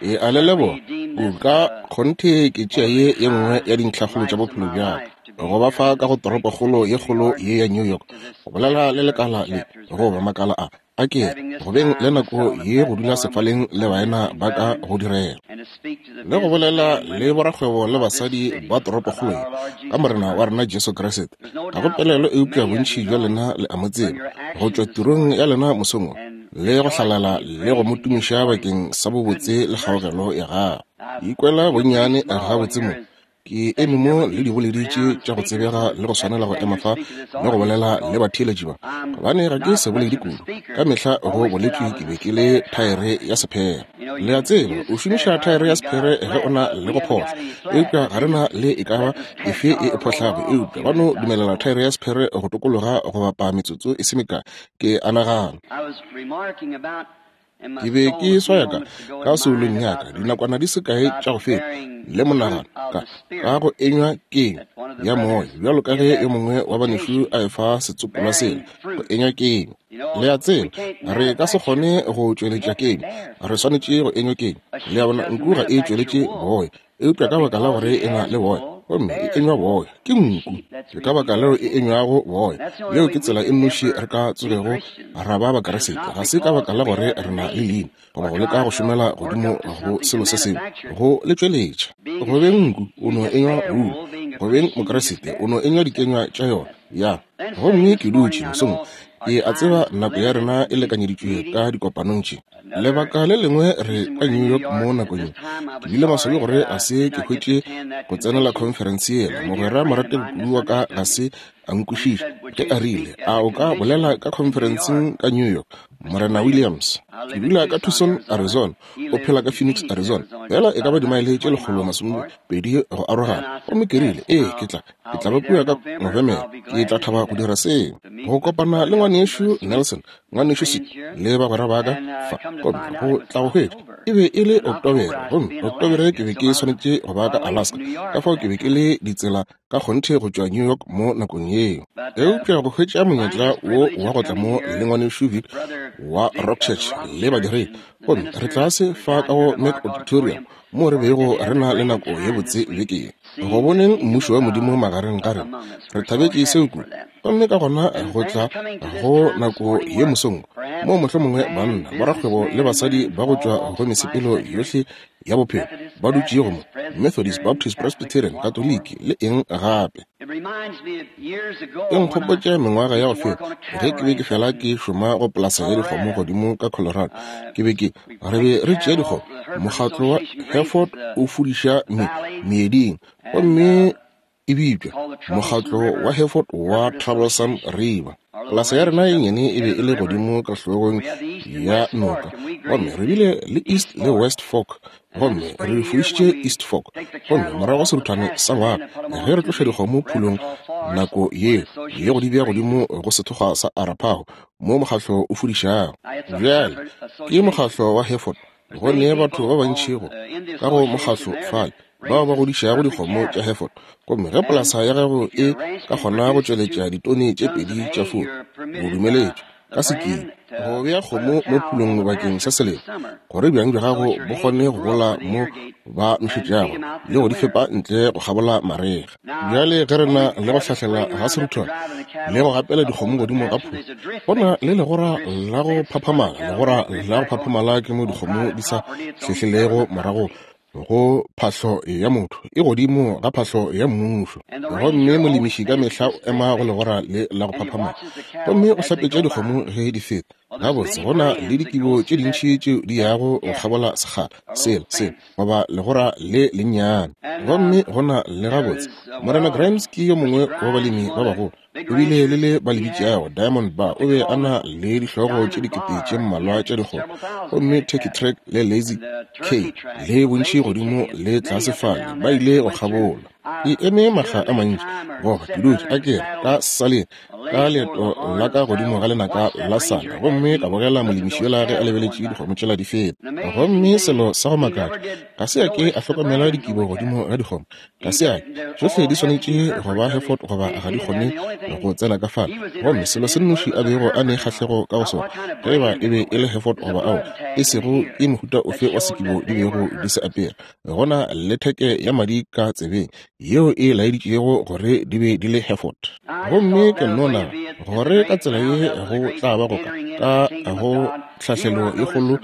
E a le leboga kudu. Ka kgonthe ke tšea ye ye nngwe ya dintlhakgolo tša bophelo bja ka, go ba fa ka go toropokgolo ye kgolo ye ya New York, go bolela le lekala le, goba makala a, a ke re, go beng le nako ye go dula sefaleng le baena ba ka go direla, le go bolela le borakgwebo le basadi ba toropokgolo ye ka Morena wa rena Jesu Kriste. Ga go pelaelo eupša bontši bja lena le a mo tseba go tšwa tirong ya lena mosong wo, le go hlalala le go mo tumiša bakeng sa bobotse le kgaogelo ya gagwe. Ke ikwela bonnyane gabotse mo. Ke eme mo le diboledi tše tša go tsebega le go swanela go ema fa le go bolela le batheeletši ba, gobane ga ke seboledi kudu. Ka mehla go boletšwe ke be ke le thaere ya sephere. Le a tseba, o šomiša thaere ya sephere ge o na le go phohla, eupša ga re na le e ka ba efe e e phohlago, eupša ba no dumelela thaere ya sephere go tokologa go bapa metsotso e se mekae, ke a nagana. Ke be ke swaya ka, ka soulong ya ka, dinakwana di se kae tša go feta, le monagano, ka, ka go enywa kenywa ya moya, bjalo ka ge yo mongwe wa banešu a efa setsopolwa sela, go enywa kenywa. Le a tseba, re ka se kgone go tšweletša kenywa, re swanetše go enywa kenywa. Le a bona, nku ga e tšweletše boya, eupša ka baka la gore e na le boya gomme e enywa boya ke nku, ke ka baka leo e enywago boya. Yeo ke tsela e nnoši re ka tsogego ra ba Bakriste, ga se ka baka la gore re na le leina goba go leka go šomela godimo go selo se sengwe go le tšweletša. Go beng nku o no enywa wulu, go beng Mokriste o no enywa dikenywa tša yona. Ya, gomme ke dutše mosong, ke a tseba nako ya rena e lekanyeditšwe ka dikopanong tše. Lebaka le lengwe re ka New York mo nakong ye. Ke bile maswabi gore ga se ke hwetše go tsenela khonferense yela. Mogwera morategi kudu wa ka ga se a nkwešiša ge a rile, A o ka bolela ka khonferenseng ka New York, Morena Williams? Ke dula ka Tucson, Arizona. O phela ka Phoenix, Arizona. Feela e ka ba dimaele tše 120 go arogana. Gomme ke rile, Ee, ke tla, ke tla ba kua ka Novemere. Ke tla thaba go dira seo. Go kopana le Ngwanešu Nelson, Ngwanešu Sid le bagwera ba ka fa, gomme go tla go hwetša e be e le Oktobere, gomme Oktobere ke be ke swanetše go ba ka Alaska, ka fao ke be ke le ditsela ka kgonthe go tšwa New York mo nakong yeo. Eupša go hwetša monyetla wo wa go tla mo le Ngwanešu Vic wa Rock Church le badiredi, gomme re tlase fa ka go Mac Auditorium moo re bego re na le nako ye botse beke ye, go boneng Mmušo wa Modimo magareng ga rena. Re thabetše seo kudu. Gomme ka gona go tla go nako ye mosong moo mohlomongwe banna, borakgwebo le basadi ba go tšwa go mesepelo yohle ya bophelo ba dutšego mo, Methodist, Baptist, Presbyterian, Katoliki, le eng gape. E nkgopotša mengwaga ya go feta ge ke be ke fela ke šoma go polasa ya dikgomo godimo ka Colorado. Ke be ke, re be re tšea dikgomo, mokgatlo wa Hereford o fudiša me, meeding, gomme e bitšwa Mokgatlo wa Hereford wa Troublesome River. Polasa ya rena ye nnyane e be e le godimo ka hlogong ya noka, gomme re bile le East le West Fork, gomme re fudišitše East Fork. Gomme morago ga seruthwane sa ngwaga, ge re tloša dikgomo phulong nako yeo le go di bea godimo go sethokgwa sa Arapaho, moo mokgatlo o fudišago. Bjale, ke mokgatlo wa Hereford. Go ne batho ba bantši go ka go mokgatlo fale bao ba godišago dikgomo tša Hereford. Gomme ge polasa ya gago e ka kgona go tšweletša ditone tše pedi tša furu, o dumeletšwe ka sekimo go bea kgomo mo phulong bakeng sa selemo, gore bjang bja gago bo kgone go gola mo ba nošetšago le go di fepa ntle go kgabola marega. Bjale ge re na le go hlahlela ga seruthwane le go gapela dikgomo godimo ga phula, go na le legora la go phaphamala. Legora la go phaphamala ke mo dikgomo di sa hlehlelego morago go phahlo ya motho, e godimo ga phahlo ya mmušo. Gomme molemiši ka mehla o ema go legora le la go phaphamala gomme o hlapetša dikgomo ge di feta. Gabotse, go na le dikibo tše dintši tšeo di yago go kgabola sekgala sela, sela, goba legora le lennyane. Gomme go na le gabotse, Morena Grimes ke yo mongwe wa balemi ba bagolo. O bile le le ba le bitšago Diamond Bar. O be a na le dihlogo tše dikete tše mmalwa tša dikgomo, gomme Turkey Track le Lazy K le bontši godimo le tlase fale ba ile go kgabola. Ke eme makga a mantši, goba ke dutše, a ke re, ka saleng. Ka leeto la ka godimo ga lenaka la sana, gomme ka bogela molemiši yola ge a lebeletše dikgomo tšela di feta. Gomme selo sa go makatša, ga se a ke a hlokomela dikibo godimo ga dikgomo. Ga se a ke. Tšohle di swanetše go ba Hereford goba ga di kgone go tsena ka fale. Gomme selo se nnoši a bego a ne kgahlego ka go sona, ge eba e be e le Hereford goba aowa, e sego ke mohuta ofe wa sekibo di bego di se apere, go na le theke ya madi ka tsebeng yeo e laeditšego gore di be di le Hereford. Gomme ke nno nagana gore ka tsela ye go tla ba go ka ka go tlhahlelo e kgolo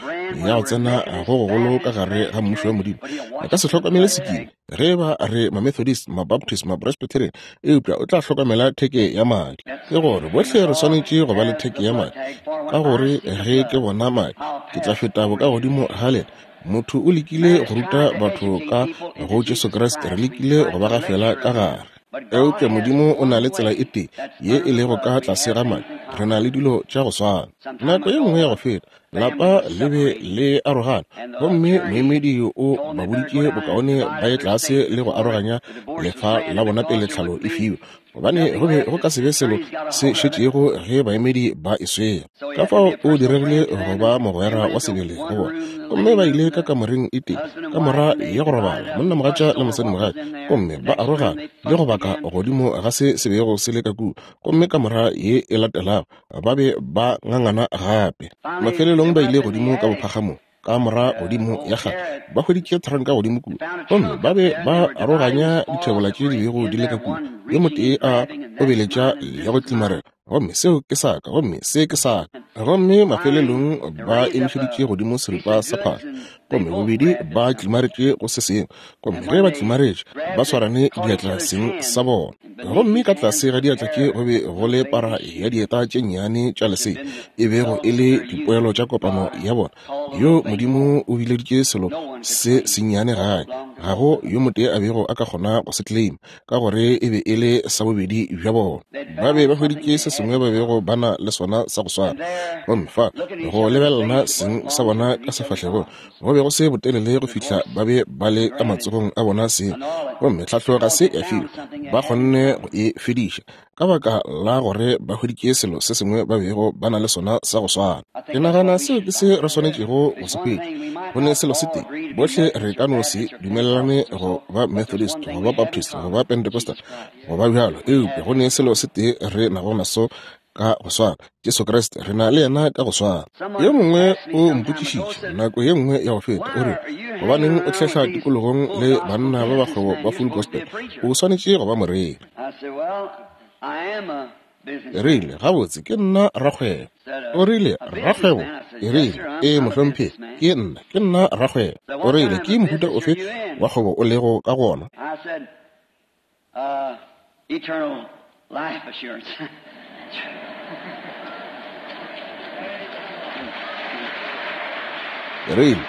ya go tsena go gogolo ka gare ga Mmušo wa Modimo. A ka se hlokomele sekibo ge e ba re Mamethodist, Mabaptist, Mapresbyterian, eupša o tla hlokomela theke ya madi. Ke gore bohle re swanetše go ba le theke ya madi, ka gore ge ke bona madi, ke tla feta bokagodimo ga lena. Motho o lekile go ruta batho ka go Jesu Kriste, re lekile go ba gafela ka gare. Eupša Modimo o na le tsela e tee ye e lego ka tlase ga madi. Re na le dilo tša go swana. Nako ye nngwe ya go feta, lapa le be le arogana, gomme moemedi o ba boditše bokaone ba ye tlase le go aroganya lefa la bona pele tlhalo e fiwa. Gobane go be go ka se be selo se šetšego ge baemedi ba e swere. Ka fao o diregile go ba mogwera wa sebele go bona. Gomme ba ile ka kamoreng e tee, kamora ya go robala, monnamogatša le mosadimogatša, gomme ba arogana le go baka godimo ga se se bego se le ka kua. Gomme kamora ye e latelago, ba be ba ngangana gape. Mafelelong ba ile godimo ka bophagamong. Kamora godimo ya kgale, ba hweditše thranka godimo kua, gomme ba be ba aroganya dithebola tše di bego di le ka kua. Yo motee a obeletša le go tlimarela, gomme seo ke sa ka, gomme se ke sa ka. Gomme mafelelong ba emišeditše godimo seripa sa phahlo, gomme bobedi ba tlimaretše go se sengwe. Gomme ge ba tlimaretše, ba swarane diatla seng sa bona. Gomme ka tlase ga diatla tše go be go le para ya dieta tše nnyane tša lesea, e bego e le dipoelo tša kopano ya bona. Yo Modimo o bileditše selo se sennyane gae, ga go yo motee a bego a ka kgona go se claim, ka gore e be e le sa bobedi bja bona. Ba be ba hweditše se sengwe ba bego ba na le sona sa go swana. Gomme fa, go lebelelana seng sa bona ka sefahlegong, go be go se botelele go fihla ba be ba le ka matsogong a bona seng. Gomme tlhahlo ga se ya fiwa, ba kgonne go e fediša. Ka baka la gore ba hweditše selo se sengwe ba bego ba na le sona sa go swana. Ke nagana seo ke se re swanetšego go se hwetša. Go ne selo se tee, bohle re ka no se dumelelane go ba Methodist, go ba Baptist, go ba Pentecostal, go ba bjalo, eupša go ne selo se tee re nago naso ka go swana, Jesu Kriste, re na le yena ka go swana. Yo mongwe o mpotšišitše nako ye nngwe ya go feta, o re, Gobaneng o hlehla tikologong le banna ba bakgwebo ba Full Gospel? O swanetše go ba moreri. E rile, Gabotse, ke nna rakgwebo. O rile, Rakgwebo? E rile, Ee, mohlomphegi, ke nna, ke nna rakgwebo. O rile, Ke mohuta ofe wa kgwebo o lego ka go ona? E rile,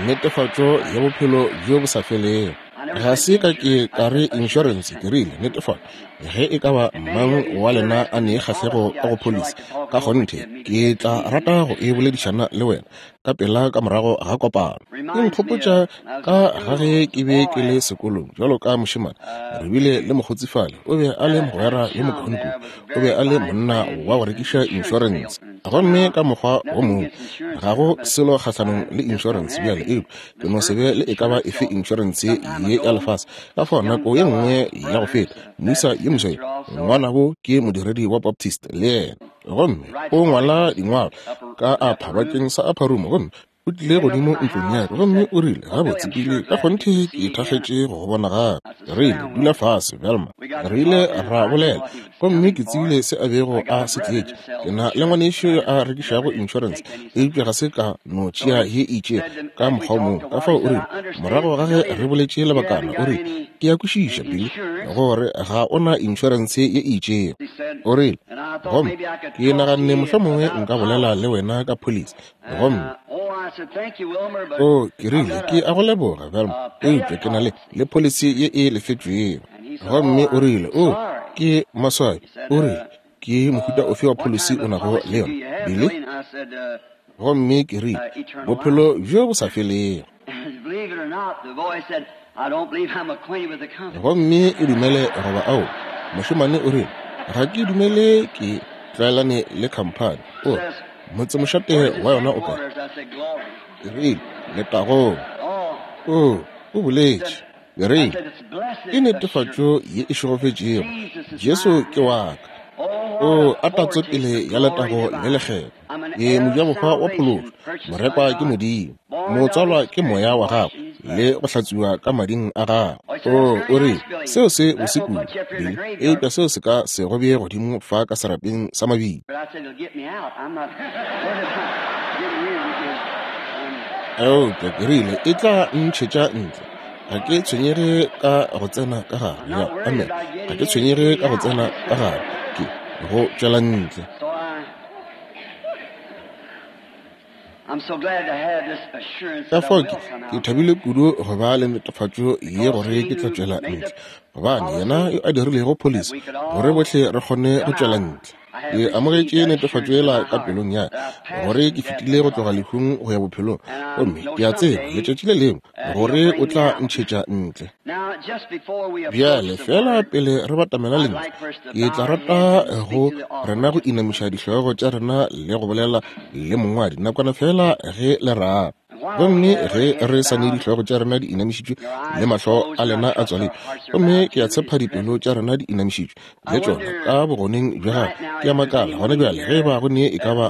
Netefatšo ya bophelo bjo bo sa felego. Ga se ka ke ka re inšorense, ke rile, netefatšo. Ge e ka ba mang wa lena a ne kgahlego ka go pholisi, ka kgonthe ke tla rata go e boledišana le wena ka pela ka morago ga kopano. E nkgopotša ka ga ge ke be ke le sekolong bjalo ka mošemane. Re bile le mokgotsi fale, o be a le mogwera yo mokaone kudu. O be a le monna wa go rekiša inšorense. Gomme ka mokgwa wo mongwe, ga go selo kgahlanong le inšorense bjale, eupša ke no se be le e ka ba efe inšorense ye ya lefase. Ka fao nako ye nngwe ya go feta, moisa yo moswa yo, ngwanabo ke modiredi wa Baptist le yena, gomme o ngwala dingwalo ka apha bakeng sa Upper Room, gomme o tlile godimo ntlong ya ka gomme o rile, Gabotse, Billy, ka kgonthe ke thakgetše go go bona gape. Re ile, dula fase, Velma. Re ile ra bolela, gomme ke tsebile se a bego a se tletše. Ke na le ngwanešu yo a rekišago inšorense, eupša ga se ka no tšea ye e itšego ka mokgwa o mongwe. Ka fao o rile, morago ga ge re boletše lebakana, o rile, Ke a kwešiša, Billy, gore ga o na inšorense ye e itšego. O rile, Gomme ke naganne mohlomongwe nka bolela le wena ka pholisi. Gomme, o, ke rile, ke a go leboga, Velma, eupša ke na le, le pholisi ye e lefetšwego. Gomme o rile, O, ke maswabi. O rile, Ke mohuta ofe wa pholisi o nago le yona, Billy? Gomme ke rile, Bophelo bjo bo sa felego. Gomme o dumele goba ao, mošemane o rile, Ga ke dumele ke tlwaelane le khamphani. O re, Motsemošate wa yona o kae? Ke rile, Letagong. Oo, o boletše. Ke rile, Ke netefatšo ye e šegofetšego. Jesu ke wa ka. Oo, a tatso pele ya letago le lekgethwa. Ke mojabohwa wa phološo, morekwa ke Modimo, motswalwa ke Moya wa Gagwe, le go hlatswiwa ka mading a Gagwe. Oo, o rile, seo se bose kudu, Billy, eupša seo se ka se go bee godimo fa ka serapeng sa mabitla. Eupša ke rile, e tla ntšhetša ntle. Ga ke tshwenyege ka go tsena ka gare. Ya, amen. Ga ke tshwenyege ka go tsena ka gare. Ke go tšwela ntle. Ka fao ke, ke thabile kudu go ba le netefatšo ye gore ke tla tšwela ntle, gobane yena yo a dirilego pholisi gore bohle re kgone go tšwela ntle. Ke amogetše netefatšo yela ka pelong ya ka gore ke fetile go tloga lehung go ya bophelong, gomme ke a tseba letšatši le lengwe gore o tla ntšhetša ntle. Bjale, feela pele re batamela Lentšu, ke tla rata go rena go inamiša dihlogo tša rena le go bolela le Mongwadi nakwana feela ge le rata. Gomme ge re sa ne dihlogo tša rena di inamišitšwe le mahlo a lena a tswaletšwe, gomme ke a tshepa dipelo tša rena di inamišitšwe le tšona ka bogoneng bja gagwe, ke a makala gona bjale ge ba go ne e ka ba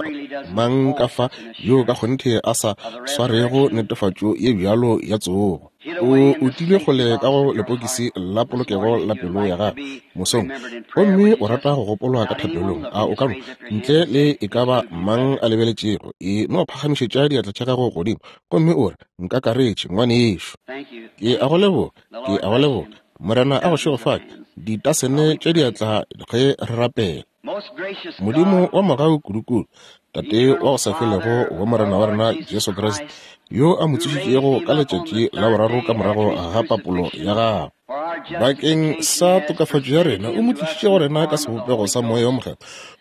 mang ka fa yo ka kgonthe a sa swarego netefatšo ye bjalo ya tsogo. O utilwe kgole ka go lepokisi la polokego la pelo ya gago mosong, gomme o rata go gopolwa ka thapelong. A o ka no, ntle le e ka ba mang a lebeletšego, e no phagamišetša diatla tša gago godimo gomme o re, Nkakaretše, ngwanešu. Ke a go leboga. Ke a go leboga. Morena a go šegofatše. Ditasene tša diatla ge re rapela. Modimo wa mogau kudukudu, Tate wa go sa felego wa Morena wa rena Jesu Kriste, yo a mo tsošitšego ka letšatši la boraro ka morago ga papolo ya gagwe, bakeng sa tokafatšo ya rena, o mo tlišitše go rena ka sebopego sa Moya wo Mokgethwa,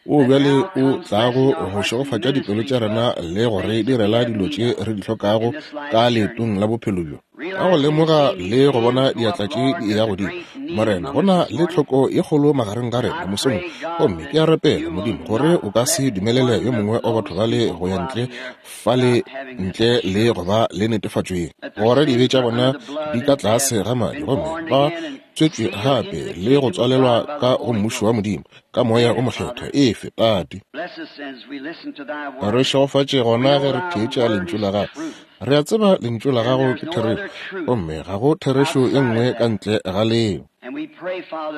wo bjale o tlago go šegofatša dipelo tša rena le go re direla dilo tše re di hlokago ka leetong la bophelo bjo. Ka go lemoga le go bona diatla tše di eya godimo, Morena, go na le tlhoko ye kgolo magareng ga rena mosong. Gomme ke a rapela, Modimo, gore o ka se dumelele yo mongwe wa batho bale go ya ntle fale ntle le go ba le netefatšo ye, gore dibe tša bona di ka tlase ga madi, gomme ba tswetšwe gape le go tswalelwa ka go Mmušo wa Modimo, ka Moya o Mokgethwa. Efe, Tate. Re šegofatše gona ge re theetša Lentšu la Gago. Re a tseba Lentšu la Gago ke therešo, gomme ga go therešo ye nngwe ka ntle ga leo.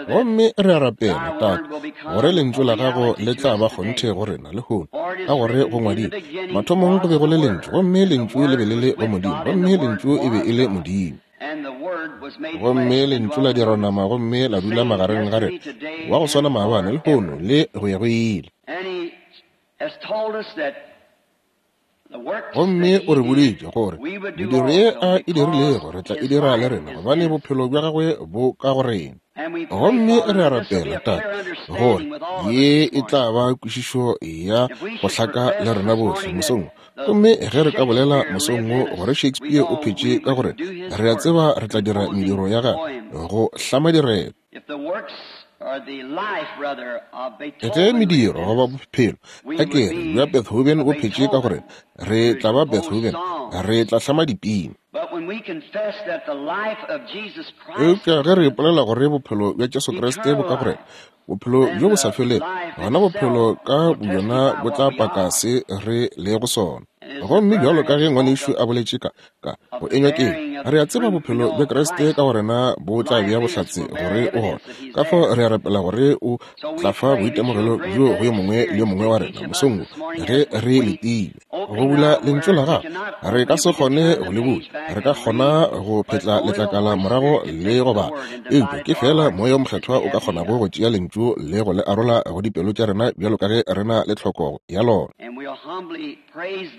Gomme re a rapela, Tate, gore Lentšu la Gago le tla ba kgonthe go rena lehono, ka gore go ngwadilwe, Mathomong go be go le Lentšu, gomme Lentšu le be le le go Modimo, gomme Lentšu e be e le Modimo. Gomme Lentšu la dirwa nama gomme la dula magareng ga rena, wa go swana maabane, lehono, le go ya go ile. Gomme o re boditše gore mediro ye a e dirilego re tla e dira le rena, gobane bophelo bja gagwe bo ka go rena. Gomme re a rapela, Tate, gore ye e tla ba kwešišo ya go hlaka le rena bohle mosong wo. Gomme ge re ka bolela mosong wo gore Shakespeare o phetše ka gore re a tseba re tla dira mediro ya gagwe go hlama direto. Ge mediro goba bophelo, a ke re, bja Beethoven bo phetše ka gore re tla ba Beethoven, re tla hlama dipina. Eupša ge re ipolela gore bophelo bja Jesu Kriste bo ka go rena, bophelo bjo bo sa felego, gona bophelo ka bobjona bo tla paka se re lego sona. Gomme bjalo ka ge ngwanešu a boletše ka, ka go enywa ke re a tseba bophelo bja Kriste ka go rena bo tla bea bohlatse gore o gona. Ka fao re a rapela gore o tla fa boitemogelo bjo go yo mongwe le yo mongwe wa rena mosong wo ge re letile go bula Lentšu la Gago. Re ka se kgone go le bula, re ka kgona go phetla letlakala morago le go bala, eupša ke feela Moya wo Mokgethwa o ka kgonago go tšea Lentšu le go le arola go dipelo tša rena bjalo ka ge re na le tlhoko ya lona.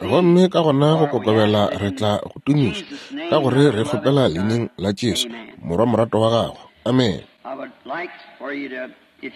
Gomme ka gona go kokobela re tla go tumiša, ka gore re kgopela Leineng la Jesu, Morwa morato wa Gago. Amene. Ke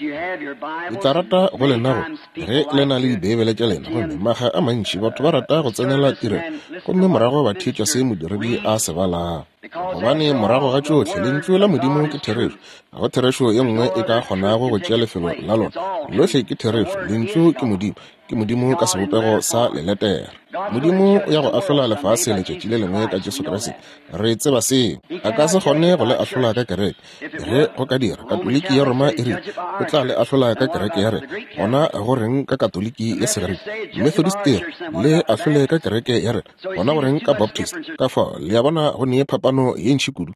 tla rata go lena go, ge le na le Dibeibele tša lena, gomme makga a mantši batho ba rata go tsenela tirelo gomme morago ba theetša se modiredi a se balago. Gobane morago ga tšohle, Lentšu la Modimo ke therešo. Ga go therešo ye nngwe e ka kgonago go tšea lefelo la lona. Lohle ke therešo. Lentšu ke Modimo. Ke Modimo ka sebopego sa leletere. Modimo o ya go ahlola lefase letšatši le lengwe ka Jesu Kriste. Re tseba seo. A ka se kgone go le ahlola ka kereke. Ge go ka dira, Katoliki ya Roma e rile o tla le ahlola ka kereke ya rena. Gona go reng ka Katoliki ya Segerika? Methodist e re, Le ahlole ka kereke ya rena. Gona go reng ka Baptist? Ka fao, le a bona, go ne phapano ye ntši kudu.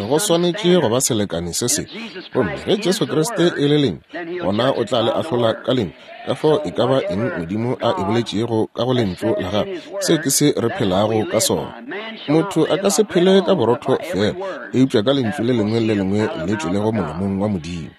Go swanetše go ba selekane se sengwe. Gomme ge Jesu Kriste e le Lentšu, gona o tla le ahlola ka Lentšu. Ka fao e ka ba eng Modimo a e boletšego ka go Lentšu la Gagwe, seo ke se re phelago ka sona. Motho a ka se phele ka borotho feela, eupša ka Lentšu le lengwe le le lengwe le tšwelego molomong wa Modimo.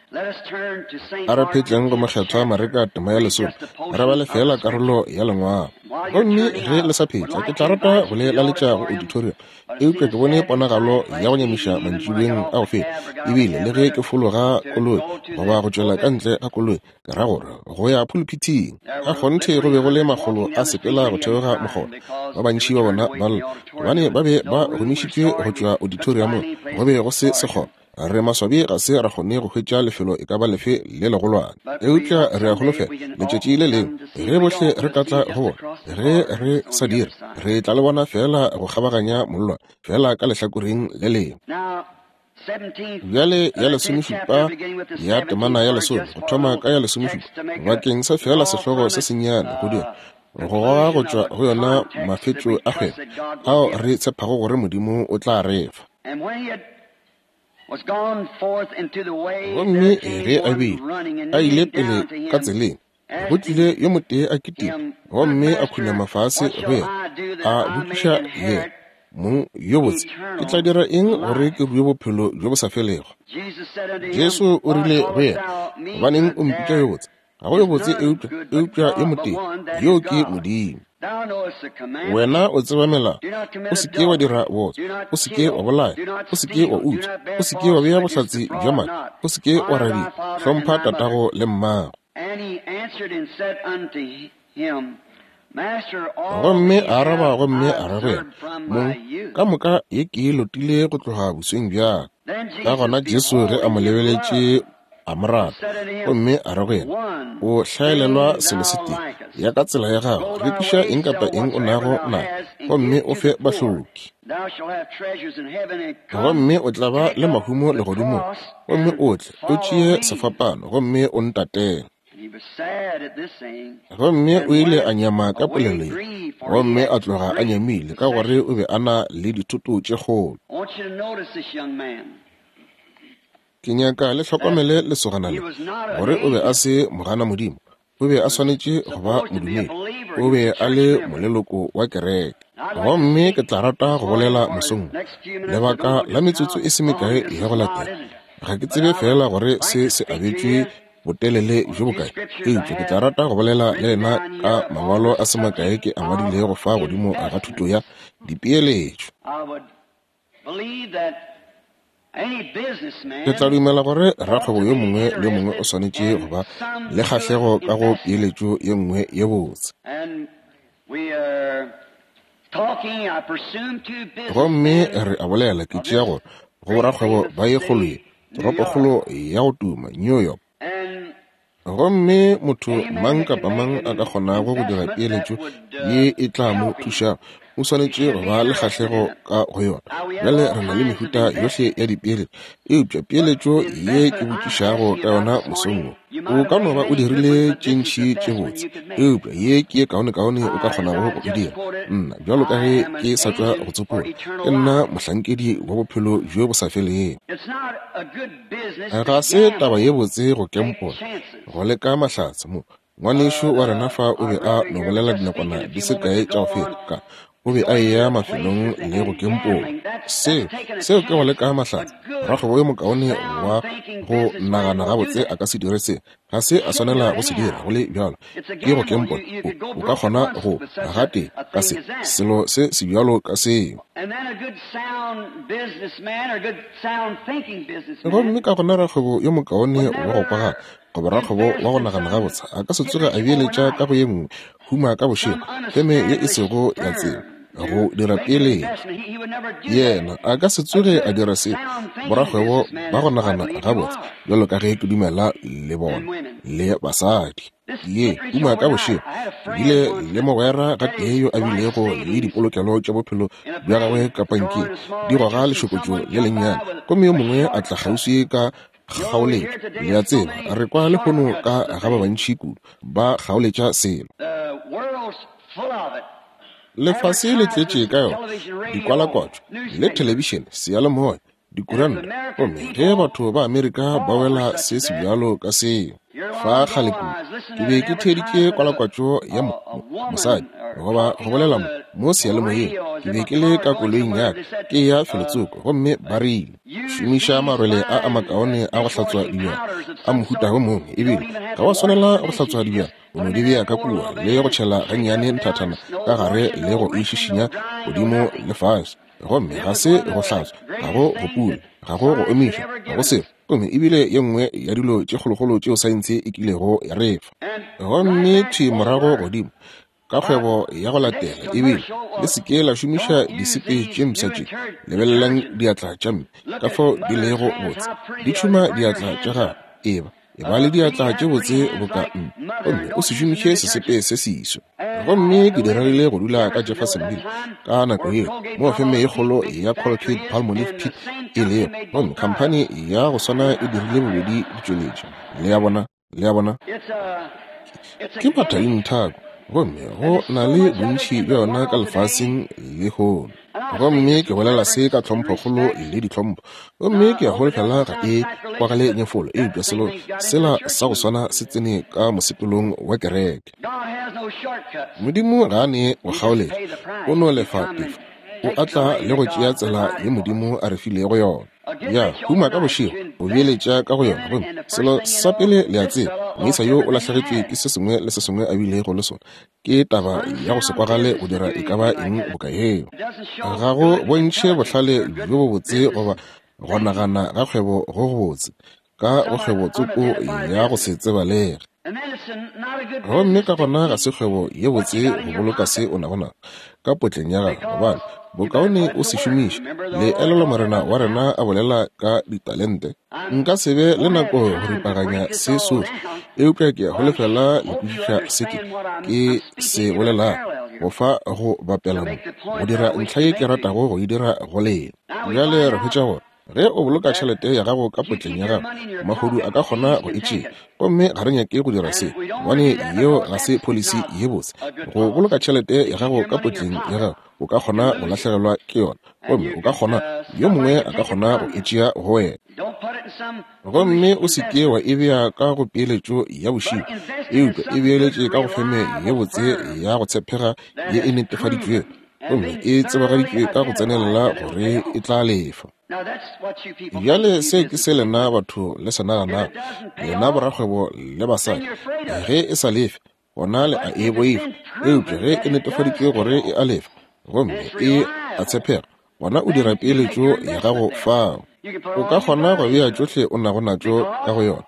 A re phetleng go Mokgethwa Mareka tema ya lesome, re bale feela karolo ya Lengwalo. Gomme ge le sa phetla, ke tla rata go le laletša go auditorium, eupša ke bone ponagalo ya go nyamiša mantšiboeng a go feta. Ebile le ge ke fologa koloi goba go tšwela ka ntle ga koloi, Ke ra gore go ya phuluphithing. Ka kgonthe go be go le makgolo a sepela go theoga mokgotha, ba bantši ba bona ba lla gobane ba be ba gomišitšwe go tšwa auditoriamong. Go be go se sekgoba. Re maswabi ga se ra kgone go hwetša lefelo e ka ba lefe le legolwane. Eupša re a holofela letšatši le lengwe ge bohle re ka tla go bona. Ge re sa dire, re tla le bona feela go kgabaganya mollwane, feela ka lehlakoreng le lengwe. Bjale ya lesomešupa ya temana ya lesome, go thoma ka ya lesomešupa, bakeng sa feela sehlogo se sennyane go dira go goga go tšwa go yona mafetšo a kgwebo ao re tshepago gore Modimo o tla re fa. Gomme ge a be a ile pele ka tseleng, go tlile yo motee a kitima gomme a khunama fase go yena, a botšiša yena, Mong yo botse, ke tla dira eng gore ke rue bophelo bjo bo sa felego? Jesu o rile go yena, Gobaneng o mpitša yo botse? Ga go yo botse eupša, eupša yo motee, yoo ke Modimo. Wena o tseba melao. O se ke wa dira bootswa, o se ke wa bolaya, o se ke wa utswa, o se ke wa bea bohlatse bja maaka, o se ke wa radia, hlompha tatago le mmago. Gomme a araba gomme a re go yena, Mong, ka moka ye ke e lotile go tloga bosweng bja ka. Ka gona Jesu ge a mo lebeletše a mo rata, gomme a re go yena, O hlaelelwa selo se tee, ya ka tsela ya gago, rekiša eng kapa eng o nago nayo, gomme o fe bahloki. Gomme o tla ba le mahumo legodimong, gomme o tle o tšee sefapano gomme o ntatele. Gomme o ile a nyama ka polelo ye, gomme a tloga a nyamile ka gore o be a na le dithoto tše kgolo. Ke nyaka le hlokomele lesogana le, gore o be a se mogana Modimo. O be a swanetše go ba modumedi. O be a le moleloko wa kereke. Gomme ke tla rata go bolela mosong wo, lebaka la metsotso e se mekae ya go latela. Ga ke tsebe feela gore se se abetšwe botelele bjo bokae, eupša ke tla rata go bolela le lena ka mangwalo a se makae ke a ngwadilego fa godimo ga thuto ya dipeeletšo. Ke tla dumela gore rakgwebo yo mongwe le yo mongwe o swanetše go ba le kgahlego ka go peeletšo ye nngwe ye botse. Gomme re a bolela, ke tšea gore, go borakgwebo ba ye kgolo ye, toropokgolo ya go tuma, New York. Gomme motho mang kapa mang a ka kgonago go dira peeletšo ye e tla mo thušago, o swanetše go ba le kgahlego ka go yona. Bjale re na le mehuta yohle ya dipeeletšo, eupša peeletšo ye ke botšišago ka yona mosong wo, o ka no ba o dirile tše ntši tše botse, eupša ye ke ye kaonekaone o ka kgonago go e dira. Nna, bjalo ka ge ke sa tšwa go tsopola, ke nna mohlankedi wa bophelo bjo bo sa felego. Ga se taba ye botse go kempola, go leka mahlatse. Mo, ngwanešu wa rena fa o be a no bolela dinakwana di se kae tša go feta, ka, o be a eya mafelong le go kempola. Seo, seo ke go leka mahlatse. Rakgwebo yo mokaone wa go nagana gabotse a ka se dire se. Ga se a swanela go se dira, go le bjalo. Ke go kempola. O, o ka kgona go, gatee, ka se, selo se sebjalo ka seo. Gomme ka gona rakgwebo yo mokaone wa go kwagala, goba rakgwebo wa go nagana gabotse, a ka se tsoge a beeletša ka go ye nngwe, huma ka bošego, feme ye e sego ya tsebo. go dira peeletšo. Yena a ka se tsoge a dira se. Borakgwebo ba go nagana gabotse, bjalo ka ge ke dumela le bona, le basadi. Ye uma ka bošego, ke bile le mogwera gatee yo a bilego le dipolokelo tša bophelo bja gagwe ka pankeng, di goga lešokotšo le lennyane, gomme yo mongwe a tla kgauswi ka kgaoletšo. Le a tseba, re kwa lehono ka ga ba bantši kudu ba kgaoletša selo. Lefase le tletše ka yona, dikwalakwatšo le thelebišene, seyalemoya, dikuranta, gomme ge batho ba Amerika ba wela se sebjalo ka seo. Fa kgale kudu, ke be ke theeditše kwalakwatšo ya mosadi, goba go bolela mo seyalemoyeng. Ke be ke le ka koloing ya ka, ke eya felotsoko, gomme ba rile, Šomiša marwele a a makaone a go hlatswa dibjana a mohuta wo mongwe, ebile ga wa swanela go hlatswa dibjana, o no di bea ka kua le go tšhela gannyane nthathana ka gare le go e šišinya godimo le fase. Gomme ga se go hlatswa, ga go go pula, ga go go omiša, ga go selo. Gomme ebile ye nngwe ya dilo tše kgolokgolo tšeo saense e kilego ya re fa. Gomme thwi morago godimo ka kgwebo ya go latela, ebile le se ke la šomiša disepe tše mpsha tše. Lebelelang diatla tša mme, ka fao di lego botse, di tšhuma diatla tša gago. Eba Eba le diatla tše botse boka mme, gomme o se šomiše sesepe se seswa. Gomme ke diregile go dula ka Jeffersonville ka nako yeo, moo feme ye kgolo ya Colgate Palmolive Peet e lego, gomme khamphani ya go swana e dirile bobedi ditšweletšo. Le a bona? Le a bona? Ke mathainthako, gomme go na le bontši bja yona ka lefaseng lehono. Gomme ke bolela se ka tlhomphokgolo le ditlhompho, gomme ke a holofela ga e kwagale nyefolo, eupša selo sela sa go swana se tsene ka mosepelong wa kereke. Modimo ga a ne go kgaoletša, o no lefa tefo, o a tla le go tšea tsela ye Modimo a re filego yona. Ya huma ka bošego, o beeletša ka go yona, gomme selo sa pele le a tseba, moisa yo o lahlegetšwe ke se sengwe le se sengwe a bilego le sona. Ke taba ya go se kwagale go dira e ka ba eng boka yeo. Ga go bontšhe bohlale bjo bobotse goba go nagana ga kgwebo go gobotse ka go kgwebo tsoko ya go se tsebalege. Gomme ka gona ga se kgwebo ye botse go boloka se o nago naso ka potleng ya gago, gobane bokaone o se šomiše. Le elelwa Morena wa rena a bolela ka ditalente? Nka se be le nako go ripaganya se sohle, eupša ke a holofela le kwešiša se ke, ke se bolelago, go fa go bapela mo, go dira ntlha ye ke ratago go e dira go lena. Bjale re hwetša gore ge o boloka tšhelete ya gago ka potleng ya gago, mahodu a ka kgona go e tšea. Gomme ga re nyake go dira se, gobane yeo ga se pholisi ye botse. Go boloka tšhelete ya gago ka potleng ya gago, o ka kgona go lahlegelwa ke yona, gomme o ka kgona, yo mongwe a ka kgona go e tšea go wena. Gomme o se ke wa e bea ka go peeletšo ya bošego, eupša e beeletše ka go feme ye botse ya go tshepega ye e netefaditšwego gomme e tsebagaditšwe ka go tsenelela gore e tla lefa. Bjale se ke se lena batho le se naganago, lena borakgwebo le basadi, ge e sa lefe, gona le a e boifa. Eupša ge e netefaditšwe gore e a lefa gomme e a tshepega, gona o dira peeletšo ya gago fao. O ka kgona go bea tšohle o nago natšo ka go yona,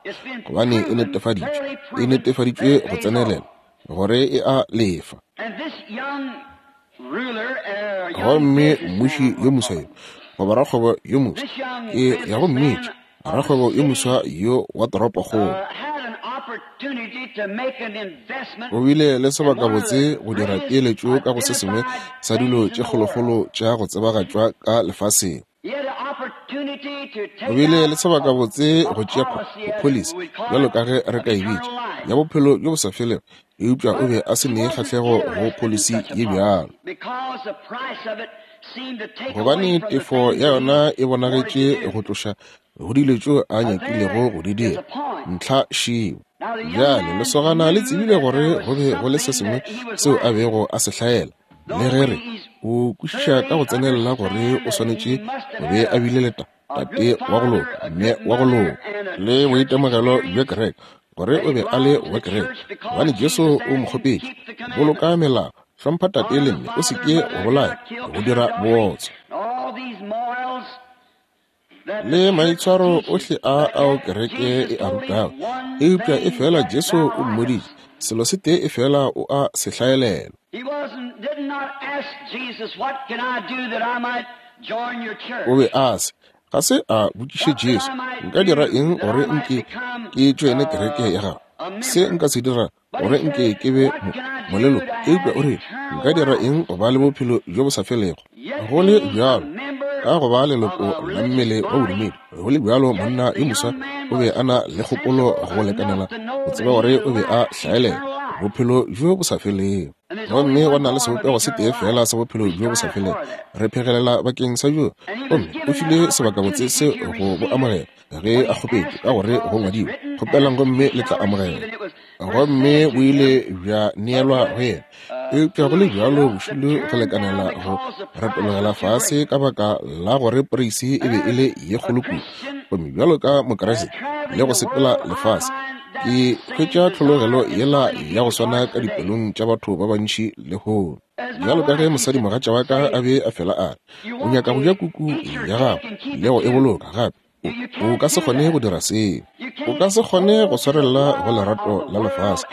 gobane e netefaditšwe, e netefaditšwe go tsenelela, gore e a lefa. Gomme mmuši yo moswa yo, goba rakgwebo yo moswa, ke ya go mmitša rakgwebo yo moswa yo wa toropokgolo, o bile le sebakabotse go dira peeletšo ka go se sengwe sa dilo tše kgolokgolo tša go tsebagatšwa ka lefaseng. O bile le sebakabotse go tšea pholisi, bjalo ka ge re ka e bitša, ya bophelo bjo bo sa felego, eupša o be a se ne kgahlego go pholisi ye bjalo, gobane tefo ya yona e bonagetše go tloša go dilo tšeo a nyakilego go di dira. Ntlha šeo. Bjale lesogana le tsebile gore go be go le se sengwe seo a bego a se hlaela, le ge re o kwešiša ka go tsenelela gore o swanetše go be a bile le tate wa go loka, mme wa go loka, le boitemogelo bja kereke, gore o be a le wa kereke, gobane Jesu o mo kgopetše, boloka melao, hlompha tate le mme, o se ke wa bolaya, go dira bootswa. Le maitshwaro ohle a ao kereke e a rutago, eupša efela Jesu o mmoditše selo se tee, efela o a se hlaelela. O be a se ga se a botšiše Jesu, Nka dira eng gore nke ke tšoene kereke ya gago? Se nka se dira gore nke ke be moleloko? Eupša o rile, Nka dira eng go ba le bophelo bjo bo sa felego? Go le bjalo, ka go ba leloko la mmele wa bodumedi, go le bjalo monna yo moswa o be a na le kgopolo go lekanela go tseba gore o be a hlaelela bophelo bjo bo sa felego. Gomme go na le sebopego se tee feela sa bophelo bjo bo sa felego. Re phegelela bakeng sa bjo. Gomme o file sebakabotse se go bo amogela ge a kgopetše, ka gore go ngwadilwe, Kgopelang gomme le tla amogela. Gomme bo ile bja neelwa go yena. Eupša go le bjalo bošilo go lekanela go retologela fase ka baka la gore poreisi e be e le ye kgolo kudu. Gomme bjalo ka Mokriste le go sepela lefase, ke hwetša tlhologelo yela ya go swana ka dipelong tša batho ba bantši lehono. Bjalo ka ge mosadimogatša wa ka a be a fela a re, O nyaka go ja kuku ya gago le go e boloka gape. O ka se kgone go dira seo. O ka se kgone go swarelela go lerato la lefase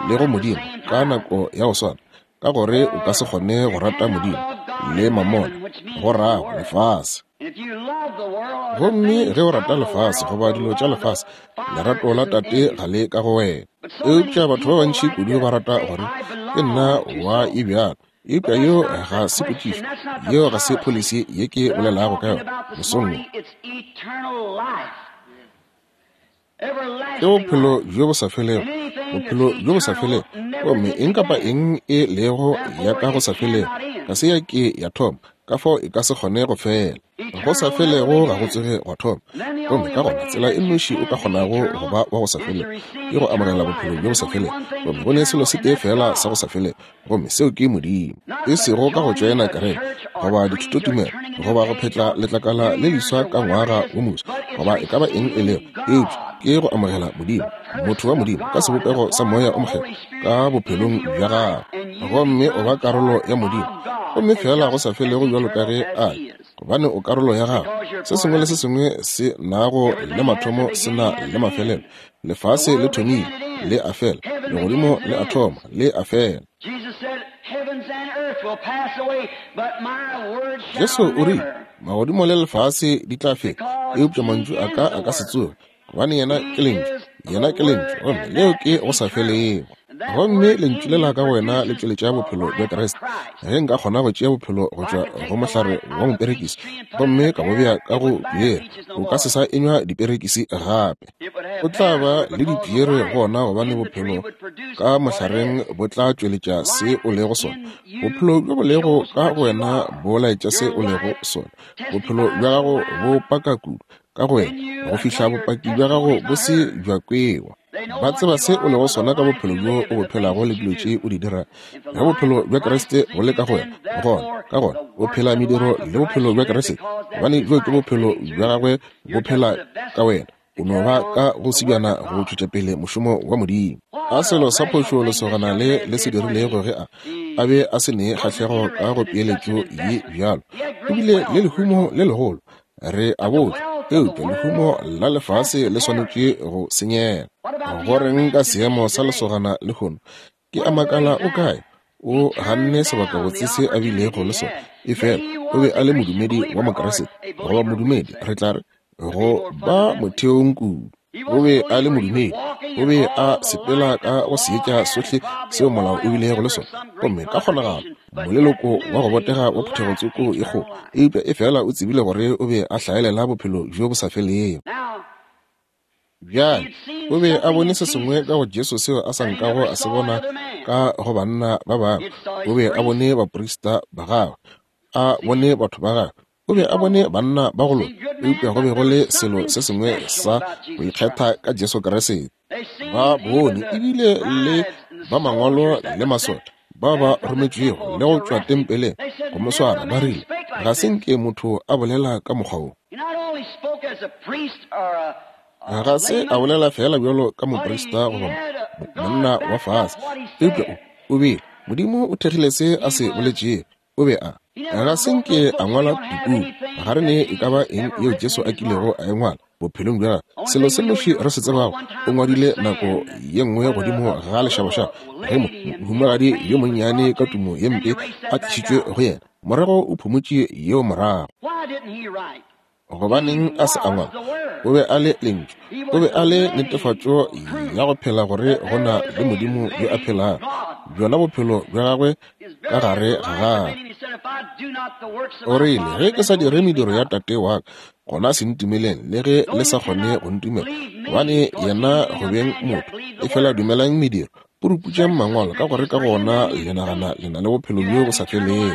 le go Modimo ka nako ya go swana, ka gore o ka se kgone go rata Modimo le mamona, go rago lefase. Gomme ge o rata lefase goba dilo tša lefase, lerato la Tate ga le ka go wena. Eupša batho ba bantši kudu ba rata gore, Ke nna wa e bjalo. Eupša yeo ga se potšišo, yeo ga se pholisi ye ke bolelago ka yona mosong wo. Ke bophelo bjo bo sa felego, bophelo bjo bo sa felego. Gomme eng kapa eng e lego ya ka go sa felego ga se ya ke ya thoma, ka fao e ka se kgone go fela. Go sa felego ga go tsoge gwa thoma. Gomme ka gona tsela e nnoši o ka kgonago go ba wa go sa felego ke go amogela bophelo bjo bo sa felego. Gomme go ne selo se tee feela sa go sa felego, gomme seo ke Modimo. E sego ka go tšoena kereke, goba dithutotumelo, goba go phetla letlakala le leswa ka ngwaga wo moswa, goba e ka ba eng e lego, eupša ke go amogela Modimo, motho wa Modimo, ka sebopego sa Moya o Mokgethwa ka bophelong bja gago, gomme o ba karolo ya Modimo, gomme feela go sa felego bjalo ka ge A le, gobane o karolo ya gagwe. Se sengwe le se sengwe se nago le mathomo se na le mafelelo. Lefase le thomile, le a fela. Legodimo le a thoma, le a fela. Jesu o rile, Magodimo le lefase di tla feta, eupša mantšu a ka a ka se tsoge, gobane yena ke Lentšu. Yena ke Lentšu, gomme leo ke go sa felego. Gomme Lentšu lela ka go wena le tšweletša bophelo bja Kriste. Ge nka kgona go tšea bophelo go tšwa go mohlare wa moperekisi gomme ka bo bea ka go piere, o ka se sa enywa diperekisi gape. O tla ba le dipiere go ona gobane bophelo ka mohlareng bo tla tšweletša se o lego sona. Bophelo bjo bo lego ka go wena bo laetša se o lego sona. Bophelo bja gago bo paka kudu ka go wena go fihla bopaki bja gago bo se bja kwewa. Ba tseba se o lego sona ka bophelo bjo o bo phelago le dilo tše o di dirago. Ge bophelo bja Kriste bo le ka go wena, gona, ka gona o phela mediro le bophelo bja Kriste, gobane bjo ke bophelo bja gagwe bo phela ka wena. O no ba ka go sebjana go tšwetša pele mošomo wa Modimo. A selo sa phošo lesogana le le se dirilego ge a a be a se ne kgahlego ka go peeletšo ye bjalo. O bile le lehumo le legolo, re a botša, eupša lehumo la lefase le swanetše go senyega. Go reng ka seemo sa lesogana lehono? Ke a makala o kae? O ganne sebakabotse se a bilego le sona, efela o be a le modumedi wa Mokriste, goba modumedi, re tla re, go ba motheong kudu. O be a le modumedi, o be a sepela ka go seetša sohle seo molao o bilego le sona, gomme ka kgonagalo moleloko wa go botega wa phuthego tsoko e kgolo, eupša efela o tsebile gore o be a hlaelela bophelo bjo bo sa felego. Bjale, o be a bone se sengwe ka go Jesu seo a sa nkago a se bona ka go banna ba bangwe. O be a bone baprista ba gagwe, a bone batho ba gagwe, o be a bone banna ba go loka, eupša go be go le selo se sengwe sa go ikgetha ka Jesu Kriste. Ba bone ebile le ba mangwalo le masole ba ba rometšwego le go tšwa tempeleng go mo swara, ba rile, Ga se nke motho a bolela ka mokgwa wo. Ga se a bolela feela bjalo ka moprista goba monna wa fase, eupša o bile Modimo o thekgile se a se boletšego. O be a ga se nke a ngwala dipuku. Ga re ne e ka ba eng yeo Jesu a kilego a e ngwala. bophelong bja gagwe. Selo se nnoši re se tsebago, o ngwadile nako ye nngwe godimo ga lešabašaba, ge mo, mohumagadi yo monnyane ka tumo ye mpe a tlišitšwe go yena, morago o phumotše yeo morago. Gobaneng a se a ngwala? O be a le Lentšu. O be a le netefatšo ya go phela gore go na le Modimo yo a phelago, bjona bophelo bja gagwe ka gare ga gagwe. O rile, Ge ke sa dire mediro ya Tate wa ka, gona se ntumeleng, le ge le sa kgone go ntumela, gobane yena go beng motho. Efela dumelang mediro, puruputšang Mangwalo, ka gore ka gona le nagana le na le bophelo bjo bo sa felego.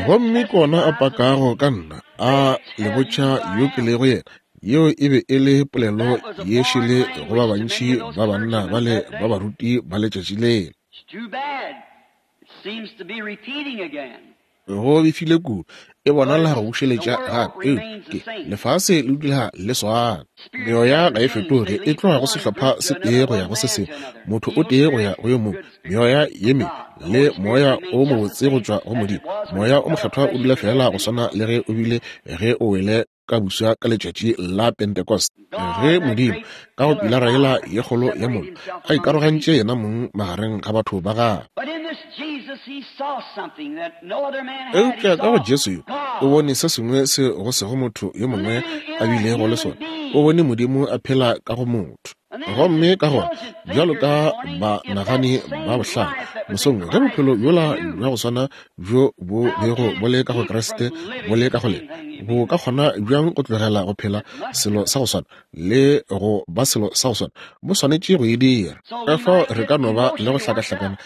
Gomme ke ona a pakago ka nna, a le botša yo ke lego yena. Yeo e be e le polelo ye šele go ba bantši ba banna bale ba baruti ba letšatši lela. Go befile kudu, e bonala go bušeletša gape. Eupša ke lefase le dula le swana. Meoya ga e fetoge, e tloga go sehlopha se tee go ya go se sengwe, motho o tee go ya go yo mongwe, meoya ye mebe le moya o mobotse go tšwa go Modimo. Moya o Mokgethwa o dula feela go swana le ge o bile ge o wele ka buswa ka letšatši la Pentecost, ge Modimo ka go pilara yela ye kgolo ya mollo a ikarogantše yena mong magareng ga batho ba gagwe. Eupša ka go Jesu yo o bone se sengwe se go sego motho yo mongwe a bilego le sona, o bone Modimo a phela ka go motho. Gomme ka gona, bjalo ka banagani ba bohlale mosong, ge bophelo bjola bja go swana bjo bo bego bo le ka go Kriste bo le ka go lena, bo ka kgona bjang go tlogela go phela selo sa go swana le go ba selo sa go swana? Bo swanetše go e dira. Ka fao re ka no ba le go hlakahlakana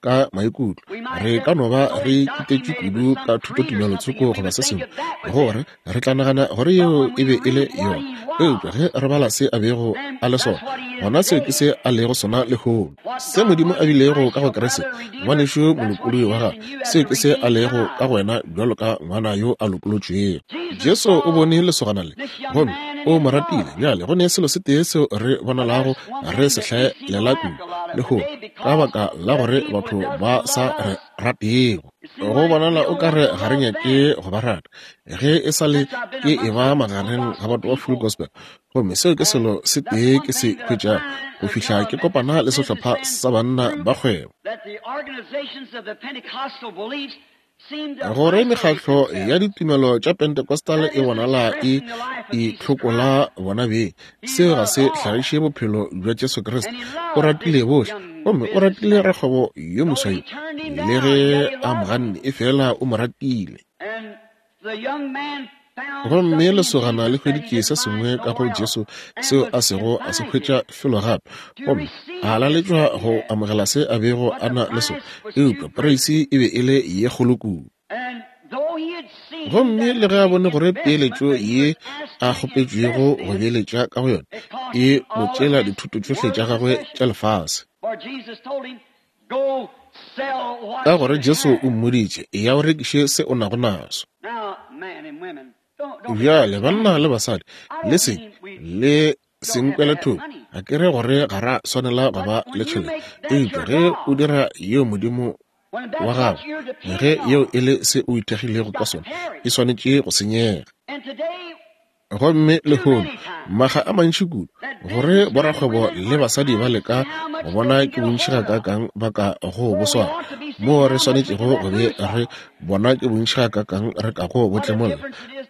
ka maikutlo, re ka no ba re kitetšwe kudu ka thutotumelo tsoko goba se sengwe, gore re tla nagana gore yeo e be e le yona. Eupša ge re bala se a bego a le sona, gona seo ke se a lego sona lehono. Se Modimo a bilego ka go Kriste, ngwanešu molopolodi wa gagwe, seo ke se a lego ka go wena bjalo ka ngwana yo a lopolotšwego. Jesu o bone lesogana le gomme o mo ratile. Bjale go ne selo se tee seo re bonalago re se hlaelela kudu lehono, ka baka la gore batho ba sa re ratego. Go bonala o ka re ga re nyake go ba rata. Ge e sa le ke e ba magareng ga batho ba Full Gospel, gomme seo ke selo se tee ke se hwetšago go fihla ke kopana le sehlopha sa banna ba kgwebo. Gore mekgatlo ya ditumelo tša Pentecostal e bonala e itlhokola bona beng, seo ga se hlagiše bophelo bja Jesu Kriste. O ratile bohle, gomme o ratile rakgwebo yo moswa yo, le ge a mo ganne, efela o mo ratile. Gomme lesogana le hweditše se sengwe ka go Jesu seo a sego a se hwetša felo gape, gomme a laletšwa go amogela se a bego a na le sona, eupša poreisi e be e le ye kgolo kudu. Gomme le ge a bone gore peeletšo ye a kgopetšwego go beeletša ka go yona e mo tšeela dithoto tšohle tša gagwe tša lefase, Ka gore Jesu o mmoditše, Eya o rekiše se o nago naso. Bjale, banna le basadi, le se le se nkwele thoko. Ga ke re gore ga ra swanela go ba le tšhelete, eupša ge o dira yeo Modimo wa gago, ge yeo e le se o ithekgilego ka sona, e swanetše go senyega. Gomme lehono, makga a mantši kudu, gore borakgwebo le basadi ba leka go bona ke bontši gakaakang ba ka go bo swara, moo re swanetšego go be re bona ke bontši gakaakang re ka go bo tlemolla.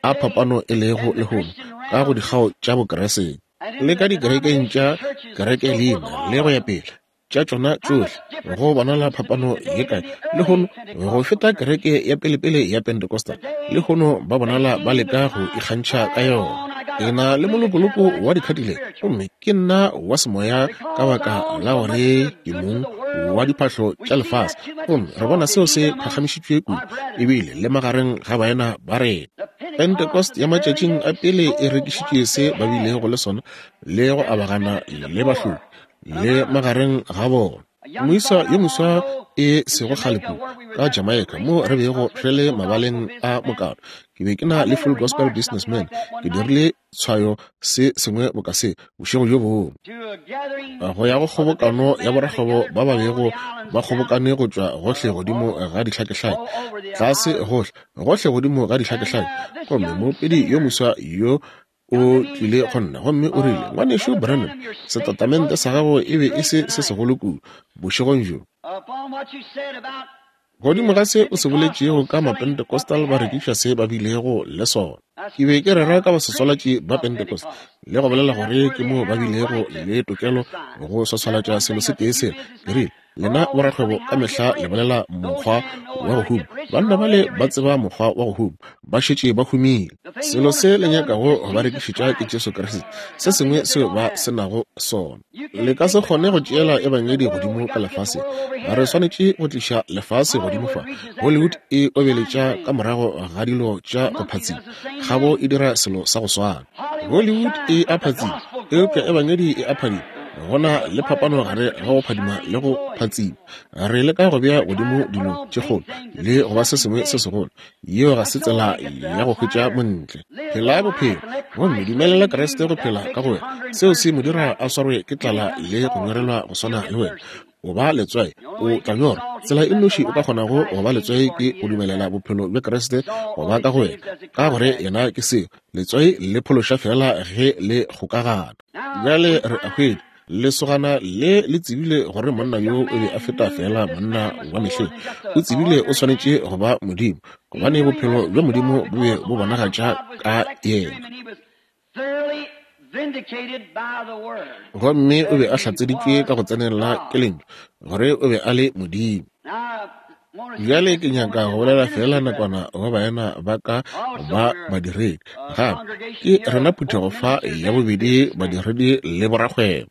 A phapano e lego lehono ka go dikgao tša Bokriste, le ka dikerekeng tša kerekelina, le go ya pele, tša tšona tšohle, go bonala phapano ye kae lehono go feta kereke ya pelepele ya Pentecostal. Lehono ba bonala ba leka go ikgantšha ka yona. Ke na le molokoloko wa dikhatile, gomme ke nna wa semoya ka baka la gore ke mong wa diphahlo tša lefase, gomme re bona seo se phagamišitšwe kudu ebile le magareng ga baena ba rena. Pentecost ya matšatšing a pele e rekišitše se ba bilego le sona le go abagana le bahloki le magareng ga bona. Moisa yo moswa e sego kgale kudu ka Jamaica, mo re bego re le mabaleng a mokato, ke be ke na le Full Gospel Businessmen, ke dirile tshwayo se sengwe boka se bošego bjo bongwe, go ya go kgobokano ya borakgwebo ba ba bego ba kgobokane go tšwa gohle godimo ga dihlakehlake, tlase gohle, gohle godimo ga dihlakehlake. Gomme moopedi yo moswa yo. O tlile go nna gomme o rile, Ngwanešu Branham, setatamente sa gago e be e se se segolo kudu bošegong bjo. Godimo ga se o se boletšego ka Mapentecostal ba rekiša se ba bilego le sona. Ke be ke rera ka baswaswalatši ba Pentecost le go bolela gore ke moo ba bilego le tokelo go swaswalatša selo se tee sela. Ke rile, Lena borakgwebo ka mehla le bolela mokgwa wa go huma. Banna bale ba tseba mokgwa wa go huma. Ba šetše ba humile. Selo se le nyakago go ba rekišetša ke Jesu Kriste, se sengwe seo ba se nago sona. Le ka se kgone go tšeela Ebangedi godimo ka lefaseng. Re swanetše go tliša lefase godimo fa. Hollywood e obeletša ka morago ga dilo tša go phatsima. Kgabo e dira selo sa go swana. Hollywood e a phatsima, eupša Ebangedi e a phadima. Go na le phapano gare ga go phadima le go phatsima. Re leka go bea godimo dilo tše kgolo le go ba se sengwe se segolo. Yeo ga se tsela ya go hwetša montle. Phela bophelo gomme dumelela Kriste go phela ka go wena. Seo se mo dira a swarwe ke tlala le go nyorelwa go swana le wena. O ba letswai, o tla nyorwa. Tsela e nnoši o ka kgonago go ba letswai ke go dumelela bophelo bja Kriste go ba ka go wena, ka gore yena ke seo. Letswai le phološa feela ge le kgokagana. Bjale re a hwetša, lesogana le le tsebile gore monna yo o be a feta feela monna wa mehleng. O tsebile o swanetše go ba Modimo, gobane bophelo bja Modimo bo be bo bonagatša ka yena. Gomme o be a hlatseditšwe ka go tsenelela ke Lentšu, gore o be a le Modimo. Bjale ke nyaka go bolela feela nakwana go baena ba ka ba badiredi. Gape ke rena phuthego fa ya bobedi badiredi le borakgwebo.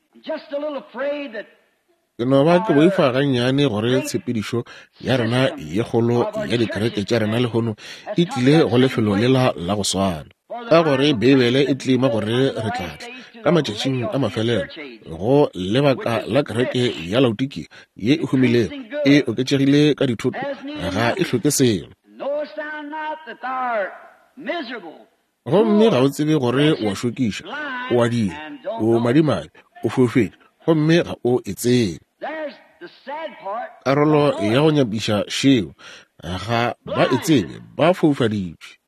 Ke no ba ke boifa gannyane gore tshepedišo ya rena ye kgolo ya dikereke tša rena lehono e tlile go lefelo lela la go swana. Ka gore Beibele e tlima gore re tla tla ka matšatšing a mafelelo go lebaka la kereke ya Laodikia ye e humilego e oketšegile ka dithoto, ga e hloke selo. Gomme ga o tsebe gore o a šokiša, o a dira, o madimabe, o foufetše, gomme ga o e tsebe. Karolo ya go nyapiša šeo, ga ba e tsebe, ba foufaditšwe.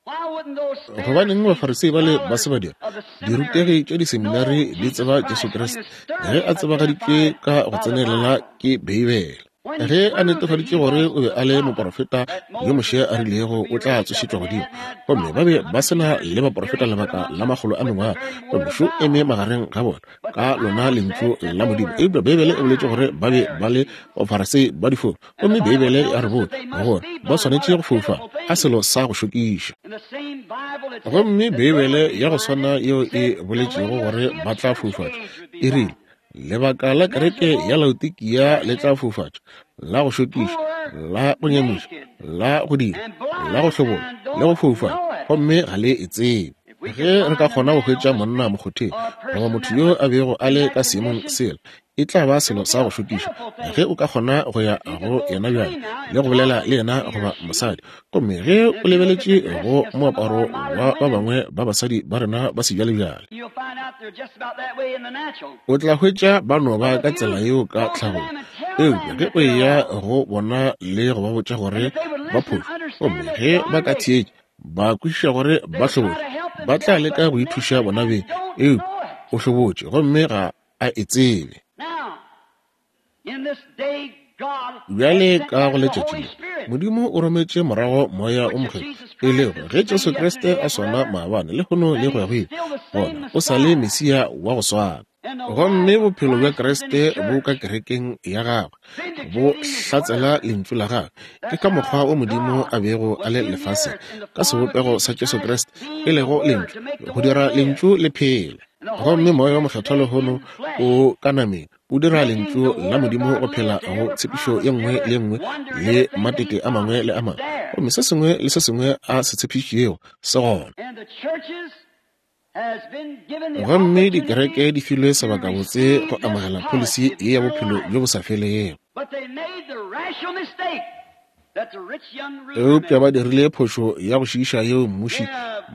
Gobaneng Bafarisei bale ba se ba dira? Dirutegi tša diseminari di tseba Jesu Kriste ge a tsebagaditšwe ka go tsenelela ke Beibele. Ge a netefaditše gore o be a le moporofeta yo Moshe a rilego o tla tsošetšwa godimo, gomme ba be ba se na le baporofeta lebaka la makgolo a mengwaga, gomme šo eme magareng ga bona ka lona lentšu la Modimo. Eupša Beibele e boletše gore ba be ba le Bafarisei ba difofu, gomme Beibele ya re botša gore ba swanetše go foufala a selo sa go šokiša. Gomme Beibele ya go swana yeo e boletšego gore ba tla foufatšwa e rile, Lebaka la kereke ya Laodikia le tla foufatšwa, la go šokiša, la go nyamiša, la go dira, la go hlobola, le go foufala, gomme ga le e tsebe. Ge re ka kgona go hwetša monna mokgotheng goba motho yo a bego a le ka seemong sela, e tla ba selo sa go šokiša ge o ka kgona go ya go yena bjale le go bolela le yena goba mosadi. Gomme ge o lebeletše go moaparo wa ba bangwe ba basadi ba rena ba sebjalebjale, o tla hwetša ba no ba ka tsela yeo ka tlhagong. Eupša ge o eya go bona le go ba botša gore ba phošo, gomme ge ba ka theetša, ba kwešiša gore ba hlobotše, ba tla leka go ithuša bona beng, eupša o hlobotše gomme ga a e tsebe. Bjale ka go letšatši le, Modimo o rometše morago Moya o Mokgethwa, e lego ge Jesu Kriste a swana maabane, lehono le go ya go ile, gona o sa le Mesia wa go swana. Gomme bophelo bja Kriste bo ka kerekeng ya gagwe, bo hlatsela Lentšu la gagwe. Ke ka mokgwa wo Modimo a bego a le lefaseng, ka sebopego sa Jesu Kriste, e lego Lentšu, go dira Lentšu le phele. Gomme Moya wo Mokgethwa lehono o ka nameng, o dira Lentšu la Modimo go phela go tshepišo ye nngwe le ye nngwe le matete a mangwe le a mangwe. Gomme se sengwe le se sengwe a se tshepišitšego se gona. Gomme dikereke di filwe sebakabotse go amogela pholisi ye ya bophelo bjo bo sa felego. Eupša ba dirile phošo ya go šiiša yeo mmuši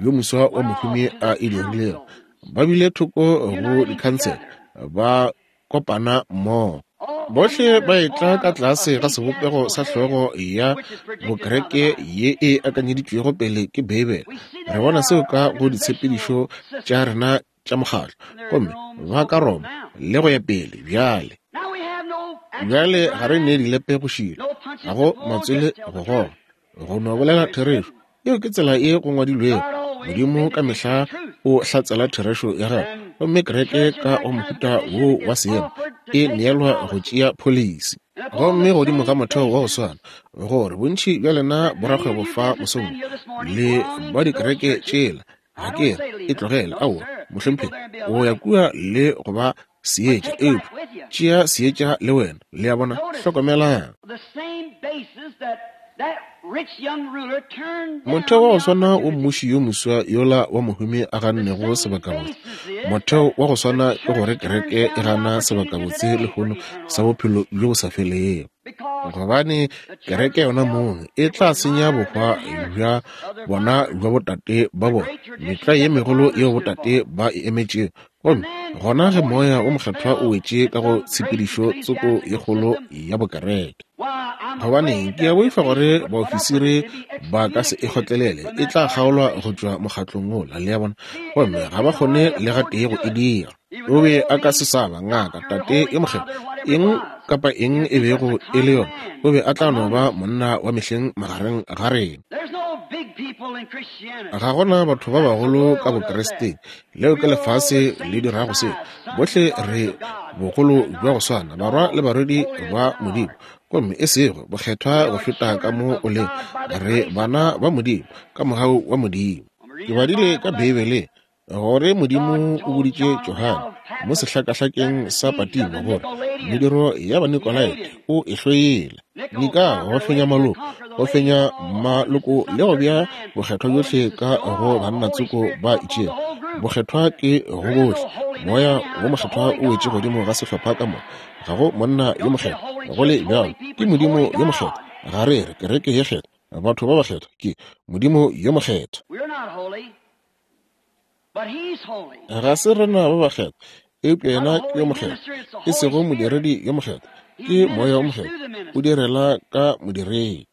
yo moswa wa mohumi a e dirilego. Ba bile thoko go dikhansele, ba kopana mmogo. Bohle ba etla ka tlase ga sebopego sa hlogo ya bokereke ye e akanyeditšwego pele ke Beibele. Re bona seo ka go ditshepedišo tša rena tša mokgatlo, gomme ba ka Roma le go ya pele bjale. Bjale ga re ne dilepe go šila, ga go matswele go goga, go no bolela therešo. Yeo ke tsela ye go ngwadilwego. Modimo ka mehla o hlatsela therešo ya gagwe, gomme kereke ka go mohuta wo wa seemo e neelwa go tšea pholisi. Gomme godimo ga motheo wa go swana, gore bontši bja lena borakgwebo fa mosong le ba dikereke tšela, ga ke re e tlogele, aowa, mohlomphegi, o ya kua le go ba seetša, eupša tšea seetša le wena. Le a bona? Hlokomelang. Motheo wa go swana wo mmuši yo moswa yola wa mohumi a gannego sebakabotse, motheo wa go swana ke gore kereke e gana sebakabotse lehono sa bophelo bjo bo sa felego. Gobane kereke yona mong e tla senya bohwa bja bona bja botate ba bona, metlwae ye megolo yeo botate ba e emetšego. Gomme gona ge Moya wo Mokgethwa o wetše ka go tshepedišo tsoko ye kgolo ya bokereke, gobaneng, ke a boifa gore baofisiri ba ka se e kgotlelele, e tla kgaolwa go tšwa mokgatlong wola, le a bona, gomme ga ba kgone le gatee go e dira. O be a ka se sa ba ngaka, tate yo mokgethwa, eng kapa eng e bego e le yona, o be a tla no ba monna wa mehleng magareng ga rena. Ga gona batho ba bagolo ka Bokristeng. Leo ke lefase le dirago seo. Bohle re bogolo bja go swana, barwa le barwedi ba Modimo, gomme e sego bokgethwa go feta ka mo o lego. Re bana ba Modimo ka mogau wa Modimo. Ke badile ka Beibeleng gore Modimo o boditše Johane mo sehlakahlakeng sa Patimo gore mediro ya Banikolaite o e hloile. Nika go fenya maloko, go fenya maloko le go bea bokgethwa bjohle ka go bannatsoko ba itšego. Bokgethwa ke go bohle. Moya wo Mokgethwa o wetše godimo ga sehlopha ka moka. Ga go monna yo mokgethwa, go le bjalo ke Modimo yo mokgethwa. Ga re re kereke ye kgethwa, batho ba bakgethwa, ke Modimo yo mokgethwa. Ga se rena ba bakgethwa, eupša yena ke yo mokgethwa, e sego modiredi yo mokgethwa, ke Moya wo Mokgethwa o direla ka modiredi.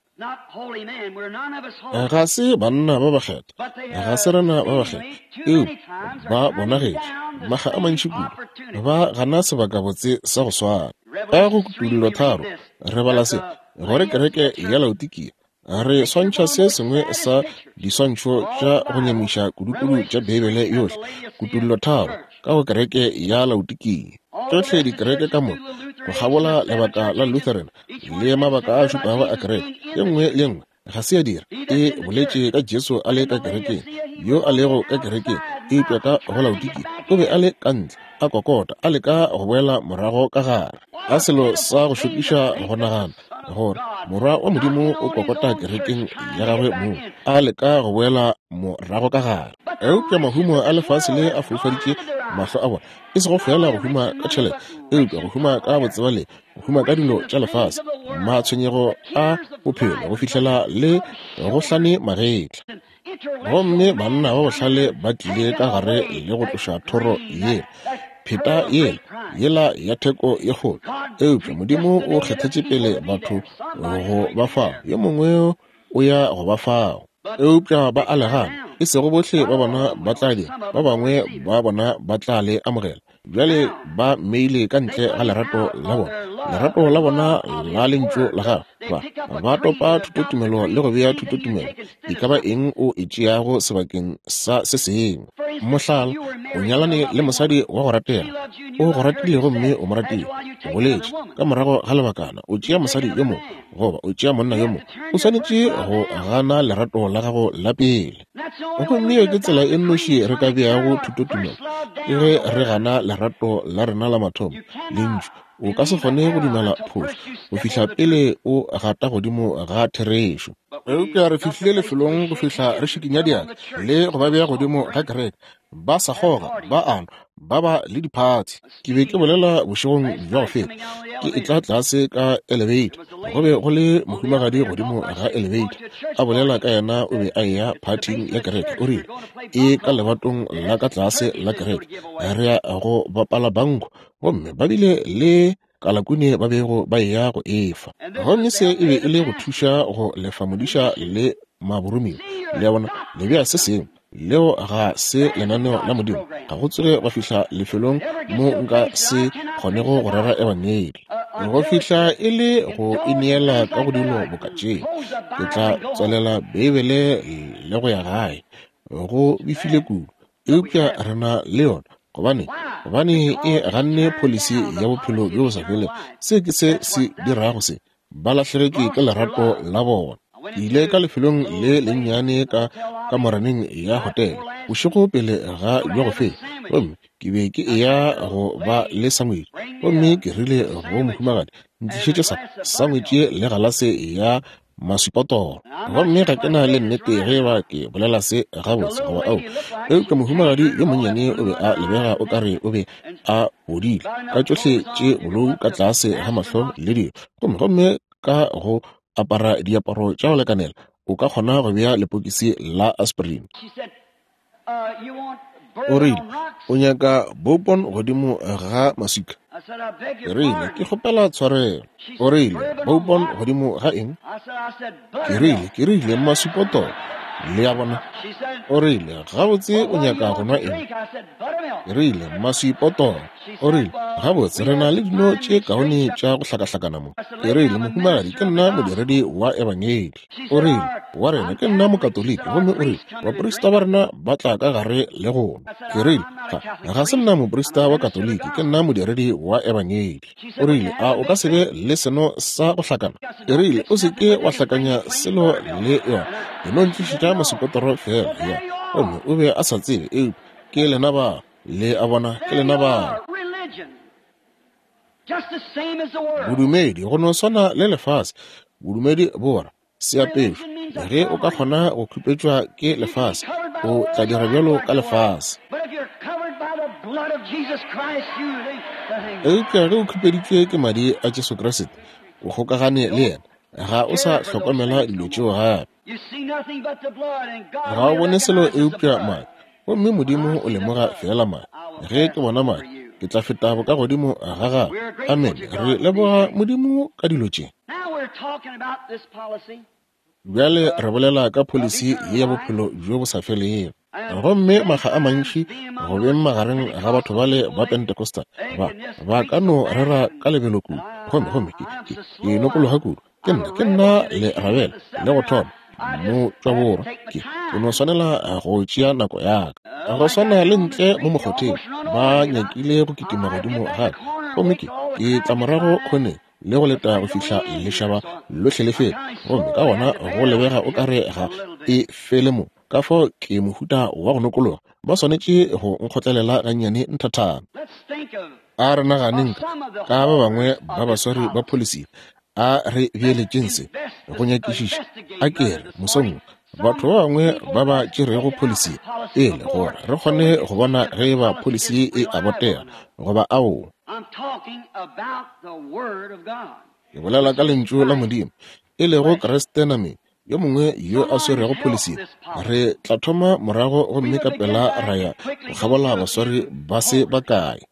Ga se banna ba bakgethwa, ga se rena ba bakgethwa, eupša ba bonagetše makga a mantši kudu ba gana sebakabotse sa go swana. Ka go Kutullo 3 re bala se, gore kereke ya Laodikia Re swantšha se sengwe sa diswantšho tša go nyamiša kudukudu tša Beibele yohle, Kutullo 3, ka go kereke ya Laodikia. Tšohle dikereke ka moka, go kgabola lebaka la Lutheran le mabaka a šupago a kereke, ye nngwe le ye nngwe ga se ya dira, e boletše ka Jesu a le ka kerekeng, yo a lego ka kerekeng, eupša ka go Laodikia o be a le ka ntle, a kokota, a leka go boela morago ka gare. A selo sa go šokiša go nagana gore Morwa wa Modimo o kokota kerekeng ya gagwe moo, a leka go boela morago ka gare. Eupša mahumo a lefase le a foufaditše mahlo a bona, e sego feela go huma ka tšhelete, eupša go huma ka botsebale, go huma ka dilo tša lefase, matshwenyego a bophelo, go fihlela le go hlane magetla. Gomme banna ba bohlale ba tlile ka gare le go tloša thoro yela, pheta yela, yela ya theko ye kgolo. Eupša Modimo o kgethetše pele batho go ba fao. Yo mongwe o ya go ba fao. Eupša ba a le gana. E sego bohle ba bona ba tla dira, ba bangwe ba bona ba tla le amogela. Bjale ba mmeile ka ntle ga lerato la bona, lerato la bona la Lentšu la Gagwe. Ba, ba topa thutotumelo le go bea thutotumelo, e ka ba eng o e tšeago sebakeng sa se sengwe. Mohlala, o nyalane le mosadi wa go ratega, o go ratile gomme o mo ratile, o boletše, ka morago ga lebakana o tšea mosadi yo mongwe goba o tšea monna yo mongwe, o swanetše go gana lerato la gago la pele. Gomme yeo ke tsela e nnoši re ka beago thutotumelo, ke ge re gana lerato la rena la mathomo, Lentšu. O ka se kgone go dumela phošo go fihla pele o gata godimo ga therešo. Eupša re fihlile lefelong go fihla re šikinya diatla le go ba bea godimo ga kereke, ba sa kgoga, ba a nwa, ba ba le diphathi. Ke be ke bolela bošegong bja go feta, ke etla tlase ka elevator, go be go le mohumagadi godimo ga elevator, a bolela ka yena o be a eya phathing ya kereke, o rile, E ka lebatong la ka tlase la kereke, re ya go bapala banko, gomme ba bile le. kalakune ba bego ba eya go e fa. Gomme se e be e le go thuša go lefa modiša le maboromiwa. Le a bona, le bea se sengwe. Leo ga se lenaneo la Modimo. Ga go tsoge gwa fihla lefelong mo nka se kgonego go rera Ebangedi. Go fihla e le go ineela ka go dilo boka tše, ke tla tswalela Beibele le go ya gae. Go befile kudu. Eupša re na le yona. Gobane, gobane e ganne pholisi ya bophelo bjo bo sa felego. Se ke se se dirago se. Ba lahlegetšwe ke lerato la bona. Ke ile ka lefelong le lennyane ka kamoraneng ya hotele bošego pele ga bja go feta, gomme ke be ke eya go ba le sangwetši. Gomme ke rile go mohumagadi, Ntlišetše sa sangwetši le galase ya maswipotoro. Gomme ga ke na le nnete ge eba ke bolela se gabotse goba ao, eupša mohumagadi yo monnyane o be a lebega o ka re o be a bodile ka tšohle tše bolou ka tlase ga mahlo le dilo, gomme, gomme ka go apara diaparo tša go lekanela o ka kgona go bea lepokisi la aspirin. O rile, O nyaka bourbon godimo ga maswika? Ke rile, Ke kgopela tshwarelo. O rile, Bourbon godimo ga eng? Ke rile, ke rile, maswipotolo. Le a bona? O rile, Gabotse, o nyaka go nwa eng? Ke rile, Maswipotolo. O rile, Gabotse, re na le dino tše kaone tša go hlakahlakana mo. Ke rile, Mohumagadi, ke nna modiredi wa Ebangedi. O rile, Wa rena, ke nna Mokatoliki, gomme o rile, baprista ba rena ba tla ka gare le go nwa. Ke rile, Ga, ga se nna moprista wa Katoliki, ke nna modiredi wa Ebangedi. O rile, A o ka se be le seno sa go hlakana? Ke rile, O se ke wa hlakanya selo le yona, e no ntlišetša masupotoro feela. Ya, gomme o be a sa tsebe, eupša ke lena ba, le a bona, ke lena ba. Bodumedi, go no swana le lefase, bodumedi bo ra seapešo. Ge o ka kgona go khupetšwa ke lefase, o tla dira bjalo ka lefase. Eupša ge o khupeditšwe ke madi a Jesu Kriste, o kgokagane le yena, ga o sa hlokomela dilo tšeo gape. Ga o bone selo eupša madi. Gomme Modimo o lemoga feela madi. Ge ke bona madi, ke tla feta bokagodimo ga gago. Amene. Re leboga Modimo ka dilo tše. Bjale re bolela ka pholisi ye ya bophelo bjo bo sa felego. Gomme makga a mantši go beng magareng ga batho bale ba Pentecostal, ba, ba ka no rera ka lebelo kudu. Gomme, gomme ke, ke, ke nokologa kudu. Ke nna, ke nna le rabela le go thoma motšwaborwa. Ke, ke no swanela go tšea nako ya ka. Go swana le ntle mo mokgotheng, ba nyakile go kitima godimo ga ka. Gomme ke, ke tla morago khoneng le go leta go fihla lešaba lohle le feta. Gomme ka gona go lebega o ka re ga e fele mo. Ka fao ke mohuta wa go nokologa. Ba swanetše go nkgotlelela gannyane nthathana. A re naganeng ka ba bangwe ba baswari ba pholisi. A re beeletšeng se go nyakišiša. A ke re mosong wo, batho ba bangwe ba ba tšerego pholisi pele gore re kgone go bona ge e ba pholisi e a botega goba aowa. Ke bolela ka Lentšu la Modimo, e lego Kriste nameng. Yo mongwe yo a swerego pholisi, re tla thoma morago gomme ka pela ra ya go kgabola baswari ba se bakae.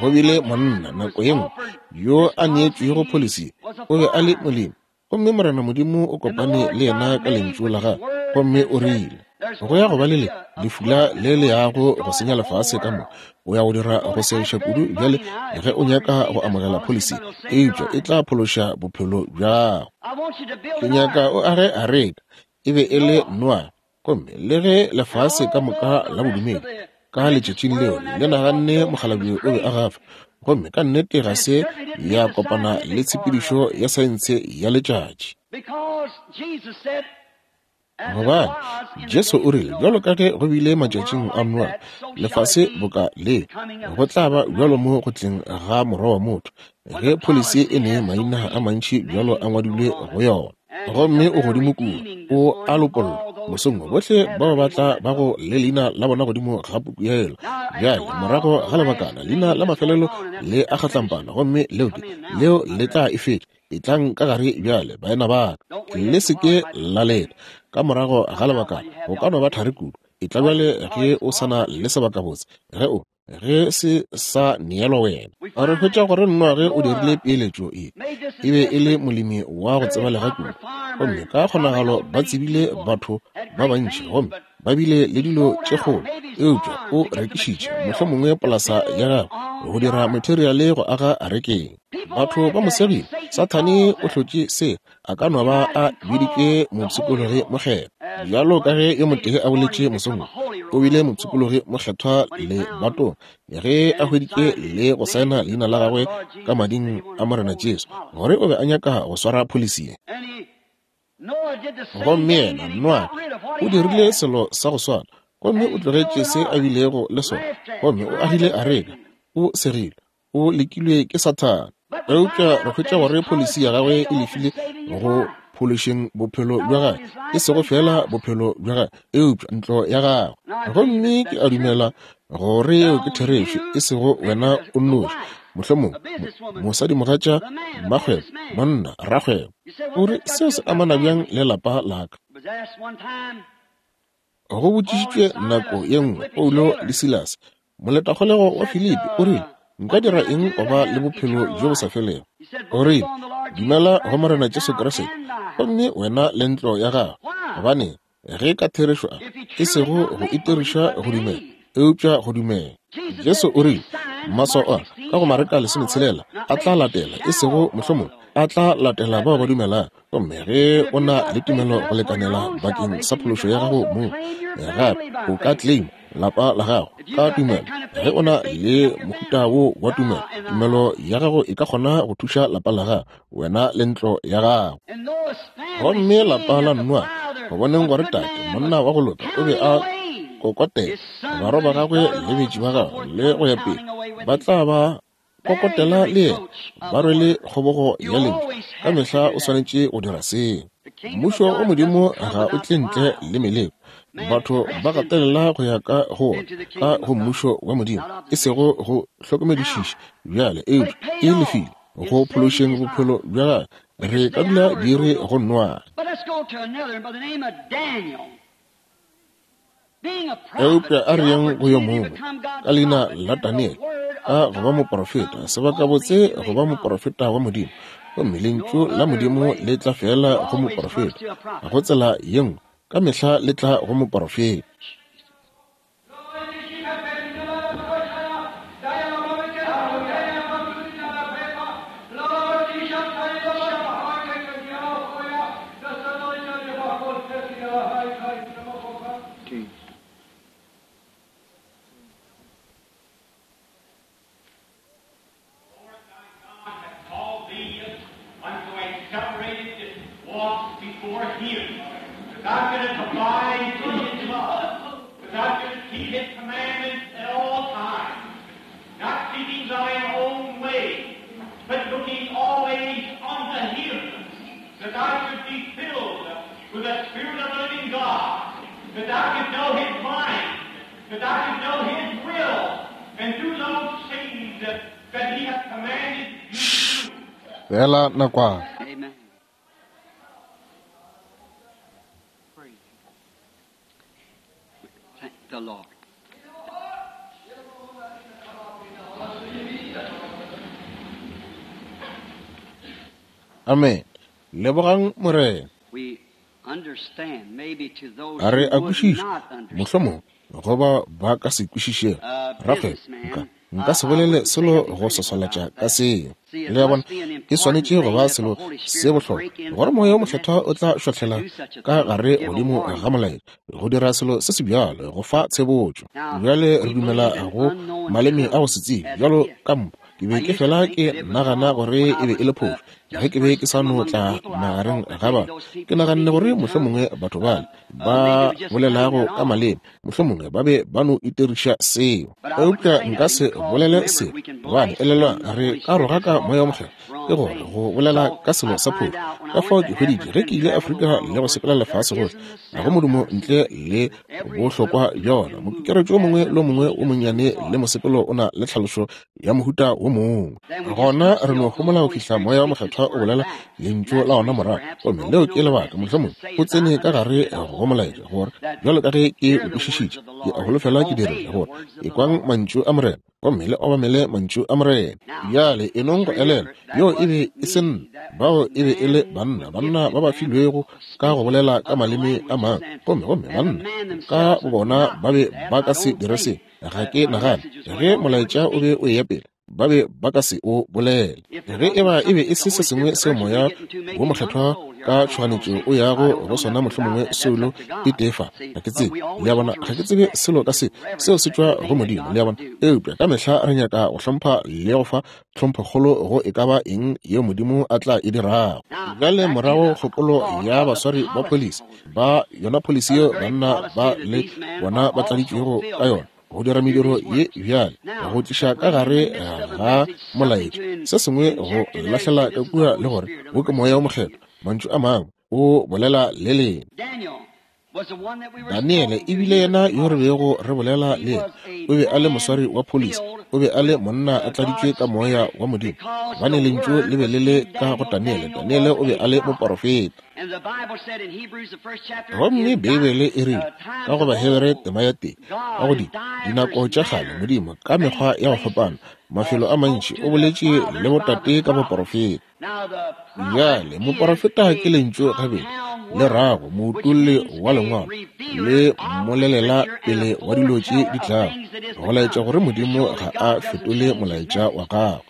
Go bile monna nako ye nngwe yo a neetšwego pholisi, o be a le molemi, gomme Morena Modimo o kopane le yena ka Lentšu la Gagwe, gomme o rile, Go ya go ba le le lefula le le yago go senya lefase ka moka. O ya go dira go segiša kudu bjale ge o nyaka go amogela pholisi, eupša e tla phološa bophelo bja gago. Ke nyaka o age areka. E be e le Noage. Gomme le ge lefase ka moka la bodumedi ka letšatšing leo le naganne mokgalabje o be a gafa, gomme ka nnete ga se ya kopana le tshepedišo ya saense ya letšatši. Gobane Jesu o rile, bjalo ka ge go bile matšatšing a Noa, lefase boka le, go tla ba bjalo mo go tleng ga Morwa wa motho, ge pholisi e ne maina a mantši bjalo a ngwadilwe go yona. Gomme o godimo kua, o a lopolla, mosong wo, bohle bao ba tla bago le leina la bona godimo ga puku yela. Bjale, morago ga lebakana, leina la mafelelo le a kgatlampana, gomme leo ke, leo le tla e fetša. Etlang ka gare bjale, baena ba ka. Le se ke la leta. Ka morago ga lebakana, go ka no ba thari kudu. Etla bjale ge o sa na le sebakabotse. Ge o. Ge se sa neelwa wena. Re hwetša gore Noage o dirile peeletšo ye. E be e le molemi wa go tsebalega kudu. Gomme ka kgonagalo ba tsebile batho ba bantši gomme ba bile le dilo tše kgolo, eupša o rekišitše mohlomongwe polasa ya gagwe go dira materiale go aga arekeng. Batho ba mo segile. Sathane o hlotše se, a ka no ba a biditšwe mopshikologi mokgethwa. Bjalo ka ge yo motee a boletše mosong wo, o bile mopshikologi mokgethwa lebatong ge a hweditše le go saena leina la gagwe ka mading a Morena Jesu, gore o be a nyaka go swara pholisi ye. Gomme yena, Noa, o dirile selo sa go swana, gomme o tlogetše se a bilego le sona, gomme o agile areka, o segile, o lekilwe ke Sathane. Eupša re hwetša gore pholisi ya gagwe e lefile go phološeng bophelo bja gagwe, e sego feela bophelo bja gagwe, eupša ntlo ya gagwe. Gomme ke a dumela gore yeo ke therešo, e sego wena o nnoši, mohlomongwe mosadimogatša, mmakgwebo, monna, rakgwebo. O re, Seo se amana bjang le lapa la ka? Go botšišitšwe nako ye nngwe Paulo le Silase, moletakgolego wa Filipi, o rile, Nka dira eng go ba le bophelo bjo bo sa felego? O rile, Dumela go Morena Jesu Kriste, gomme wena le ntlo ya gago. Gobaneng? Ge ka therešo a, e sego go itiriša go dumela, eupša go dumela. Jesu o rile, Maswao a, ka go Mareka 16, a tla latela, e sego mohlomongwe, a tla latela bao ba dumelago. Gomme ge o na le tumelo go lekanela bakeng sa phološo ya gago mong, gape o ka claim lapa la gago ka tumelo. Ge o na le mohuta wo wa tumelo, tumelo ya gago e ka kgona go thuša lapa la gago, wena le ntlo ya gago. Gomme lapa la Noa, go boneng gore tate, monna wa go loka, o be a kokotela barwa ba gagwe le betši ba gagwe le go ya pele, ba tla ba kokotela le yena, ba rwele kgobogo ya lentšu. Ka mehla o swanetše go dira seo. Mmušo wa Modimo ga o tle ntle le meleko. Batho ba gatelela go ya ka go wona, ka go Mmušo wa Modimo, e sego go hlokomedišiša bjale, eupša e lefile go phološeng bophelo bja gagwe. Re ka dula di re go Noage. Eupša a re yeng go yo mongwe ka leina la Daniele, ka go ba moporofeta, sebakabotse go ba moporofeta wa Modimo. Gomme Lentšu la Modimo le tla feela go moporofeta, go tsela ye nngwe, ka mehla le tla go moporofeta. Feela nakwana. Amen. Lebogang Morena. A re a kwešiša, mohlomongwe, goba ba ka se kwešišego. Rakgwebo, nka, nka se bolele selo go swaswalatša ka seo. Le a bona, e swanetše go ba selo se bohlokwa gore Moya wo Mokgethwa o tla šwahlela ka gare godimo ga molaetša go dira selo se se bjalo, go fa tshebotšo. Bjale re dumela go maleme a go se tsebe bjalo ka mpho. Ke be ke fela ke nagana gore e be e le phošo ge ke be ke sa no tla magareng ga batho. Ke naganne gore mohlomongwe batho bale ba bolelago ka maleme mohlomongwe ba be ba no itiriša seo. Eupša nka se bolele seo, gobane elelwa re ka rogaka Moya wo Mokgethwa, ke gore go bolela ka selo sa phošo. Ka fao ke hweditše ge ke ile Afrika le go sepela lefase gohle, ga go modumo ntle le bohlokwa bja ona. Mokekeretšo o mongwe le o mongwe o monnyane le mosepelo o na le tlhalošo ya mohuta wo mongwe. Gona re no homola go fihla Moya wo Mokgethwa Mokgethwa o bolela Lentšu la ona morago. Gomme leo ke lebaka, mohlomongwe, o tsene ka gare go molaetša, gore, bjalo ka ge ke o kwešišitše, ke a holofela ke dirile, gore, ekwang Mantšu a Morena, gomme le obamele Mantšu a Morena. Bjale, enong go elelwa, yoo e be e se nna, bao e be e le banna, banna ba ba filwego ka go bolela ka maleme a mangwe. Gomme, gomme banna ka bobona ba be ba ka se dire se, ga ke nagane, ge molaetša o be o eya pele. Ba be ba ka se o bolele. Ge e ba e be e se se sengwe seo Moya wo Mokgethwa ka tšhoganetšo o yago go sona, mohlomongwe soulo e tee fa. Ga ke tsebe. Le a bona, ga ke tsebe selo ka se. Seo se tšwa go Modimo, le a bona. Eupša ka mehla re nyaka go hlompha le go fa tlhomphokgolo go e ka ba eng yeo Modimo a tla e dirago. Bjale morago kgopolo ya baswari ba pholisi, ba yona pholisi yeo banna ba le bona ba tladitšwego ka yona, go dira mediro ye bjale, go tliša ka gare ga molaetša se sengwe go lahlela ka kua le gore wo ke Moya wo Mokgethwa, mantšu a mangwe, o bolela le lena. Daniele e bile yena yo re bego re bolela le yena. O be a le moswari wa pholisi. O be a le monna a tladitšwe ka Moya wa Modimo, gobane Lentšu le be le le ka go Daniele. Daniele o be a le moporofeta. Gomme Beibele e rile, ka go Bahebere tema ya tee, ka go di, dinako tša kgale, Modimo, ka mekgwa ya go fapana, mafelo a mantši, o boletše le botate ka baporofeta. Bjale, moporofeta ke lentšu gabedi, le rago moutolli wa Lengwalo, le mmolelela pele wa dilo tše di tlago, go laetša gore Modimo ga a fetole molaetša wa gagwe.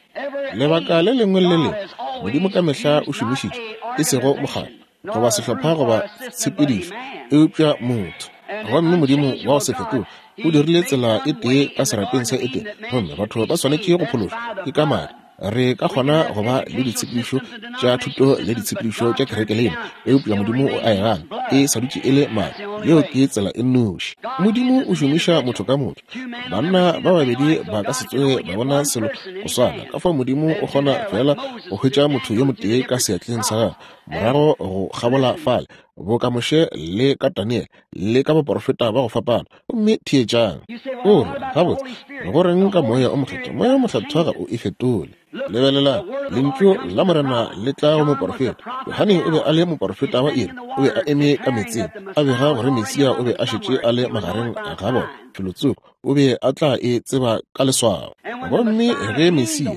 Lebaka le lengwe le le lengwe, Modimo ka mehla o šomišitše, e sego mokgatlo, goba sehlopha goba tshepedišo, eupša motho. Gomme Modimo wa go se fetoge o dirile tsela e tee ka serapeng sa Edene, gomme batho ba swanetše go phološwa ke ka madi. Re ka kgona go ba le ditshepedišo tša thuto le ditshepedišo tša kerekeleina, eupša Modimo o a e gana. E sa dutše e le madi. Yeo ke tsela e nnoši. Modimo o šomiša motho ka motho. Banna ba babedi ba ka se tsoge ba bona selo go swana. Ka fao Modimo o kgona feela go hwetša motho yo motee ka seatleng sa gagwe, morago go kgabola fale, boka Moshe le ka Daniele le ka baporofeta ba go fapana. Gomme theetšang. O re, Gabotse, go reng ka Moya o Mokgethwa? Moya o Mokgethwa ga o e fetole. Lebelelang, Lentšu la Morena le tla go moporofeta. Johane o be a le moporofeta wa iri. O be a eme ka meetseng, a bega gore Mesia o be a šetše a le magareng ga bona, felotsoko. O be a tla e tseba ka leswao. Gomme ge Mesia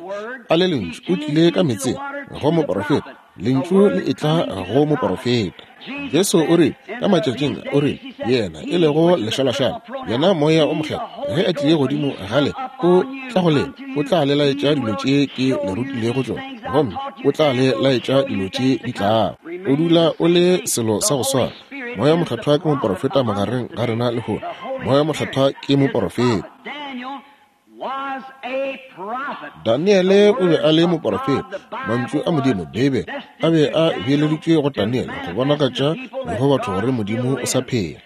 a le Lentšu, o tlile ka meetseng go moporofeta. Lentšu le etla go moporofeta. Jesu o rile, ka matšatšing a, o rile, Yena e lego lešalašala, yena Moya o Mokgethwa, ge a tlie godimo ga lena, o tla go lena, o tla le laetša dilo tše ke le rutilego tšona, gomme o tla le laetša dilo tše di tlago. O dula o le selo sa go swana. Moya o Mokgethwa ke moporofeta magareng ga rena lehono. Moya o Mokgethwa ke moporofeta. Daniele o be a le moporofeta. Mantšu a Modimo, Beibele, a be a beeleditšwe go Daniele go bonagatša le go batho gore Modimo o sa phela.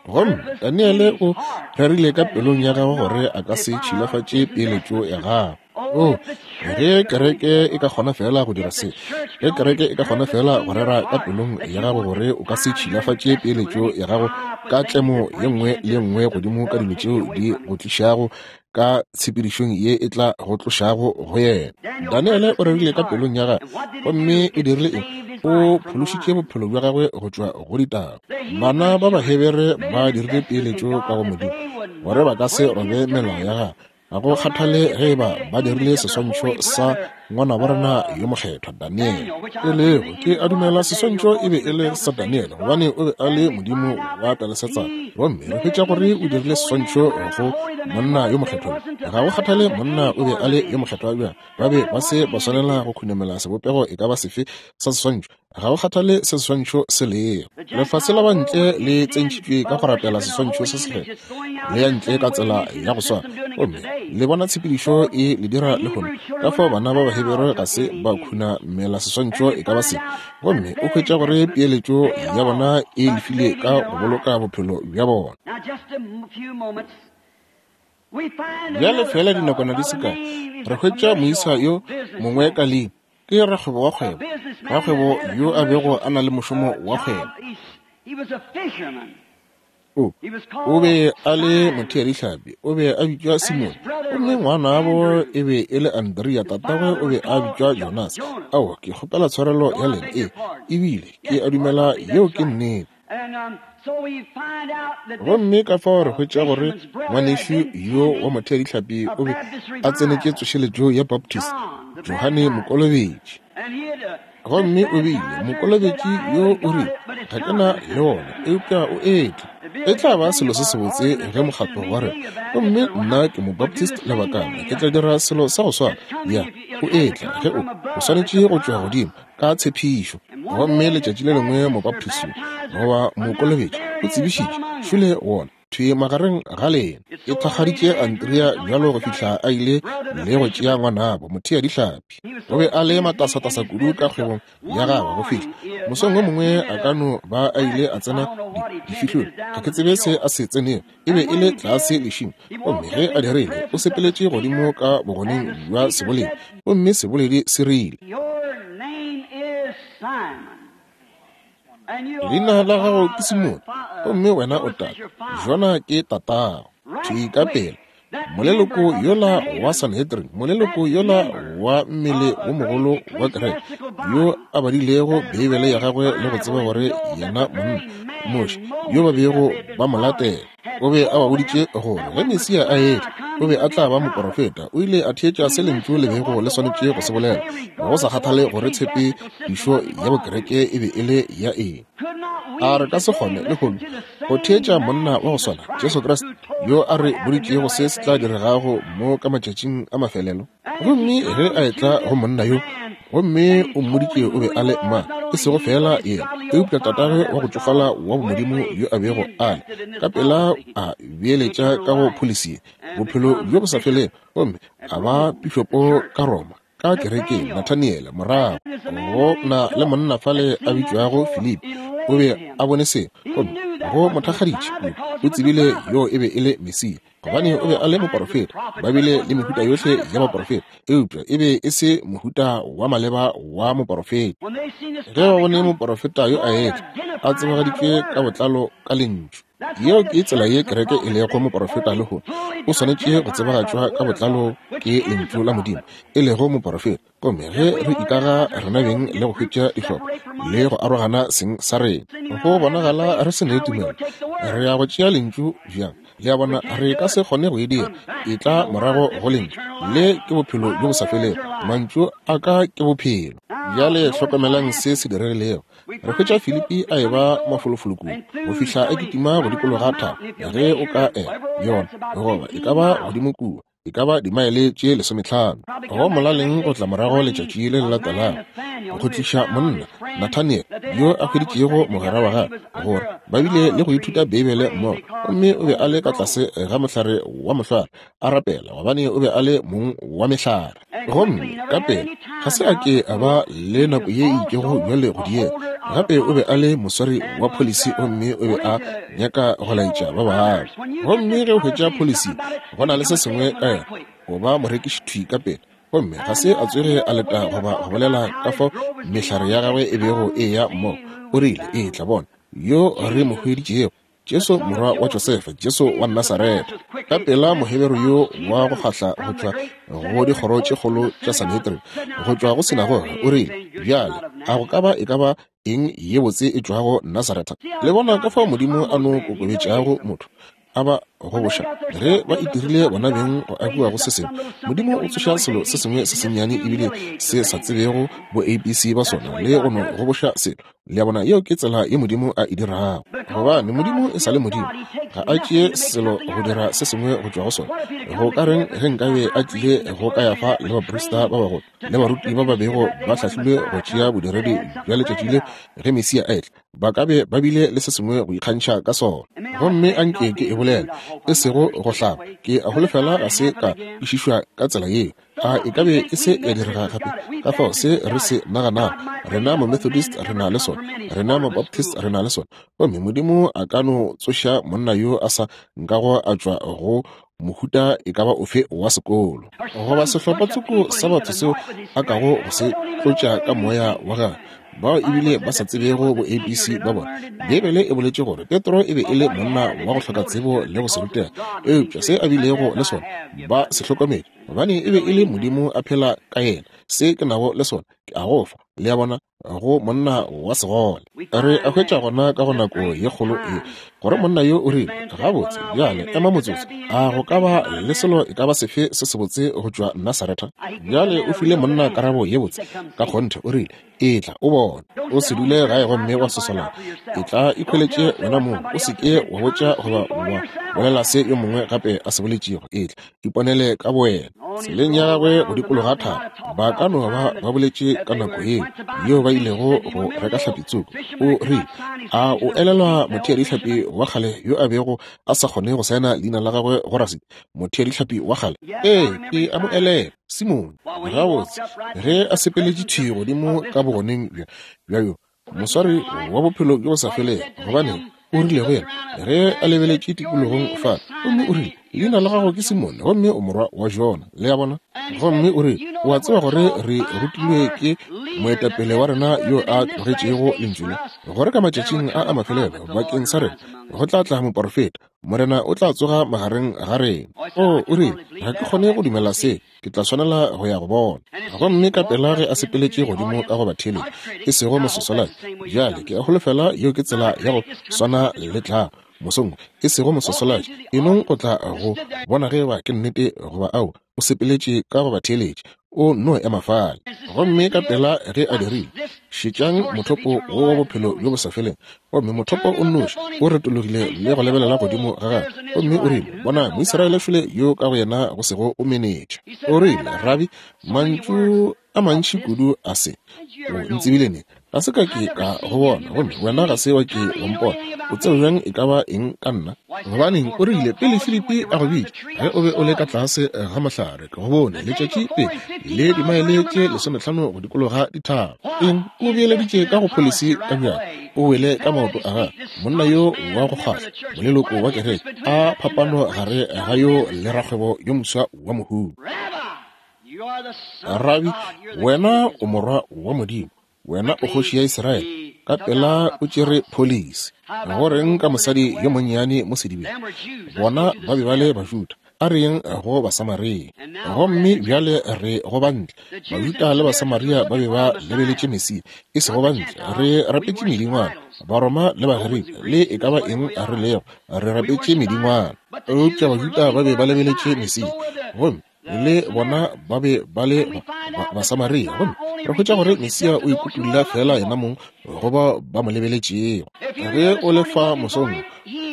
Gomme Daniele o rerile ka pelong ya gagwe gore a ka se tšhilafatše peeletšo ya gagwe. O, ge kereke e ka kgona feela go dira se, ge kereke e ka kgona feela go rera ka pelong ya gago gore o ka se tšhilafatše peeletšo ya gago ka tlemo ye nngwe le ye nngwe godimo ka dilo tšeo di go tlišago ka tshepedišong ye e tla go tlošago go yena. Daniele o rerile ka pelong ya gagwe, gomme e dirile eng? O phološitše bophelo bja gagwe go tšwa go ditaba. Bana ba Bahebere ba dirile peeletšo ka go Modimo gore ba ka se robe melao ya gagwe. Ga go kgathale ge e ba ba dirile seswantšho sa ngwanabo rena yo mokgethwa Daniele, e lego, ke a dumela seswantšho e be e le sa Daniele, gobane o be a le modimo wa Pelesetsana. Gomme re hwetša gore o dirile seswantšho go monna yo mokgethwa yo. Ga go kgathale monna o be a le yo mokgethwa bjang, ba be ba se ba swanela go khunamela sebopego e ka ba sefe sa seswantšho. Ga go kgathale se seswantšho se lego. Lefase la bantle le tsentšhitšwe ka go rapela seswantšho se sekgethwa, le ya ntle ka tsela ya go swana. Gomme le bona tshepedišo e le dira lehono, ka fao bana ba Bahebere ga se ba khunamela seswantšho e ka ba sefe. Gomme o hwetša gore peeletšo ya bona e lefile ka go boloka bophelo bja bona. Bjale feela dinakwana di se kae, re hwetša moisa yo mongwe ka leina. Ke rakgwebo wa kgwebo, rakgwebo yo a bego a na le mošomo wa kgwebo. O be a le motheadihlapi, o be a bitšwa Simone, gomme ngwanabo e be e le Andrea, tatagwe o be a bitšwa Jonas. Aowa, ke kgopela tshwarelo ya lena. Ee, ebile ke a dumela yeo ke nnete. Gomme ka fao re hwetša gore ngwanešu yo wa motheadihlapi o be a tsenetše tsošeletšo ya Baptist, Johane Mokolobetši. Gomme o bile mokolobetši yo o rile, Ga ke na le wona, eupša o etla. E tla ba selo se sebotse ge mokgatlo wa rena, gomme nna ke Mobaptist lebakana, ke tla dira selo sa go swana. Ya, o etla ge o, o swanetše go tšwa godimo ka tshepišo. Gomme letšatši le lengwe Mobaptist yo, goba mokolobetši, o tsebišitše, šole wona. Thwi magareng ga lena. E thakgaditše Andrea bjalo go fihla a ile le go tšea ngwanabo, mothea-dihlapi. O be a le matasatasa kudu ka kgwebong ya gagwe go fihla mosong wo mongwe a ka no ba a ile a tsena difihlong. Ga ke tsebe se a se tsenego. E be e le tlase lešing. Gomme ge a dirile, o sepeletše godimo ka bogoneng bja seboledi, gomme seboledi se rile, Leina la gago ke Simone, gomme wena o tate. Jona ke tatago. Thwi ka pela, moleloko yola wa Sanhedrin, moleloko yola wa mmele wo mogolo wa kereke, yo a badilego Beibele ya gagwe le go tseba gore yena monna, Moshe, yo ba bego ba mo latela, o be a ba boditše gore ge Mesia a etla, o be a tla ba moporofeta. O ile a theetša se Lentšu le bego le swanetše go se bolela, go sa kgathale gore tshepišo ya bokereke e be e le ya eng. A re ka se kgone lehono go theetša monna wa go swana, Jesu Kriste, yo a re boditšego se se tla diregago mo ka matšatšing a mafelelo? Gomme ge a etla go monna yo, gomme o mmoditše o be a le mang, e sego feela yena, eupša tatagwe wa go tšofala wa bomodimo yo a bego a le, ka pela a beeletša ka go pholisi ye, bophelo bjo bo sa felego, gomme a ba pišopo ka Roma, ka kerekeng, Nathaniele, morago. Go na le monna fale a bitšwago Filipi, o be a bone seo, gomme go mo thakgaditše kudu, o tsebile yoo e be e le Mesia. Gobane o be a le moporofeta, ba bile le mehuta yohle ya baporofeta, eupša e be e se mohuta wa maleba wa moporofeta. Ge ba bone moporofeta yo a etla, a tsebagaditšwe ka botlalo ka Lentšu. Yeo ke tsela ye kereke e lego moporofeta lehono. O swanetše go tsebagatšwa ka botlalo ke Lentšu la Modimo, e lego moporofeta. Gomme ge re ikaga rena beng le go hwetša dihlopha le go arogana seng sa rena, go bonagala re se ne tumelo. Re ya go tšea Lentšu bjang? Le a bona, re ka se kgone go e dira. E tla morago go Lentšu. Le ke Bophelo bjo bo sa felego. Mantšu a ka ke Bophelo. Bjale hlokomelang se se diregilego. Re hwetša Filipi a eba mafolofolo kudu go fihla a kitima go dikologa thaba, ge o ka ela yona, goba e ka ba godimo kua, e ka ba dimaele tše lesometlhano. Go molaleng go tla morago letšatši le le latelago go tliša monna, Nathaniel, yo a hweditšego mogwera wa gagwe, gore ba bile le go ithuta Beibele mmogo, gomme o be a le ka tlase ga mohlare wa mohlware a rapela, gobane o be a le mong wa mehlare. Gomme ka pela ga se a ke a ba le nako ye e itšego bjale go diega. Gape o be a le moswari wa pholisi gomme o be a nyaka go laetša ba bangwe. Gomme ge o hwetša pholisi, go na le se sengwe ka yena, o ba morekiši thwi ka pela. Gomme ga se a tsoge a leta goba go bolela ka fao mehlare ya gagwe e bego e eya mmogo. O rile, Etla, bona yo re mo hweditšego, Jesu morwa wa Josefa, Jesu wa Nasaretha. Ka pela Moheberu yo wa go kgahla go tšwa go dikgoro tše kgolo tša Sanhedrin, go tšwa go sinagoga, o rile, Bjale, a go ka ba e ka ba eng ye botse e tšwago Nasaretha? Le bona ka fao Modimo a no kokobetšago motho, a ba goboša ge ba itirile bona beng go agiwa go se sengwe. Modimo o tsoša selo se sengwe se sennyane ebile se sa tsebego bo ABC ba sona le go no goboša selo. Le a bona, yeo ke tsela ye Modimo a e dirago. Gobane Modimo e sa le Modimo, ga a tšee selo go dira se sengwe go tšwa go sona. Go ka reng ge nkabe a tlile go Kayafa le baprista ba bagolo le baruti ba ba bego ba hlahlilwe go tšea bodiredi bja letšatši le ge Mesia a etla? Ba ka be ba bile le se sengwe go ikgantšha ka sona. Gomme a nke ke e bolele, e sego go hlaba, ke a holofela ga se ka kwešišwa ka tsela yeo. A e ka be e se ya direga gape? Ka fao se re se naganago, rena Mamethodist re na le sona, rena Mabaptist re na le sona. Gomme Modimo a ka no tsoša monna yo a sa nkago a tšwa go mohuta e ka ba ofe wa sekolo, goba sehlopha tsoko sa batho seo a kago go se tlotša ka moya wa gagwe. bao ebile ba sa tsebego bo ABC ba bona. Beibele e boletše gore Petro e be e le monna wa go hloka tsebo le go se rutega, eupša se a bilego le sona ba se hlokometše, gobane e be e le Modimo a phela ka yena. Se ke nago le sona ke a go fa. Le a bona? Go monna wa segole. Re a hwetša gona ka go nako ye kgolo e, gore monna yo o rile, Gabotse, bjale, ema motsotso. A go ka ba le selo e ka ba sefe se sebotse go tšwa Nasaretha? Bjale o file monna karabo ye botse ka kgonthe. O rile, Etla o bone. O se dule gae gomme wa sosolana. Etla ikhweletše wena mong. O se ke wa botša goba wa bolela se yo mongwe gape a se boletšego. Etla iponele ka bowena. Tseleng ya gagwe go dikologa thaba, ba ka no ba ba boletše ka nako yeo yeo ba ilego go reka hlapi tsoko. O rile, A o elelwa motheadihlapi wa kgale yo a bego a sa kgone go saena leina la gagwe go rasiti? Motheadihlapi wa kgale? Ee, ke a mo elelwa. Simone. Gabotse, ge a sepeletše thwi godimo ka bogoneng bja, bja yo moswari wa bophelo bjo bo sa felego, gobane o rile go yena ge a lebeletše tikologong fa, gomme o rile, Leina la gago ke Simone, gomme o morwa wa Jona. Le a bona? Gomme o rile, O a tseba gore re rutilwe ke moetapele wa rena yo a tlogetšego Lentšu le, gore ka matšatšing a a mafelelo bakeng sa rena go tla tla moporofeta, Morena o tla tsoga magareng ga rena. O, o rile, Ga ke kgone go dumela se. Ke tla swanela go ya go bona. Gomme ka pela ge a sepeletše godimo ka go batheeletši, e sego mososolai. Bjale, ke a holofela yeo ke tsela ya go swana le tlago mosong, e sego mososolai. E nong go tla go bona ge eba ke nnete goba ao. O sepeletše ka go batheeletši. O nno ema fale. Gomme ka pela ge a dirile, šetšang mothopo wo wa bophelo bjo bo sa feleng. Gomme mothopo o nnoši o retologile le go lebelela godimo ga gagwe, gomme o rile, Bona, Moisraele šole yo ka go yena go sego o menetša. O rile, Rabi, mantšu a mantši kudu a se. O ntsebile neng? Ga se ka ke ka go bona, gomme wena ga se wa ke wa mpona. O tseba bjang e ka ba eng ka nna? Gobaneng, o rile, pele Filipi a go bitša, ge o be o le ka tlase ga mohlare, ke go bone letšatši pele, le dimaele tše lesometlhano go dikologa dithaba. Eng? O beeleditše ka go pholisi ka bjalo, o wele ka maoto a gagwe. Monna yo wa go kgahla, moleloko wa kereke, a phapano gare ga yo le rakgwebo yo moswa wa mohumi. Rabi, wena o morwa wa Modimo, wena o kgoši ya Israele. Ka pela o tšere pholisi. Go reng ka mosadi yo monnyane mo sedibeng? Bona ba be ba le Bajuda. A re yeng go Basamaria. Gomme bjale re go Bantle. Bajuda le Basamaria ba be ba lebeletše Mesia, e sego Bantle. Re rapetše medingwana, Baroma le Bagerika, le e ka ba eng re lego, re rapetše medingwana. Eupša Bajuda ba be ba lebeletše Mesia. Gomme le bona ba be ba le Basamaria. Gomme re hwetša gore Mesia o ikutulla feela yena mong go bao ba mo lebeletšego. Ge o le fa mosong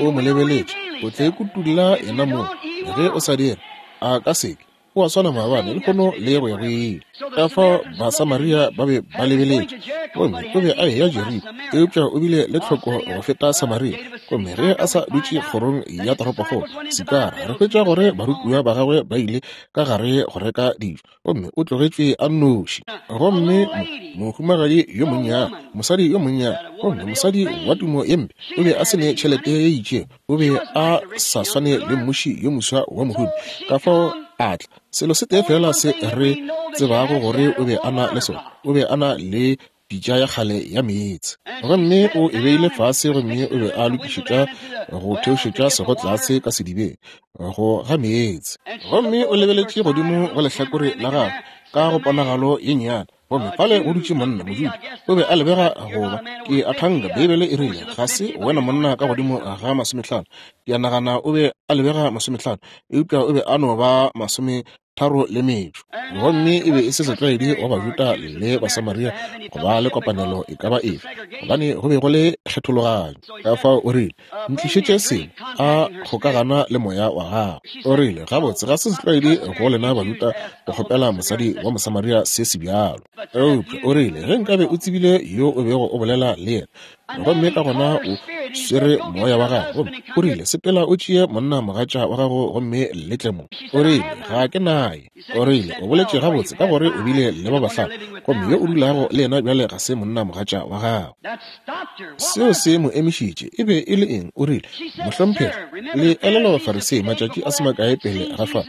o mo lebeletše, o tla ikutulla yena mong. Ge o sa dire, a ka seke. O a swana maabane, lehono le go ya go ile. Ka fao Basamaria ba be ba lebeletše, gomme o be a eya Jeriko, eupša o bile le tlhoko go feta Samaria. Gomme ge a sa dutše kgorong ya toropokgolo Sikara, re hwetša gore barutiwa ba gagwe ba ile ka gare go reka dijo, gomme o tlogetšwe a nnoši. Gomme mohumagadi yo monnyane, mosadi yo monnyane, gomme mosadi wa tumo ye mpe, o be a se ne tšhelete ye itšego, o be a sa swane le mmuši yo moswa wa mohumi. Ka fao a tla. Selo se tee feela se re tsebago gore o be a na le sona, o be a na le pitša ya kgale ya meetse. Gomme o e beile fase, gomme o be a lokišetša go theošetša sego tlase ka sedibeng go ga meetse. Gomme o lebeletše godimo go lehlakore la gagwe ka go ponagalo ye nnyane, gomme fale go dutše monna, Mojuda. O be a lebega go ba, ke a thanka Beibele e rile, ga se wena monna ka godimo ga masometlhano. Ke a nagana o be a lebega masometlhano, eupša o be a no ba masome tharo le metšo. Gomme e be e se setlwaedi go Bajuda le Basamaria go ba le kopanelo e ka ba efe, gobane go be go le kgethologanyo. Ka fao o rile, Ntlišetše sengwe, a kgokagana le moya wa gago. O rile, Gabotse, ga se setlwaedi go lena Bajuda go kgopela mosadi wa Mosamaria se se bjalo. Eupša o rile, Ge nkabe o tsebile yo o bego o bolela le yena, Gomme ka gona o swere moya wa gagwe, gomme o rile, Sepela o tšee monna mogatša wa gago gomme le tle mo. O rile, Ga ke naye. O rile, O boletše gabotse, ka gore o bile le ba bahlano, gomme yo o dulago le yena bjale ga se monna mogatša wa gago. Seo se mo emišitše. E be e le eng? O rile, Mohlomphegi, le elelwa Bafarisei matšatši a se makae pele ga fa,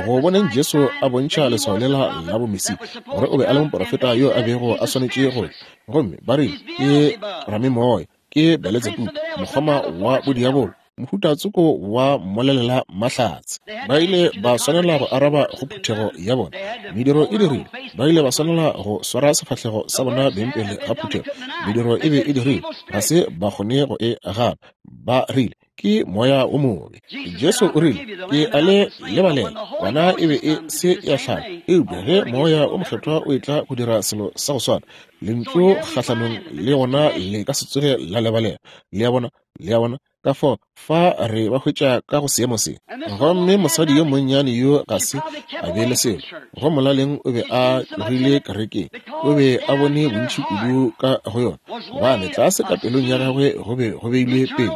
go boneng Jesu a bontšha leswao lela la bomesia, gore o be a le moprofeta yo a bego a swanetše go tla. Gomme ba rile, Ke ramemoya, ke Beletsebubu, mokgoma wa bodiabolo, mohuta tsoko wa mmolelela mahlatse. Ba ile ba swanela go araba go phuthego ya bona. Mediro e dirile. Ba ile ba swanela go swara sefahlego sa bona beng pele ga phuthego. Mediro e be e dirile. Ga se ba kgone go e gana. Ba rile, Ke moya wo mobe. Jesu o rile, Ke a le lebalela. Kwana e be e se ya hlaba. Eupša ge Moya wo Mokgethwa o etla go dira selo sa go swana, Lentšu kgahlanong le gona le ka se tsoge la lebalela. Le a bona? Le a bona? Ka fao, fa re ba hwetša ka go seemo se. Gomme mosadi yo monnyane yo ga se a be le selo. Go molaleng o be a tlogile kerekeng. O be a bone bontši kudu ka go yona. Gobane tlase ka pelong ya gagwe go be go beilwe pele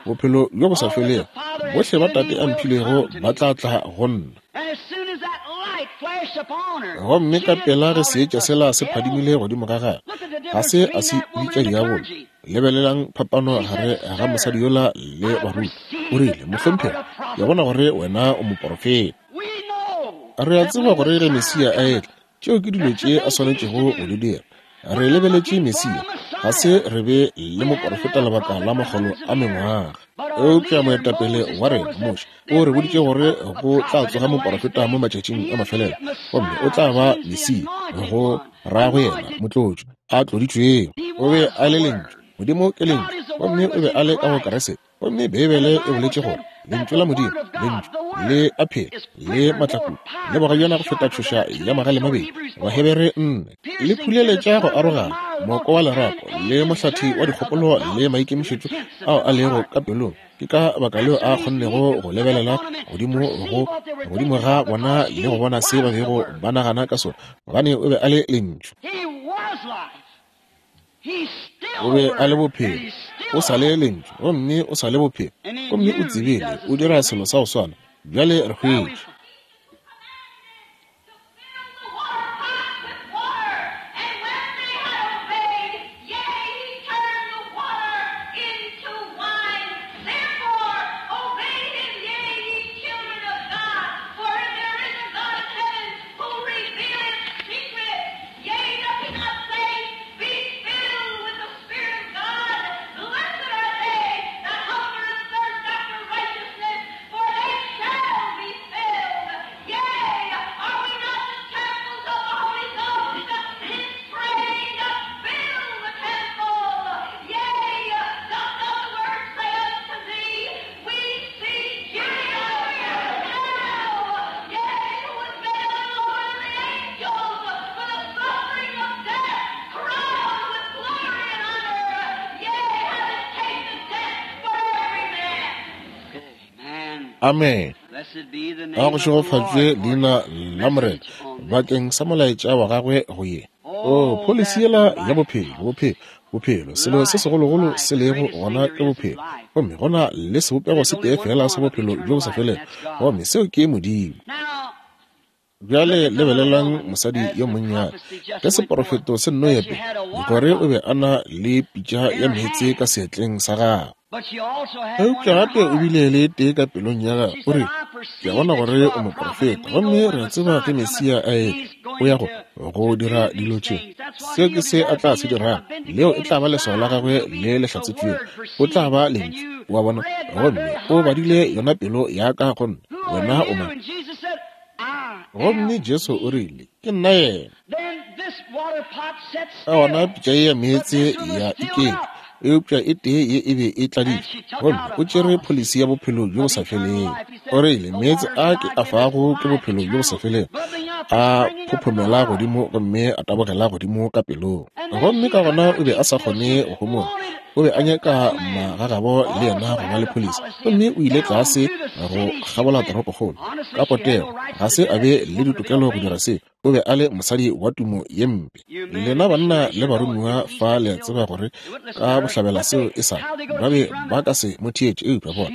bophelo bjo bo sa felego. Bohle ba Tate a mphilego ba tla tla go nna. Gomme ka pela ge seetša sela se phadimile godimo ga gagwe, ga se a se bitša diabolo. Lebelelang phapano gare ga mosadi yola le baruti. O rile, Mohlomphegi, ke bona gore wena o moporofeta. Re a tseba gore ge Mesia a etla, tšeo ke dilo tše a swanetšego go di dira. Re lebeletše Mesia, ga se re be le moporofeta lebaka la makgolo a mengwaga. Eupša moetapele wa rena, Moshe, o re boditše gore go tla tsoga moporofeta mo matšatšing a mafelelo, gomme o tla ba Mesia, go ra go yena, motlotšwa, a tloditšwego. O be a le Lentšu. Modimo ke Lentšu, gomme o be a le ka go Kriste. Gomme Beibele e boletše gore Lentšu la Modimo, Lentšu, le a phela, le matlakudu, le bogajana go feta tšhoša ya magale mabedi, Bahebere 4, le phuleletša go arogana moko wa lerapo le mohlathi wa dikgopolo le maikemišetšo ao a lego ka pelong. Ke ka baka leo a kgonnego go lebelela godimo go godimo ga bona le go bona se ba bego ba nagana ka sona, gobane o be a le Lentšu. O be a le bophelo, o sa le Lentšu, gomme o sa le bophelo, gomme o tsebile o dira selo sa go swana. Bjale re hwetše. Amen. A go šegofatšwe leina la Morena bakeng sa molaetša wa gagwe go ye. O pholisi yela ya bophelo, bophelo, bophelo, selo se segologolo se lego gona ke bophelo. Gomme go na le sebopego se tee feela sa bophelo bjo bo sa felego, gomme seo ke Modimo. Bjale lebelelang mosadi yo monnyane. Ge seporofeto se nno ya pele, gore o be a na le pitša ya meetse ka seatleng sa gagwe. Eupša gape o bile le tee ka pelong ya gagwe. O rile, Ke a bona gore o moporofeta, gomme re a tseba ge Mesia a etla, o ya go, go dira dilo tše. Seo ke se a tla se dirago. Leo e tla ba leswao la gagwe le le hlatsetšwego. O tla ba Lentšu. O a bona? Gomme o badile yona pelo ya ka go nna. Wena o mang? Gomme Jesu o rile, Ke nna yena. Ka gona pitša ye ya meetse ya iketla, eupša e tee ye e be e tladitšwe, gomme o tšere pholisi ya bophelo bjo bo sa felego. O rile, Meetse a ke a fago ke bophelo bjo bo sa felego, a phophomela godimo gomme a tabogela godimo ka pelong. Gomme ka gona o be a sa kgone go homola. O be a nyaka magagabo le yena go ba le pholisi, gomme o ile tlase go kgabola toropokgolo. Ka potego, ga se a be le ditokelo go dira seo. O be a le mosadi wa tumo ye mpe. Lena banna le baromiwa fa le a tseba gore ka bohlabela seo e sa ba be ba ka se mo theetše, eupša bona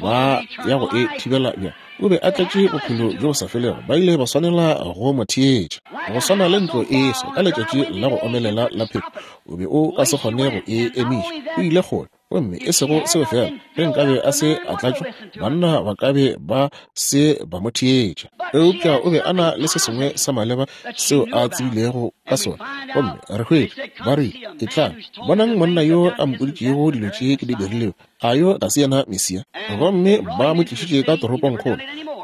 ba ya go e thibela bjang? O be a tletše bophelo bjo bo sa felego, ba ile ba swanela go mo theetša. Go swana le ntlo e swa ka letšatši la go omelela la phefo, o be o ka se kgone go e emiša. O ile kgole. Gomme e sego seo fela, ge nkabe a se a tlatšwa, banna ba ka be ba se ba mo theetša. Eupša o be a na le se sengwe sa maleba seo a tsebilego ka sona. Gomme re hwetša, ba rile, Etlang, bonang monna yo a mpoditšego dilo tše ke di dirilego. A yo ga se yena Mesia? Gomme ba mo tlišitše ka toropongkgolo.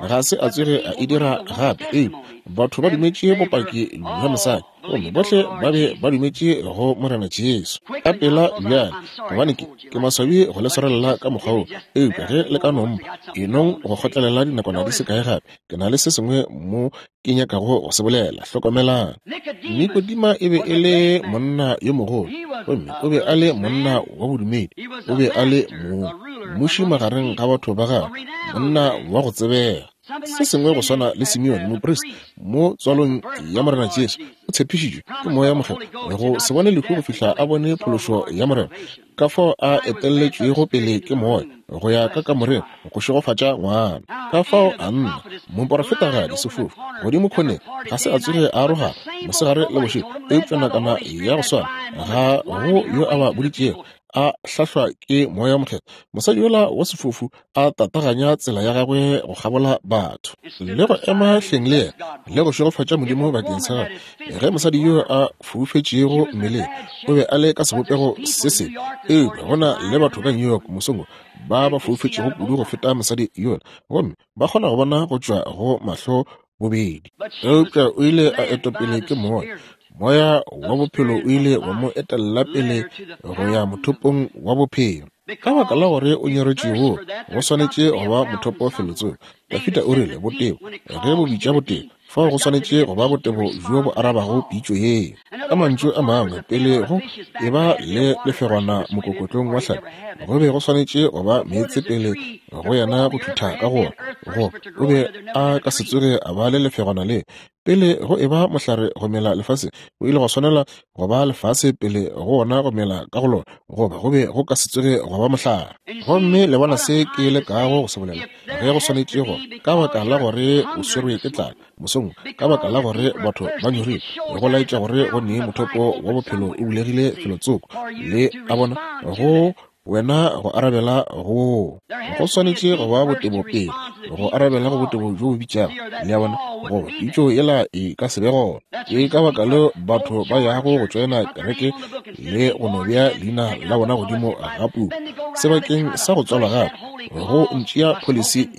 Ga se a tsoge a e dira gape. Eupša batho ba dumetše bopaki bja mosadi. Gomme bohle ba be ba dumetše go Morena Jesu. Ka pela bjale, gobane ke, ke maswabi go le swarelela ka mokgwa wo, eupša ge le ka no mpha, e nong go kgotlelela dinakwana di se kae gape, ke na le se sengwe mo ke nyakago go se bolela. Hlokomelang. Nikodima e be e le monna yo mogolo, gomme o be a le monna wa bodumedi, o be a le mo, mmuši magareng ga batho ba gagwe, monna wa go tsebega. Se sengwe go swana le Simeone moprista mo tswalong ya Morena Jesu, o tshepišitšwe ke Moya Mokgethwa go se bone lehu go fihla a bone phološo ya Morena, ka fao a etelletšwego pele ke Moya go ya ka kamoreng go šegofatša ngwana. Ka fao a nna moporofetagadi sefofu godimo khoneng, ga se a tsoge a arogana mosegare le bošego, eupša nakwana ya go swana ga go yo a ba boditšego a hlahlwa ke Moya Mokgethwa. Mosadi yola wa sefofu a tataganya tsela ya gagwe go kgabola batho le go ema hleng le yena le go šegofatša Modimo bakeng sa gagwe. Ge mosadi yo a foufetšego mmeleng o be a le ka sebopego se sebe, eupša go na le batho ka New York mosong wo ba ba foufetšego kudu go feta mosadi yola, gomme ba kgona go bona go tšwa go mahlo bobedi. Eupša o ile a etwa pele ke Moya. Moya wa bophelo o ile wa mo etella pele go ya mothopong wa bophelo. Ka baka la gore o nyoretšwe woo, go swanetše go ba mothopo felotsoko. Dafida o rile, Botebo, ge bo bitša botebo, fao go swanetše go ba botebo bjo bo arabago pitšo yeo. Ka mantšu a mangwe, pele go e ba le lefegwana mokokotlong wa hlapi, go be go swanetše go ba meetse pele go yena go thutha ka go go o be a ka se tsoge a ba le lefegwana le. Pele go e ba mohlare go mela lefaseng, go ile gwa swanela go ba lefase pele go wona go mela ka go lona, goba go be go ka se tsoge gwa ba mohlare. Gomme le bona se ke lekago go se bolela, ge go swanetše go, ka baka la gore o swerwe ke tlala mosong, ka baka la gore batho ba nyorilwe, go laetša gore go ne mothopo wa bophelo o bulegile felotsoko, le a bona, go wena go arabela go go swanetše go ba botebo pele go arabela go botebo bjo bo bitšago, le a bona, goba pitšo yela e ka se be gona. Ke ka baka leo batho ba yago go tšoena kereke le go no bea leina la bona godimo ga puku sebakeng sa go tswalwa gape, go ntšea pholisi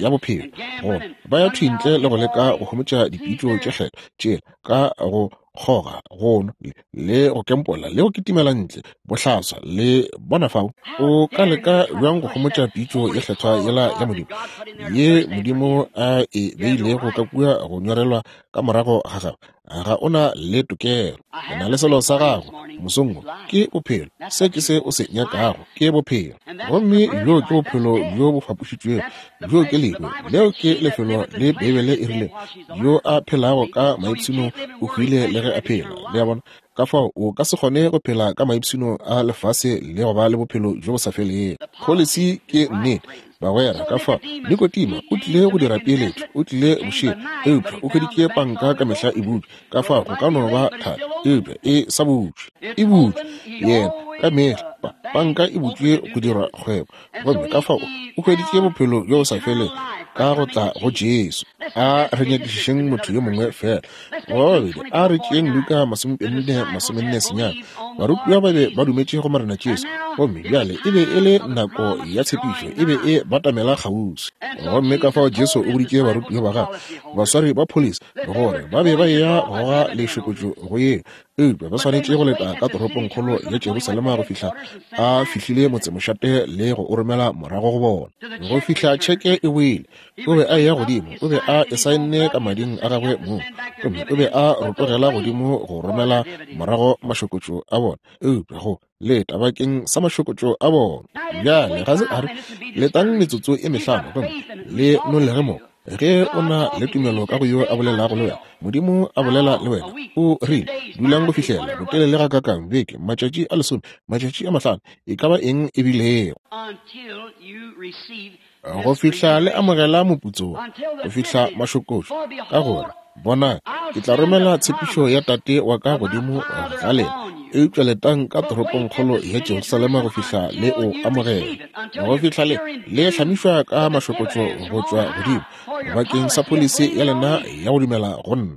ya bophelo, goba ba ya thwi ntle le go leka go homotša dipitšo tše kgethwa tšela ka go kgoga, go nwa, le go kempola, le go kitimela ntle bohlaswa. Le bona fao o ka leka bjang go homotša pitšo ye kgethwa yela ya Modimo, ye Modimo a e beilego ka kua go nyorelwa ka morago ga gagwe? Ga o na le tokelo. O na le selo sa gago mosong wo, ke bophelo. Se ke se o se nyakago, ke bophelo. Gomme bjo ke bophelo bjo bo fapošitšwego. Bjo ke lehu. Leo ke lefelo le Beibele e rilego, Yo a phelago ka maipshino o hwile le ge a phela. Le a bona? Ka fao o ka se kgone go phela ka maipshino a lefase le go ba le bophelo bjo bo sa felego. Pholisi ke nnete, bagwera. Ka fao Nikodima o tlile go dira peeletšo, o tlile bošego, eupša o hweditše panka ka mehla e butšwe. Ka fao go ka no ba thata, eupša e sa butšwe. E butšwe, yena, ka mehla. Pa, panka e butšwe go dira kgwebo. Gomme ka fao o hweditše bophelo bjo bo sa felego ka go tla go Jesu. A re nyakišišeng motho yo mongwe feela goba babedi. A re tšeeng Luka 24:49. Barutiwa ba be ba dumetše go Morena Jesu, gomme bjale e be e le nako ya tshepišo, e be e batamela kgauswi. Gomme ka fao Jesu o boditše barutiwa ba gagwe, baswari ba pholisi, gore ba be ba eya go goga lešokotšo go yeo, eupša ba swanetše go leta ka toropongkgolo ya Jerusalema go fihla a fihlile motsemošate le go o romela morago go bona. Go fihla tšheke e boile, o be a eya godimo, o be a e saenne ka mading a gagwe mong, gomme o be a rotogela godimo go romela morago mašokotšo a bona, eupša go leta bakeng sa mašokotšo a bona. Bjale ga se a re, Letang metsotso e mehlano gomme le nolege mo. Ge o na le tumelo ka go yo a bolelago le wena, Modimo a bolela le wena, o rile, Dulang go fihlela, botelele gakaakang, beke, matšatši a lesome, matšatši a mahlano, e ka ba eng e bilego. Go fihla le amogela moputso wo, go fihla mašokošo, ka gore, bonang, ke tla romela tshepišo ya Tate wa ka godimo ga lena, eupša letang ka toropongkgolo ya Jerusalema go fihla le o amogela, go fihla le le hlamišwa ka mašokotšo go tšwa godimo, bakeng sa pholisi ya lena ya go dumela go nna.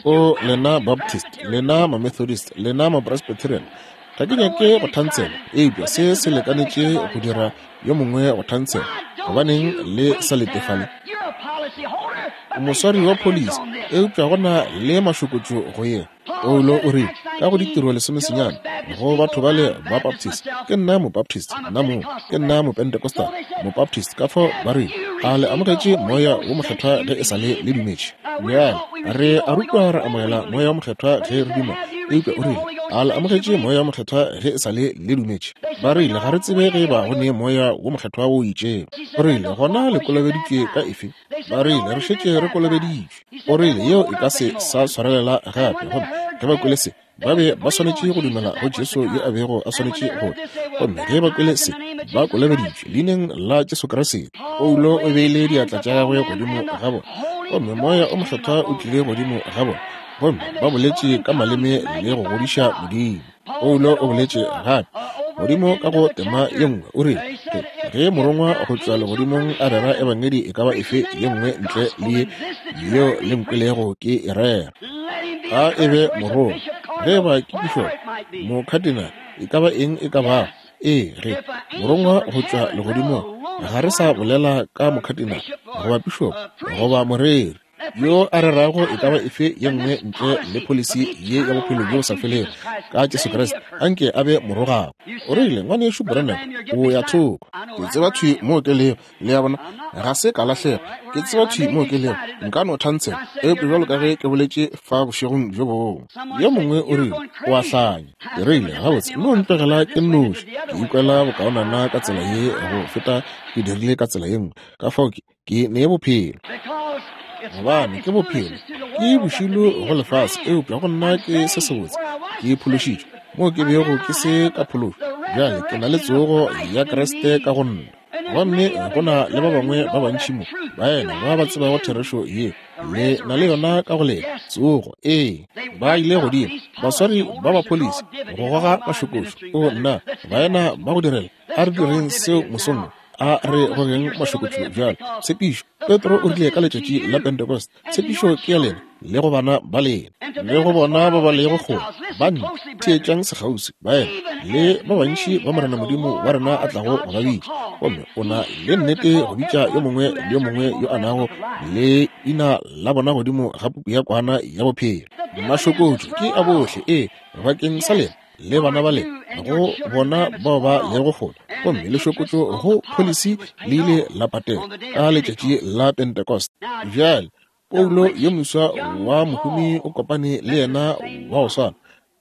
O lena Baptist, lena Mamethodist, lena Mapresbyterian, ga ke nyake go thantsela, eupša se se lekanetše go dira yo mongwe go thantsela. Gobaneng le sa letefale? O moswari wa pholisi, eupša go na le mašokotšo go yena. Paulo o rile ka go Ditiro lesomesenyane go batho bale ba Baptist, ke nna Mobaptist, nna mong, ke nna Mopentecostal, Mobaptist. Ka fao ba rile, a le amogetše Moya wo Mokgethwa ge e sa le le dumetše? Bjale re a rutwa re amogela Moya wo Mokgethwa ge re duma, eupša o rile, a le amogetše Moya wo Mokgethwa ge e sa le le dumetše? Ba rile, ga re tsebe ge e ba go ne Moya wo Mokgethwa wo itšego. O rile, gona le kolobeditšwe ka efe? Ba rile, re šetše re kolobeditšwe. O rile, yeo e ka se sa swarelela gape. Gomme ge ba kwele se, ba be ba swanetše go dumela go Jesu yo a bego a swanetše go tla. Gomme ge ba kwele se, ba kolobeditšwe leineng la Jesu Kriste. Paulo o beile diatla tša gagwe godimo ga bona, gomme Moya o Mokgethwa o tlile godimo ga bona, gomme ba boletše ka maleme le go godiša Modimo. Paulo o boletše gape godimo ka go tema ye nngwe, o rile, Ge morongwa go tšwa legodimong a rera ebangedi e ka ba efe ye nngwe ntle le ye yeo le nkwelego ke e rera, ga e be morongwa. Ge e ba ke pišopo, mokhatinale, e ka ba eng e ka bago, ee, ge morongwa go tšwa legodimong, ga re sa bolela ka mokhatinale goba pišopo goba moreri, yo a rerago e ka ba efe ye nngwe ntle le pholisi ye ya bophelo bjo bo sa felego ka Jesu Kriste, anke a be morogago. O rile, Ngwanešu Branham, o ya thoko. Ke tseba thwi moo ke lego. Le a bona? Ga se ka lahlega. Ke tseba thwi moo ke lego. Nka no thantsela, eupša bjalo ka ge ke boletše fa bošegong bjo bongwe. Yo mongwe o rile, O a hlanya. Ke rile, Gabotse, no ntlogela ke nnoši. Ke ikwela bokaonana ka tsela ye go feta ke dirile ka tsela ye nngwe. Ka fao ke, Ke nee bophelo, gobane ke bophelo. Ke bošilo go lefase, eupša go nna ke se sebotse. Ke phološitšwe moo ke bego ke se ka phološwa. Bjale ke na le tsogo ya Kriste ka go nna. Gomme go na le ba bangwe ba bantši mo, baena ba ba tsebago therešo ye, le na le yona ka go lena, tsogo. Ee, ba ile godimo, baswari ba ba pholisi, go goga mašokošo. O nna, baena ba go direla, a re direng seo mosong wo. A re gogeng mašokotšo bjalo. Tshepišo, Petro o rile ka letšatši la Pentecost, tshepišo ke ya lena le go bana ba lena le go bona ba ba lego kgole, banna, theetšang sekgauswi, baena, le ba bantši ba Morena Modimo wa rena a tlago go ba bitša. Gomme o na le nnete go bitša yo mongwe le yo mongwe yo a nago le ina la bona godimo ga puku ya kwana ya bophelo. Mašokotšo ke a bohle, ee, bakeng sa lena le bana ba lena, go bona bao ba lego kgole. Gomme lešokotšo go pholisi le ile la patela ka letšatši la Pentecost. Bjale, Paulo yo moswa wa mohumi o kopane le yena wa go swana,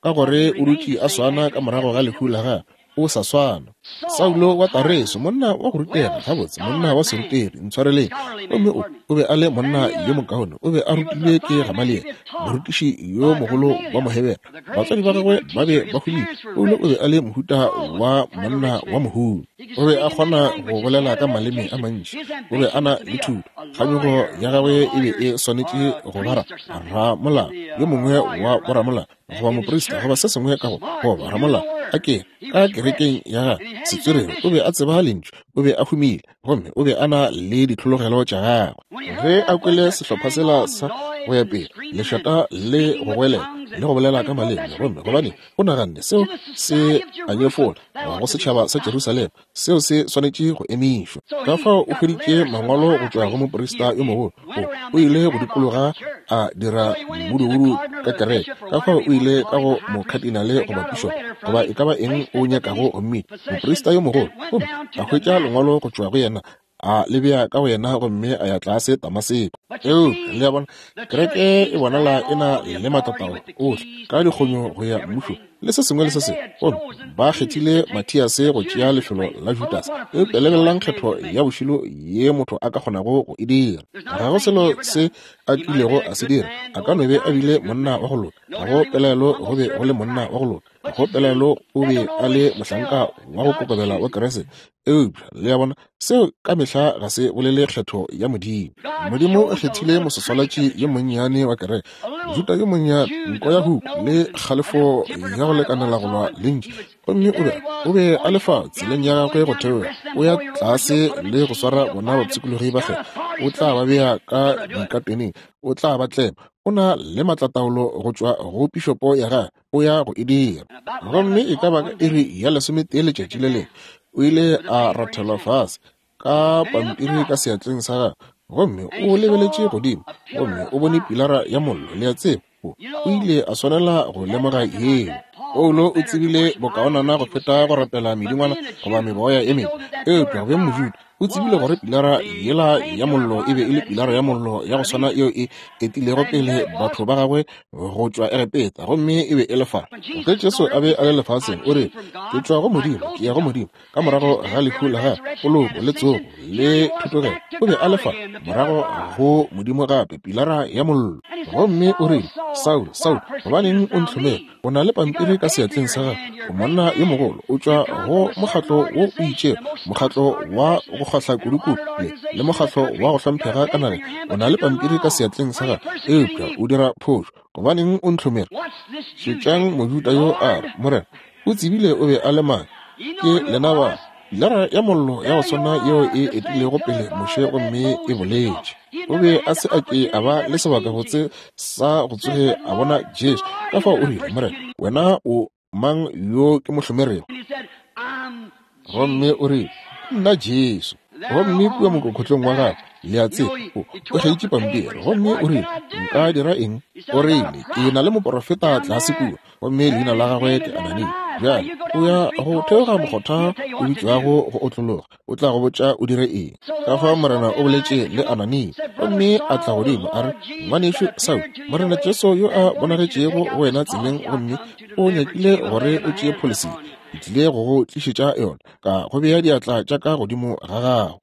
ka gore o dutše a swana ka morago ga lehu la gagwe. O sa swana. Saulo wa Tareso, monna wa go rutega, gabotse, monna wa serutegi, ntshwareleng. Gomme o, o be a le monna yo mokaone. O be a rutilwe ke Gamaliele, morutiši yo mogolo wa Mohebere. Batswadi ba gagwe ba be ba humile. Paulo o be a le mohuta wa monna wa mohumi. O be a kgona go bolela ka maleme a mantši. O be a na le thuto. Kganyogo ya gagwe e be e swanetše go ba ra, ramolao, yo mongwe wa boramolao goba moprista goba se sengwe ka go goba ramolao a ke ka kerekeng ya gagwe setswerere. O be a tseba lentšu, o be a humile, gomme o be a na le ditlhologelo tša gagwe. Ge a kwele sehlopha sela sa go ya pele lešata le go goelela le go bolela ka maleme, gomme gobane o naganne seo se a nyefola go setšhaba sa Jerusalema, seo se swanetše go emišwa. Ka fao o hweditše mangwalo go tšwa go moprista yo mogolo. O, o ile go dikologa a dira mmudubudu ka kereke. Ka fao o ile ka go mokhatinale goba pišopo, goba e ka ba eng o nyakago go mmitša, moprista yo mogolo, gomme a hwetša lengwalo go tšwa go yena. A le bea ka go yena gomme a ya tlase Damaseko. Eupša, le a bona, kereke e bonala e na le matatao ohle ka dikgonyo go ya mmušong le se sengwe le se sengwe, gomme ba kgethile Mathiase go tšea lefelo la Judase. Eupša lebelelang kgetho ya bošilo ye motho a ka kgonago go e dira. Ga go selo se a kilego a se dira. A ka no be a bile monna wa go loka. Ga go pelaelo go be go le monna wa go loka. Ga go pelaelo o be a le mohlanka wa go kokobela wa Kriste. Eupša, le a bona, seo ka mehla ga se bolele kgetho ya Modimo. Modimo o kgethile mososwalatši yo monnyane wa kereke, Mojuda yo monnyane, nko ya huku le kgalefo ya go lekanela go lwa le ntši. Gomme o be, o be a le fa tseleng ya gagwe go theoga, o ya tlase le go swara bona bapshikologi ba kgetho. O tla ba bea ka dikateneng, o tla ba tlema. O na le maatlataolo go tšwa go pišopo ya gagwe. O ya go e dira. Gomme e ka ba ka iri ya lesometee letšatši le lengwe, o ile a rathelwa fase ka pampiri ka seatleng sa gagwe, gomme o lebeletše godimo gomme o bone pilara ya mollo. Le a tseba, o, o ile a swanela go lemoga yeo. Paulo o tsebile bokaonana go feta go rapela medingwana goba meboya e mebe, eupša go beng Mojuda, O tsebile gore pilara yela ya mollo e be e le pilara ya mollo ya go swana yeo e etilego pele batho ba gagwe go tšwa Egepeta, gomme e be e le fa. Ge Jesu a be a le lefaseng, o re, Ke tšwa go Modimo, ke ya go Modimo. Ka morago ga lehu la gagwe, poloko, le tsogo, le thutogelo, o be a le fa, morago go Modimo gape, pilara ya mollo. Gomme o rile, Saulo, Saulo, gobaneng o ntlhomela? O na le pampiri ka seatleng sa gago. O monna yo mogolo. O tšwa go mokgatlo wo o itšego, mokgatlo wa go kgahla kudukudu le, le mokgatlo wa go hlomphega ka nageng. O na le pampiri ka seatleng sa gago, eupša o dira phošo. Gobaneng o ntlhomere? Šetšang Mojuda yo a re, Morena, o tsebile o be a le mang. Ke lena ba. Pilara ya Mollo ya go swana yeo e etilego pele Moshe gomme e boletše. O be a se a ke a ba le sebakabotse sa go tsoge a bona Jesu. Ka fao o rile, Morena, wena o mang yo ke mo hlomerego? Gomme o rile, Nna Jesu. Gomme kua mokokhotlong wa gagwe, le a tseba, o, o kgeitše pampiri. Gomme o rile, Nka dira eng? O rile, Ke na le moporofeta tlase kua. gomme leina la gagwe ke Anania. Bjale o ya go theoga mokgotha o bitšwago go otlologa, o tla go botša o dire eng. Ka fao Morena o boletše le Anania, gomme a tla godimo a re, Ngwanešu Saulo, Morena Jesu yo a bonagetšego go wena tseleng gomme o nyakile gore o tšee pholisi, ke tlile go go tlišetša yona ka go bea diatla tša ka godimo ga gago.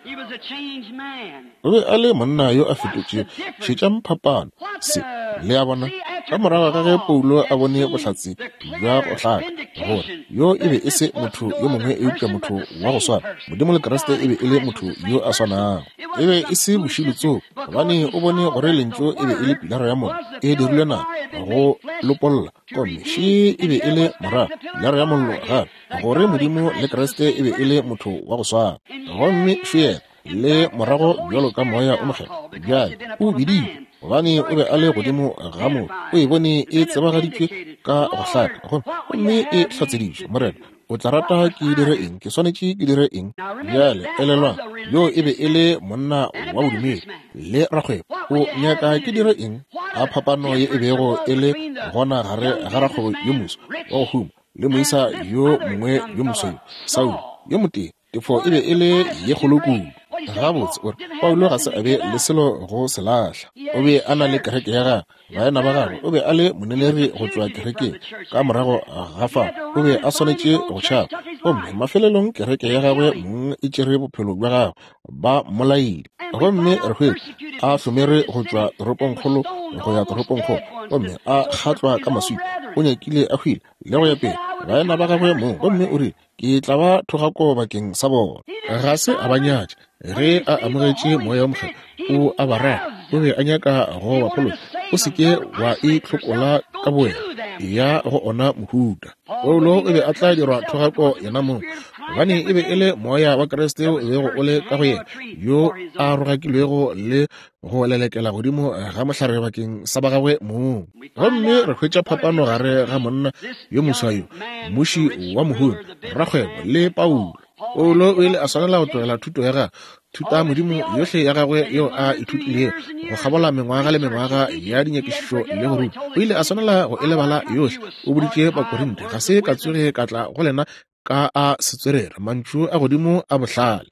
O be a le monna yo a fetotšego. Šetšang phapano. Se, le a bona, ka morago ga ge Paulo a bone bohlatse bja go hlaka gore yo e be e se motho yo mongwe eupša motho wa go swana, Modimo le Kriste e be e le motho yo a swanago. E be e se bošilo tsoko, gobane o bone gore Lentšu e be e le pilara ya mollo e dirilwe nama go lopolla, gomme še e be e le morago pilara ya mollo gape, gore Modimo le Kriste e be e le motho wa go swana. Gomme še yena, le morago bjalo ka Moya o Mokgethwa. Bjale, o biditšwe gobane o be a le godimo ga motho. O e bone e tsebagaditšwe ka go hlaka, gomme e hlatseditšwe. Morena, o tla rata ke dire eng? Ke swanetše ke dire eng? Bjale, elelwang, yo e be e le monna wa bodumedi le rakgwebo. O nyaka ke dire eng? A phapano ye e bego e le gona gare ga rakgwebo yo moso wa go huma le moisa yo mongwe yo mosweu, Saulo, yo motee. Tefo e be e le ye kgolo kudu. Gabotse, o re, Paulo ga se a be le selo go se lahla. O be a na le kereke ya gagwe, baena ba gagwe. O be a le moneleri go tšwa kerekeng. Ka morago ga fao, o be a swanetše go tšhaba. Gomme mafelelong kereke ya gagwe mong e tšere bophelo bja gagwe, ba mmolaile. Gomme re hwetša a hlomere go tšwa toropongkgolo go ya toropongkgolo, gomme a kgatlwa ka maswika. O nyakile a hwile, le go ya pele, baena ba gagwe mong. Gomme o rile, Ke tla ba thogako bakeng sa bona. Ga se a ba nyatša. Ge a amogetše Moya wo Mokgethwa, o a ba rata. O be a nyaka go ba phološa. O se ke wa itlhokola ka bowena. Eya go ona mohuta. Paulo o be a tla dirwa thogako yenamong, gobane e be e le Moya wa Kriste o bego o le ka go yena, yo a rogakilwego le go lelekela godimo ga mohlare bakeng sa ba gagwe mong. Gomme re hwetša phapano gare ga monna yo moswa yo, mmuši wa mohumi, rakgwebo, le Paulo. Paulo o ile a swanela go tlogela thuto ya gagwe, thuta modimo yohle ya gagwe yeo a ithutilego go kgabola mengwaga le mengwaga ya dinyakišišo le go ruta. O ile a swanela go e lebala yohle. O boditše Bakorinte, ga se ka tsoge ka tla go lena. Ka a setswerere, mantšu a godimo a bohlale.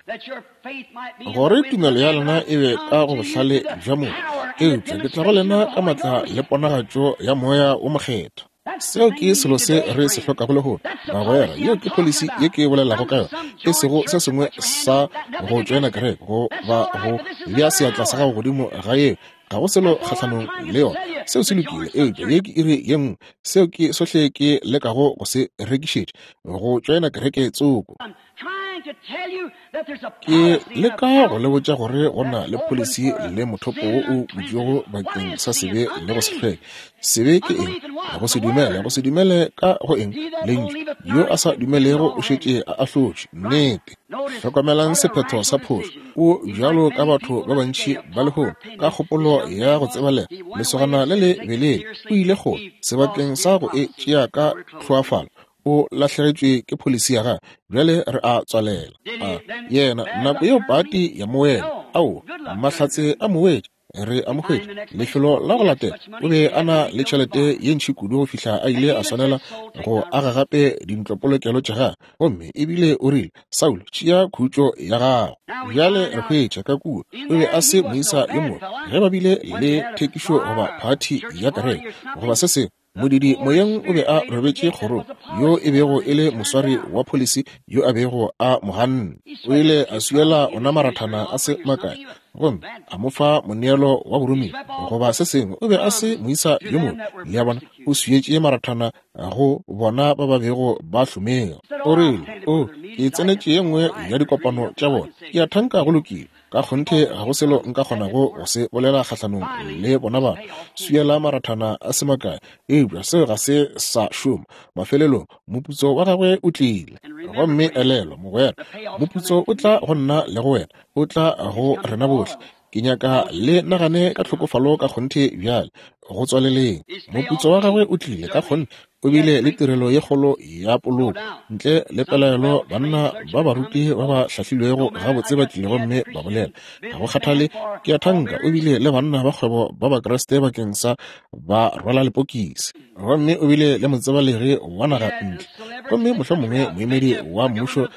Gore tumelo ya lena e be ka go bohlale bja motho, eupša ke tla go lena ka matla le ponagatšo ya Moya wo Mokgethwa. Seo ke selo se re se hlokago lehono, bagwera. Yeo ke pholisi ye ke bolelago ka yona, e sego se sengwe sa go tšoena kereke goba go bea seatla sa gago godimo ga yeo. Ga go selo kgahlanong le yona. Seo se lokile, eupša ye ke iri ye nngwe. Seo ke sohle ke lekago go se rekišetša, go tšoena kereke tsoko. Ke leka go le botša gore go na le pholisi le mothopo wo o butšwego bakeng sa sebe le go se hlweke. Sebe ke eng? Go se dumele. Go se dumele ka go eng? Lentšu. Yo a sa dumelego o šetše a ahlotšwe. Nnete. Hlokomelang sephetho sa phošo. O bjalo ka batho ba bantši ba lehono, ka kgopolo ya go tsebalega, lesogana le le belele o ile kgole, sebakeng sa go e tšea ka tlhoafalo, o lahlegetšwe ke pholisi ya gagwe. Bjale re a tswalela. A yena, nako yeo pati ya mo wela. Aowa, mahlatse a mo wetše. Re a mo hwetša. Lefelo la go latela, o be a na le tšhelete ye ntši kudu go fihla a ile a swanela go aga gape dintlopolokelo tša gagwe. Gomme ebile o rile, Saulo, tšea khutšo ya gago. Bjale re hwetša ka kua, o be a se moisa yo mobe. Ge ba bile le thekišo goba phathi ya kereke, goba se sengwe, Modidi moyeng o be a robetše kgorong, yo e bego e le moswari wa pholisi yo a bego a mo ganne. O ile a swiela ona marathana a se makae gomme a mo fa moneelo wa boromiwa goba se sengwe. O be a se moisa yo mobe. Le a bona, o swietše marathana go bona ba ba bego ba hlomega. O rile, O, ke tsenetše ye nngwe ya dikopano tša bona. Ke a thanka go lokile. Ka kgonthe ga go selo nka kgonago go se bolela kgahlanong le bona batho. Swiela marathana a se makae, eupša seo ga se sa šoma. Mafelelong, moputso wa gagwe o tlile. Gomme elelwa, mogwera, moputso o tla go nna le go wena. O tla go rena bohle. Ke nyaka le nagane ka tlhokofalo ka kgonthe bjale, go tswaleleng. Moputso wa gagwe o tlile, ka kgonthe. O bile le tirelo ye kgolo ya poloko. Ntle le pelaelo banna ba baruti ba ba hlahlilwego gabotse ba tlile gomme ba bolela. Ga go kgathale, ke a thanka o bile le banna ba kgwebo ba Bakriste bakeng sa ba rwala lepokisi. Gomme o bile le motsebalegi wa naga ntle, gomme mohlomongwe moemedi wa mmušo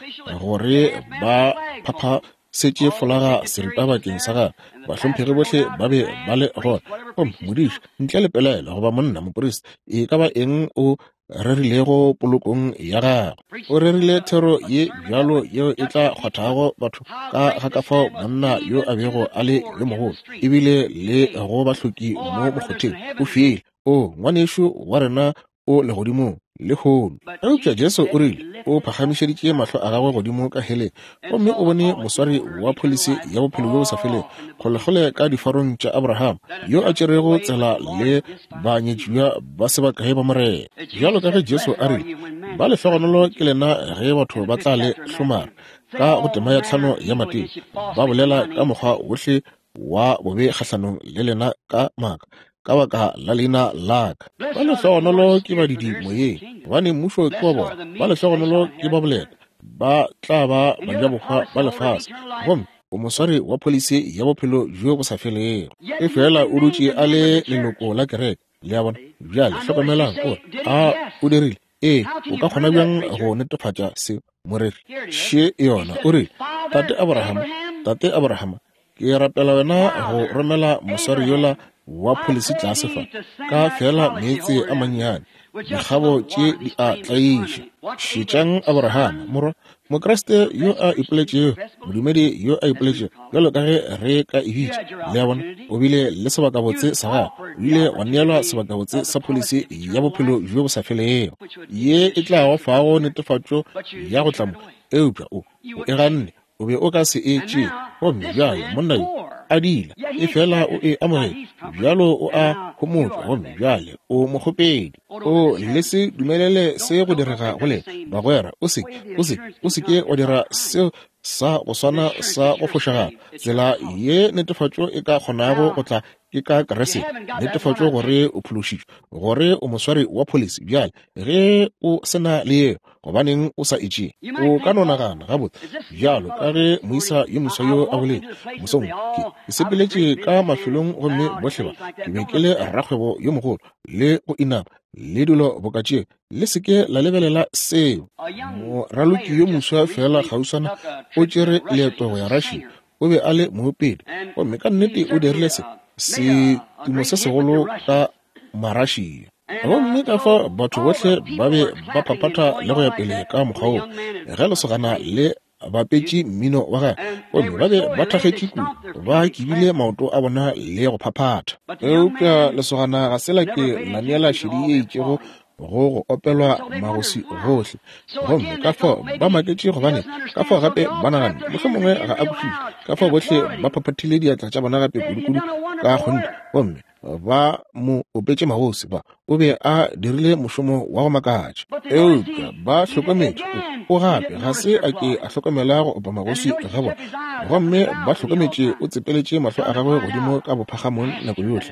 gore ba phapha setše folaga seripa bakeng sa gagwe. Bahlomphegi bohle ba be ba le gona. Gomme modiši, ntle le pelaelo, goba monna moprista, e ka ba eng o rerilego polokong ya gagwe, o rerile thero ye bjalo yeo e tla kgwathago batho ka ga ka fao monna yo a bego a le yo mogolo, ebile le go bahloki mo mokgotheng. O file. O, ngwanešu wa rena o legodimong lehono. Eupša Jesu o rile, o phagamišeditše mahlo a gagwe godimo ka heleng, gomme o bone moswari wa pholisi ya bophelo bjo bo sa felego, kgolekgole ka difarong tša Abraham, yo a tšerego tsela le banyetšiwa ba se bakae ba Morena. Bjalo ka ge Jesu a rile, Ba lehlogonolo ke lena ge batho ba tla le hlomara, ka go tema ya tlhano ya Mateo, ba bolela ka mokgwa wohle wa bobe kgahlanong le lena ka maaka ka baka la leina la ka. Ba lehlogonolo ke badidi moyeng, gobane mmušo ke wa bona. Ba lehlogonolo ke ba boleta, ba tla ba bajabohwa ba lefase. Gomme o moswari wa pholisi ya bophelo bjo bo sa felego. Efela o dutše a le leloko la kereke. Le a bona? Bjale hlokomelang, o re, A o dirile? Ee, o ka kgona bjang go netefatša se, moreri? Še yona. O rile, Tate Abraham, Tate Abraham, ke rapela wena go romela moswari yola wa pholisi tlase fa, ka feela meetse a mannyane. Dikgabo tše di a tlaiša. Šetšang Abraham, morwa, Mokriste yo a ipoletšego, modumedi yo a ipoletšego, bjalo ka ge re ka e bitša. Le a bona, o bile le sebakabotse sa gagwe. O ile wa neelwa sebakabotse sa pholisi ya bophelo bjo bo sa felego, ye e tla go fago netefatšo ya go tla mo. Eupša o, o e ganne. O be o ka se e tšee. Gomme bjale monna yo a diila, efela o e amogetše. Bjalo o a homotšwa, gomme bjale o mokgopedi. O le se dumelele se go direga go lena, bagwera. O se, o se, o se ke wa dira seo sa go swana sa go fošagala. Tsela ye netefatšo e ka kgonago go tla Ke ka Kriste, netefatšo gore o phološitšwe, gore o moswari wa pholisi. Bjale, ge o se na le yeo, gobaneng o sa e tšee? O ka no nagana, Gabotse, bjalo ka ge moisa yo moswa yo a boletše mosong, ke, ke sepeletše ka mafelong gomme bohle ba, ke be ke le rakgwebo yo mogolo, le go inama, le dilo boka tšeo. Le se ke la lebelela seo. Moraloki yo moswa feela kgauswana o tšere leeto go ya Russia. O be a le moopedi, gomme ka nnete o dirile se, setumo se segolo ka Marussia. Gomme ka fao batho bohle ba be ba phaphatha le go ya pele ka mokgwa woo, ge lesogana le bapetše mmino wa gagwe, gomme ba be ba thakgetše kudu, ba kibile maoto a bona le go phaphatha. Eupša lesogana ga se la ke la neela šedi ye itšego go go opelwa magoswi gohle. Gomme ka fao ba maketše, gobane ka fao gape ba naganne mohlomongwe ga a kwešiše. Ka fao bohle ba phaphathile diatla tša bona gape kudukudu ka kgonthe, gomme ba mo opetše magoswi. Ba o be a dirile mošomo wa go makatša. Eupša ba hlokometše o gape ga se a ke a hlokomela go opa magoswi ga bona, gomme ba hlokometše o tsepeletše mahlo a gagwe godimo ka bophagamong nako yohle,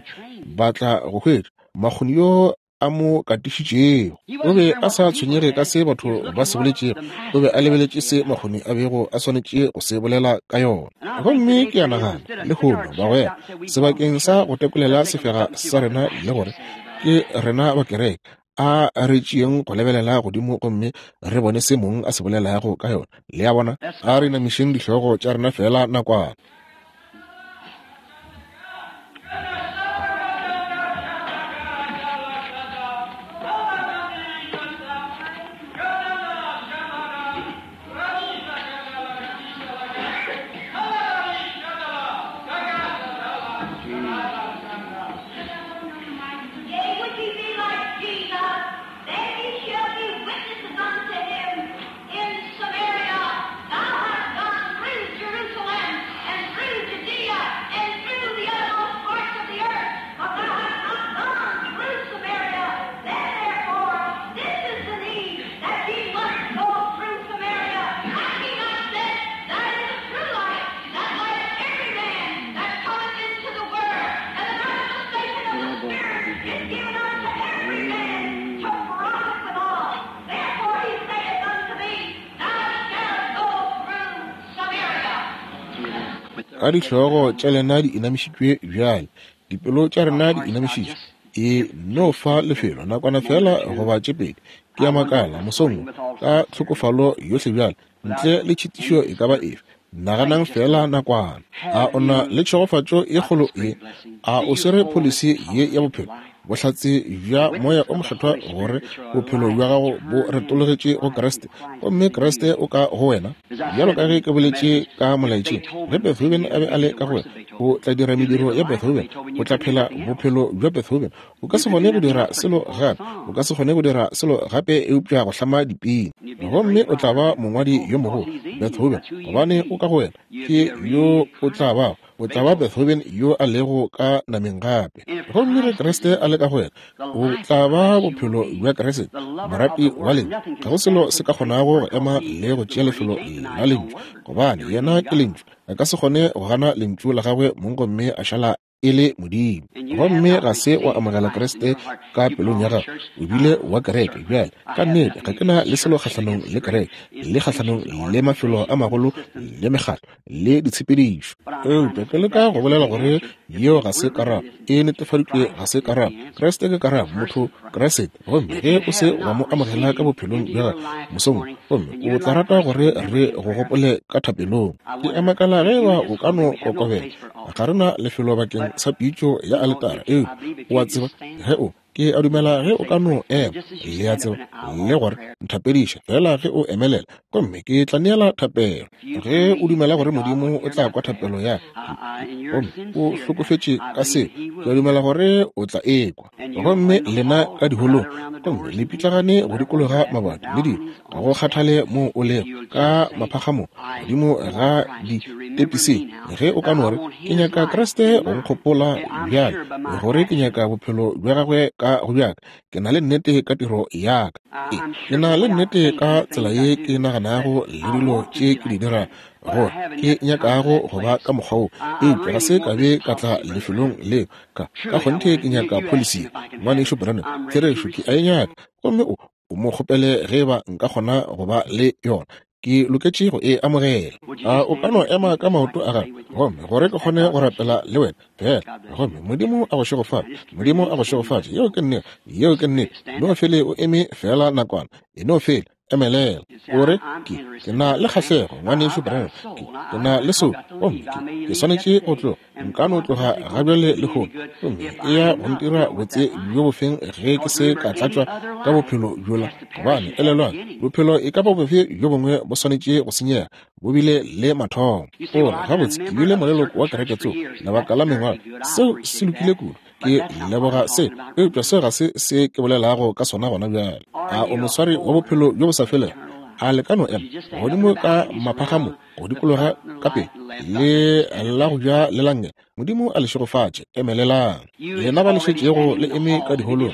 ba tla go hwetša makgoni yo a mo katišitšego. O be a sa tshwenyege ka se batho ba se boletšego, o be a lebeletše se makgoni a bego a swanetše go se bolela ka yona. Gomme ke a nagana, lehono, bagwera, sebakeng sa go tekolela sefega sa rena le gore ke rena ba kereke, a re tšeeng go lebelela godimo gomme re bone se mong a se bolelago ka yona. Le a bona? A re inamišeng dihlogo tša rena feela nakwana. Ka dihlogo tša lena di inamišitšwe bjale, dipelo tša rena di inamišitšwe, e no fa lefelo nakwana feela goba tše pedi. Ke a makala mosong wo, ka tlhokofalo yohle bjale, ntle le tšhitišo e ka ba efe, naganang feela nakwana. A o na le tšhegofatšo e kgolo ye? A o swere pholisi ye ya bophelo, bohlatse bja Moya o Mokgethwa gore bophelo bja gago bo retologetše go Kriste, gomme Kriste o ka go wena? Bjalo ka ge ke boletše ka molaetšeng, ge Beethoven a be a le ka go wena, o tla dira mediro ya Beethoven, o tla phela bophelo bja Beethoven. O ka se kgone go dira selo gape, o ka se kgone go dira selo gape eupša go hlama dipina. Gomme o tla ba mongwadi yo mogolo, Beethoven, gobane o ka go wena, ke yo o tla bago. O tla ba Beethoven yo a lego ka nameng gape. Gomme ge Kriste a le ka go wena, o tla ba bophelo bja Kriste, morati wa Lentšu. Ga go selo se ka kgonago go ema le go tšea lefelo la Lentšu, gobane Yena ke Lentšu. A ka se kgone go gana Lentšu la Gagwe mong gomme a šala e le Modimo. Gomme ga se wa amogela Kriste ka pelong ya gago, o bile wa kereke. Bjale, ka nnete, ga ke na le selo kgahlanong le kereke, le kgahlanong le mafelo a magolo le mekgatlo le ditshepedišo. Eupša ke leka go bolela gore yeo ga se karabo, e netefaditšwe ga se karabo. Kriste ke karabo, motho Kriste. Gomme ge o se wa mo amogela ka bophelong bja gago mosong wo, gomme o tla rata gore re go gopole ka thapelong. Ke a makala ge eba o ka no kokobela. Ga re na lefelo bakeng sa pitšo ya aletara, eupša o a tseba, ge o, Ke a dumela ge o ka no ema, le a tseba, le gore nthapediše fela ge o emelela, gomme ke tla neela thapelo. Ge o dumela gore Modimo o tla kwa thapelo ya ka, gomme o hlokofetše ka seo, ke a dumela gore o tla e kwa. Gomme lena ka diholong, gomme le pitlagane go dikologa mabati le dilo, ga go kgathale moo o lego, ka maphagamong, godimo ga ditepising, ge o ka no re, Ke nyaka Kriste go nkgopola bjale, gore ke nyaka bophelo bja gagwe ka. ka go bjaka. Ke na le nnete ka tiro ya ka. Ke, ke na le nnete ka tsela ye ke naganago le dilo tše ke di dirago, gore ke nyakago go ba ka mokgwa wo, eupša ga se ka be ka tla lefelong leo. Ka, ka kgonthe ke nyaka pholisi ye, Ngwanešu Branham. Therešo, ke a e nyaka. Gomme o, o mo kgopele ge eba nka kgona go ba le yona. Ke loketše go e amogela. A o ka no ema ka maoto a gago, gomme gore ke kgone go rapela le wena feela. Gomme Modimo a go šegofatše. Modimo a go šegofatše. Yeo ke nnete. Yeo ke nnete. No fele o eme feela nakwana. E no fele emelela. O re, Ke, ke na le kgahlego, Ngwanešu Branham. Ke, ke na le soulo, gomme ke, ke swanetše go tloga. Nka no tloga gabjale lehono, gomme e ya go ntira botse bjo bofeng ge ke se ka tlatšwa ka bophelo bjola? Gobane, elelwang, bophelo e ka ba bofe bjo bongwe bo swanetše go senyega, bo bile le mathomo. O re, Gabotse, ke bile moleloko wa kereke tsoko lebaka la mengwaga. Seo se lokile kudu. Ke leboga se, eupša seo ga se se ke bolelago ka sona gona bjale. A o moswari wa bophelo bjo bo sa felego? A le ka no ema godimo ka maphagamo go dikologa ka pele le la go ja le la nngele? Modimo a le šegofatše. Emelelang. Lena ba le šetšego le eme ka diholong,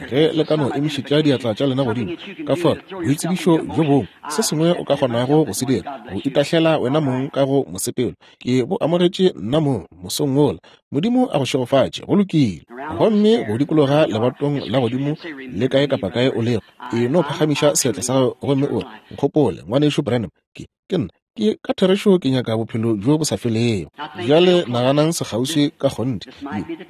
ge le ka no emišetša diatla tša lena godimo, ka fao boitsebišo bjo bongwe, se sengwe o ka kgonago go se dira, go itahlela wena mong ka go mosepelo. Ke bo amogetše nna mong mosong wola. Modimo a go šegofatše. Go lokile. Gomme go dikologa lebatong la godimo le kae kapa kae o lego, e no phagamiša seatla sa gago gomme o re, Nkgopole, Ngwanešu Branham. Ke, ke nna. Ke, ka therešo ke nyaka bophelo bjo bo sa felego. Bjale naganang sekgauswi ka kgonthe.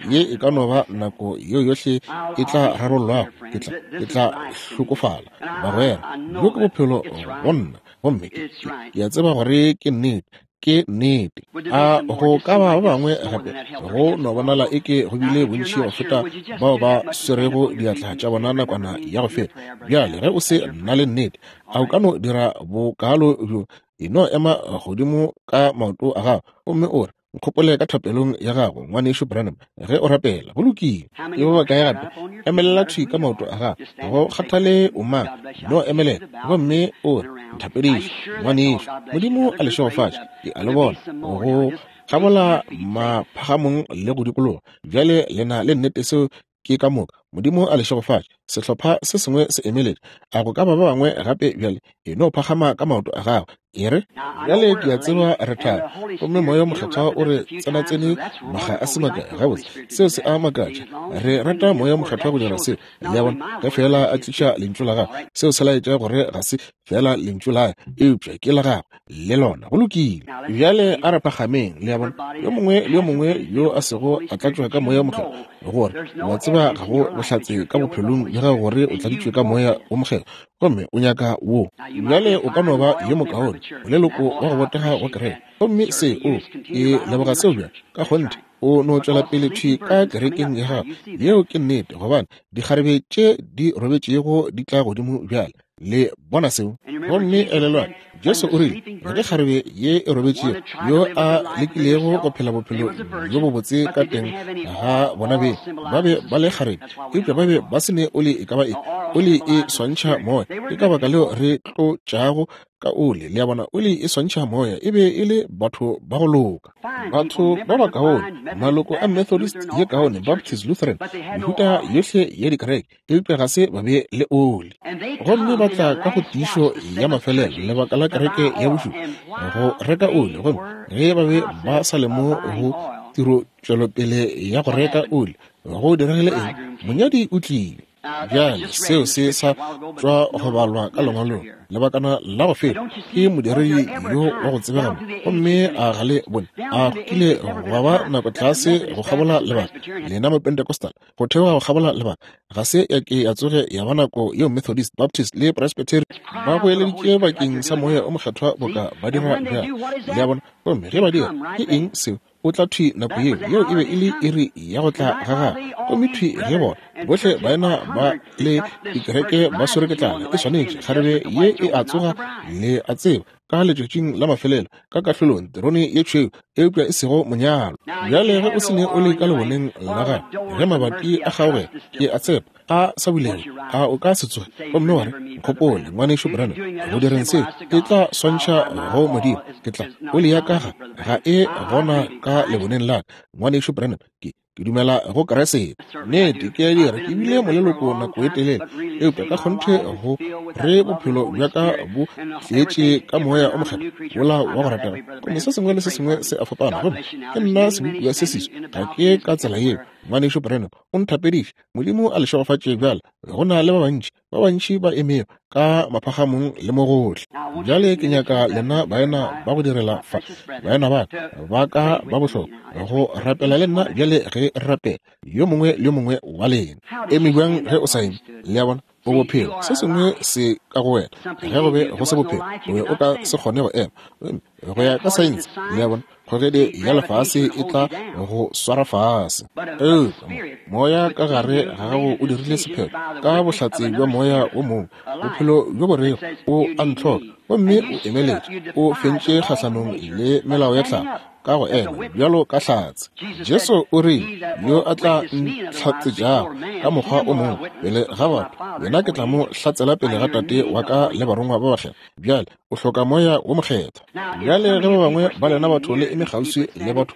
Ye, ye e ka no ba nako yeo yohle e tla rarollwago. Ke tla, ke tla hlokofala, bagwera. Bjo ke bophelo go nna. Gomme ke, ke, ke a tseba gore ke nnete. Ke nnete. A go ka ba ba bangwe gape? Go no bonala eke go bile bontši go feta bao ba swerego diatla tša bona nakwana ya go feta. Bjale, ge o se na le nnete, a o ka no dira bokaalo bjo? E no ema godimo ka maoto a gago gomme o re, Nkgopole ka thapelong ya gago, Ngwanešu Branham, ge o rapela. Go lokile. Ke ba bakae gape? Emelela thwi ka maoto a gago. Ga go kgathale o mang, no emelela gomme o re, Nthapediše, ngwanešu. Modimo a le šegofatše. Ke a le bona go kgabola maphagamong le go dikologa. Bjale le na le nnete seo ke ka moka. Modimo a le šegofatše. Sehlopha se sengwe se emeletše. A go ka ba ba bangwe gape bjale? E no phagama ka maoto a gago. E re, Bjale ke a tseba re thari, gomme Moya wo Mokgethwa o re tsenatsene makga a se makae. Gabotse, seo se a makatša. Re rata Moya wo Mokgethwa go dira seo. Le a bona? Ge feela a tliša Lentšu la Gagwe, seo se laetša gore ga se feela Lentšu la ka, eupša ke la Gagwe, le lona. Go lokile. Bjale a re phagameng, le a bona, yo mongwe le yo mongwe yo a sego a tlatšwa ka Moya wo Mokgethwa, gore o a tseba ga go bohlatse ka bophelong bja gago gore o tladitšwe ka Moya wo Mokgethwa, gomme o nyaka wo. Bjale o ka no ba yo mokaone, moleloko wa go botega wa kereke, gomme se o, ke leboga seo bjale, ka kgonthe, o no tšwela pele thwi ka kerekeng ya gago. Yeo ke nnete, gobane dikgarebe tše di robetšego di tla godimo bjale. Le bona seo? Gomme elelwang, Jesu o rile, Ge kgarebe ye e robetšego, yo a lekilego go phela bophelo bjo bobotse ka teng ga bona beng, ba be ba le kgarebe, eupša ba be ba se ne oli e ka ba efe. Oli e swantšha moya. Ke ka baka leo re tlotšago ka oli. Le a bona, oli e swantšha moya. E be e le batho ba go loka. Batho ba bakaone, maloko a Methodist ye kaone, Baptist, Lutheran, mehuta yohle ya dikereke, eupša ga se ba be le oli. Gomme ba tla ka go tiišo ya mafelelo, lebaka la kereke ya bošupa, go reka oli. Gomme ge ba be ba sa le mo go tiro tšwelopele ya go reka oli, go diregile eng? Monyadi o tlile. Bjale seo se sa tšwa go balwa ka lengwalong lebakana la go feta ke modiredi yo wa go tsebega mo, gomme a ga le bone a go kile gwa ba nako tlase go kgabola lebaka lena Mapentecostal go theoga go kgabola lebaka ga se ya ke ya tsoge ya ba nako yeo Methodist, Baptist le Presbyterian ba goeleditše bakeng sa Moya o Mokgethwa boka ba dira bjale. Le a bona? Gomme ge ba dira, ke eng seo? O tla thwi nako yeo. Yeo e be e le iri ya go tla ga gagwe. Gomme thwi ge bona bohle baena ba le dikereke ba swere ke tlala, e swanetše kgarebe ye e a tsoga, le a tseba, ka letšatšing la mafelelo, ka kahlolong, terone ye tšhweu, eupša e sego monyalo. Bjale ge o se ne oli ka leboneng la gago, ge mabati a kgaogela, ke a tshepa, a sa bulega, a o ka se tsoge gomme wa re, Nkgopole, Ngwanešu Branham, go direng seo, e tla swantšha go Modimo. Ke tla, oli ya ka ga, ga e gona ka leboneng la ka, Ngwanešu Branham. Ke, Ke dumela go Kriste. Nnete, ke a dira. Ke bile moleloko nako e telele, eupša ka kgonthe go re bophelo bja ka bo tletše ka Moya o Mokgethwa wola wa go ratega. Gomme se sengwe le se sengwe se a fapana. Gomme ke nna sebopiwa se seswa. Ga ke ka tsela yeo. Ngwanešu Branham o nthapediše. Modimo a le šegofatše bjale. Go na le ba bantši, ba bantši ba emego ka maphagamong le mo gohle. Bjale ke nyaka lena baena ba go direla fa, baena ba ka, ba ka ba bohlokwa, go rapela le nna bjale ge re rapela, yo mongwe le yo mongwe wa lena. Eme bjang ge o sa eme? Le a bona? O bophelo, se sengwe se ka go wena. Ge go be go se bophelo, o be o ka se kgone go ema. Go ya ka saense, le a bona, kgogedi ya lefase e tla go swara fase. Eupša moya ka gare ga gago o dirile sephetho ka bohlatse bja moya wo mongwe, bophelo bjo bo rego o a ntlhoka, gomme o emeletše, o fentše kgahlanong le melao ya tlhago ka go ema bjalo ka hlatse. Jesu o rile, Yo a tla ntlhatsetšago ka mokgwa o mongwe pele ga batho, yena ke tla mo hlatsela pele ga Tate wa ka le barongwa ba bakgethwa. Bjale o hloka Moya wo Mokgethwa. Bjale ge ba bangwe ba lena batho le eme kgauswi le batho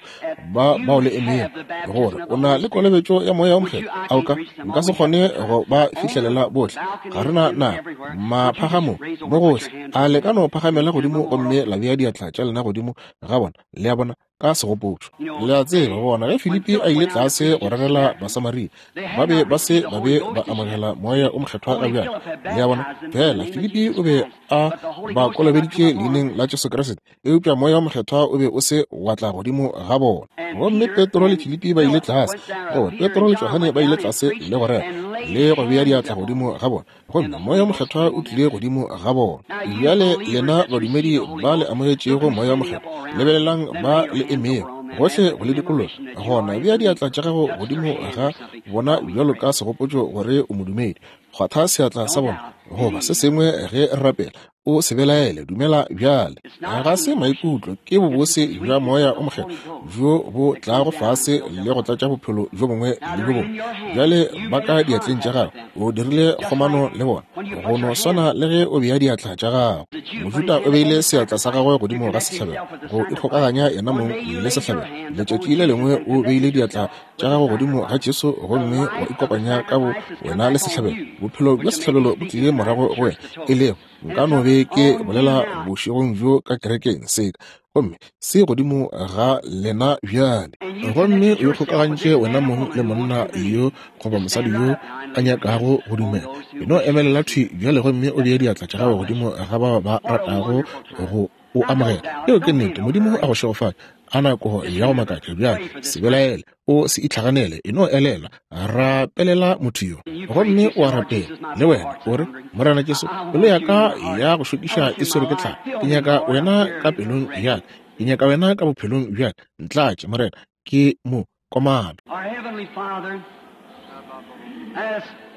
ba bao le emego, gore o na le kolobetšo ya Moya wo Mokgethwa, a o ka? Nka se kgone go ba fihlelela bohle. Ga re na nako. Maphagamong, mo gohle, a le ka no phagamela godimo gomme la bea diatla tša lena godimo ga bona, le a bona, ka segopotšo. Le a tseba, bona, ge Filipi a ile tlase go rerela Basamaria, ba be ba se ba be ba amogela Moya o Mokgethwa ga bjale. Le a bona? Fela Filipi o be a ba kolobeditše leineng la Jesu Kriste, eupša Moya o Mokgethwa o be o se wa tla godimo ga bona. Gomme Petro le Filipi ba ile tlase, goba Petro le Johane ba ile tlase le go rera le go bea diatla godimo ga bona, gomme Moya Mokgethwa o tlile godimo ga bona. Bjale lena badumedi ba le amogetšego Moya Mokgethwa, lebelelang ba le emego gohle go le dikologa, gona bea diatla tša gago godimo ga bona bjalo ka segopotšo gore o modumedi. Kgwatha seatla sa bona goba se sengwe ge re rapela. O se belaele, dumela bjale. Ga se maikutlo, ke bobose bja Moya o Mokgethwa bjo bo tlago fase le go tlatša bophelo bjo bongwe le bjo bongwe. Bjale ba ka diatleng tša gago, o dirile kgomano le bona, go no swana le ge o bea diatla tša gago. Mojuda o beile seatla sa gagwe godimo ga sehlabelo go ikgokaganya yena mong le sehlabelo. Letšatši le lengwe o beile diatla tša gago godimo ga Jesu gomme wa ikopanya ka bo wena le sehlabelo. Bophelo bja sehlabelo bo tlile morago go wena, e lego nka no be ke bolela bošegong bjo ka kerekeng seka, gomme se godimo ga lena bjale. Gomme o ikgokagantše wena mong le monna yo goba mosadi yo a nyakago go dumela. E no emelela thwi bjale gomme o bee diatla tša gago godimo ga bao ba ratago go o amogela. Yeo ke nnete. Modimo a go šegofatše. A nako ya go makatša bjale. Se belaele, o se itlhaganele, e no elelwa, rapelela motho yo. Gomme o a rapela, le wena, o re, Morena Jesu, pelo ya ka ya go šokiša e swerwe ke tlala. Ke nyaka wena ka pelong ya ka. Ke nyaka wena ka bophelong bja ka. Ntlatše, Morena. Ke mo komana.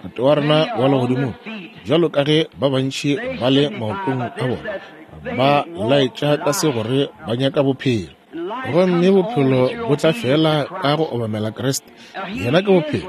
Tate wa rena wa legodimong, bjalo ka ge ba bantši ba le maotong a bona, ba laetša ka se gore ba nyaka bophelo. Gomme bophelo bo tla fela ka go obamela Kriste. Yena ke bophelo.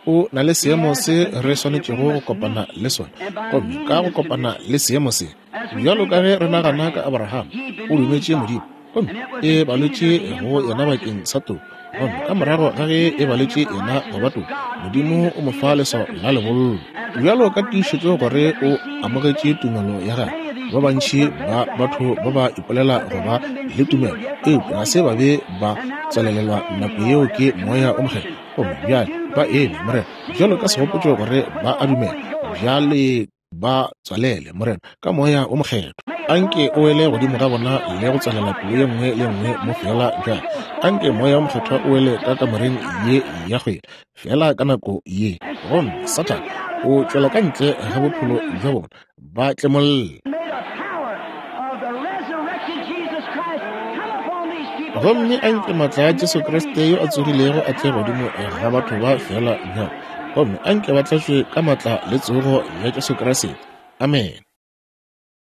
O na le seemo se re swanetšego go kopana le sona. Gomme ka go kopana le seemo se, bjalo ka ge re nagana ka Abraham, o dumetše Modimo, gomme e balotše go yena bakeng sa toko. Gomme ka morago ga ge e baletše yena go ba toko, Modimo o mo fa leswao la lebollo, bjalo ka tiišetšo gore o amogetše tumelo ya gagwe. Ba bantši ba batho ba ba ipolela go ba le tumelo, eupša ga se ba be ba tswalelelwa nako yeo ke Moya o Mokgethwa. Gomme bjale ba eme, Morena, bjalo ka segopotšo gore ba a dumela. Bjale ba tswalele, Morena, ka Moya wo Mokgethwa. Anke o wele godimo ga bona le go tswalela pelo ye nngwe le ye nngwe mo feela bjale. Anke Moya wo Mokgethwa o wele ka kamoreng ye ya kgwele, feela ka nako ye. Gomme Sathane o tšwela ka ntle ga bophelo bja bona, ba tlemolle. Gomme anke maatla a Jesu Kriste yo a tsogilego a tle godimo ga batho ba feela bjale. Gomme anke ba tlatšwe ka maatla le tsogo ya Jesu Kriste. Amene.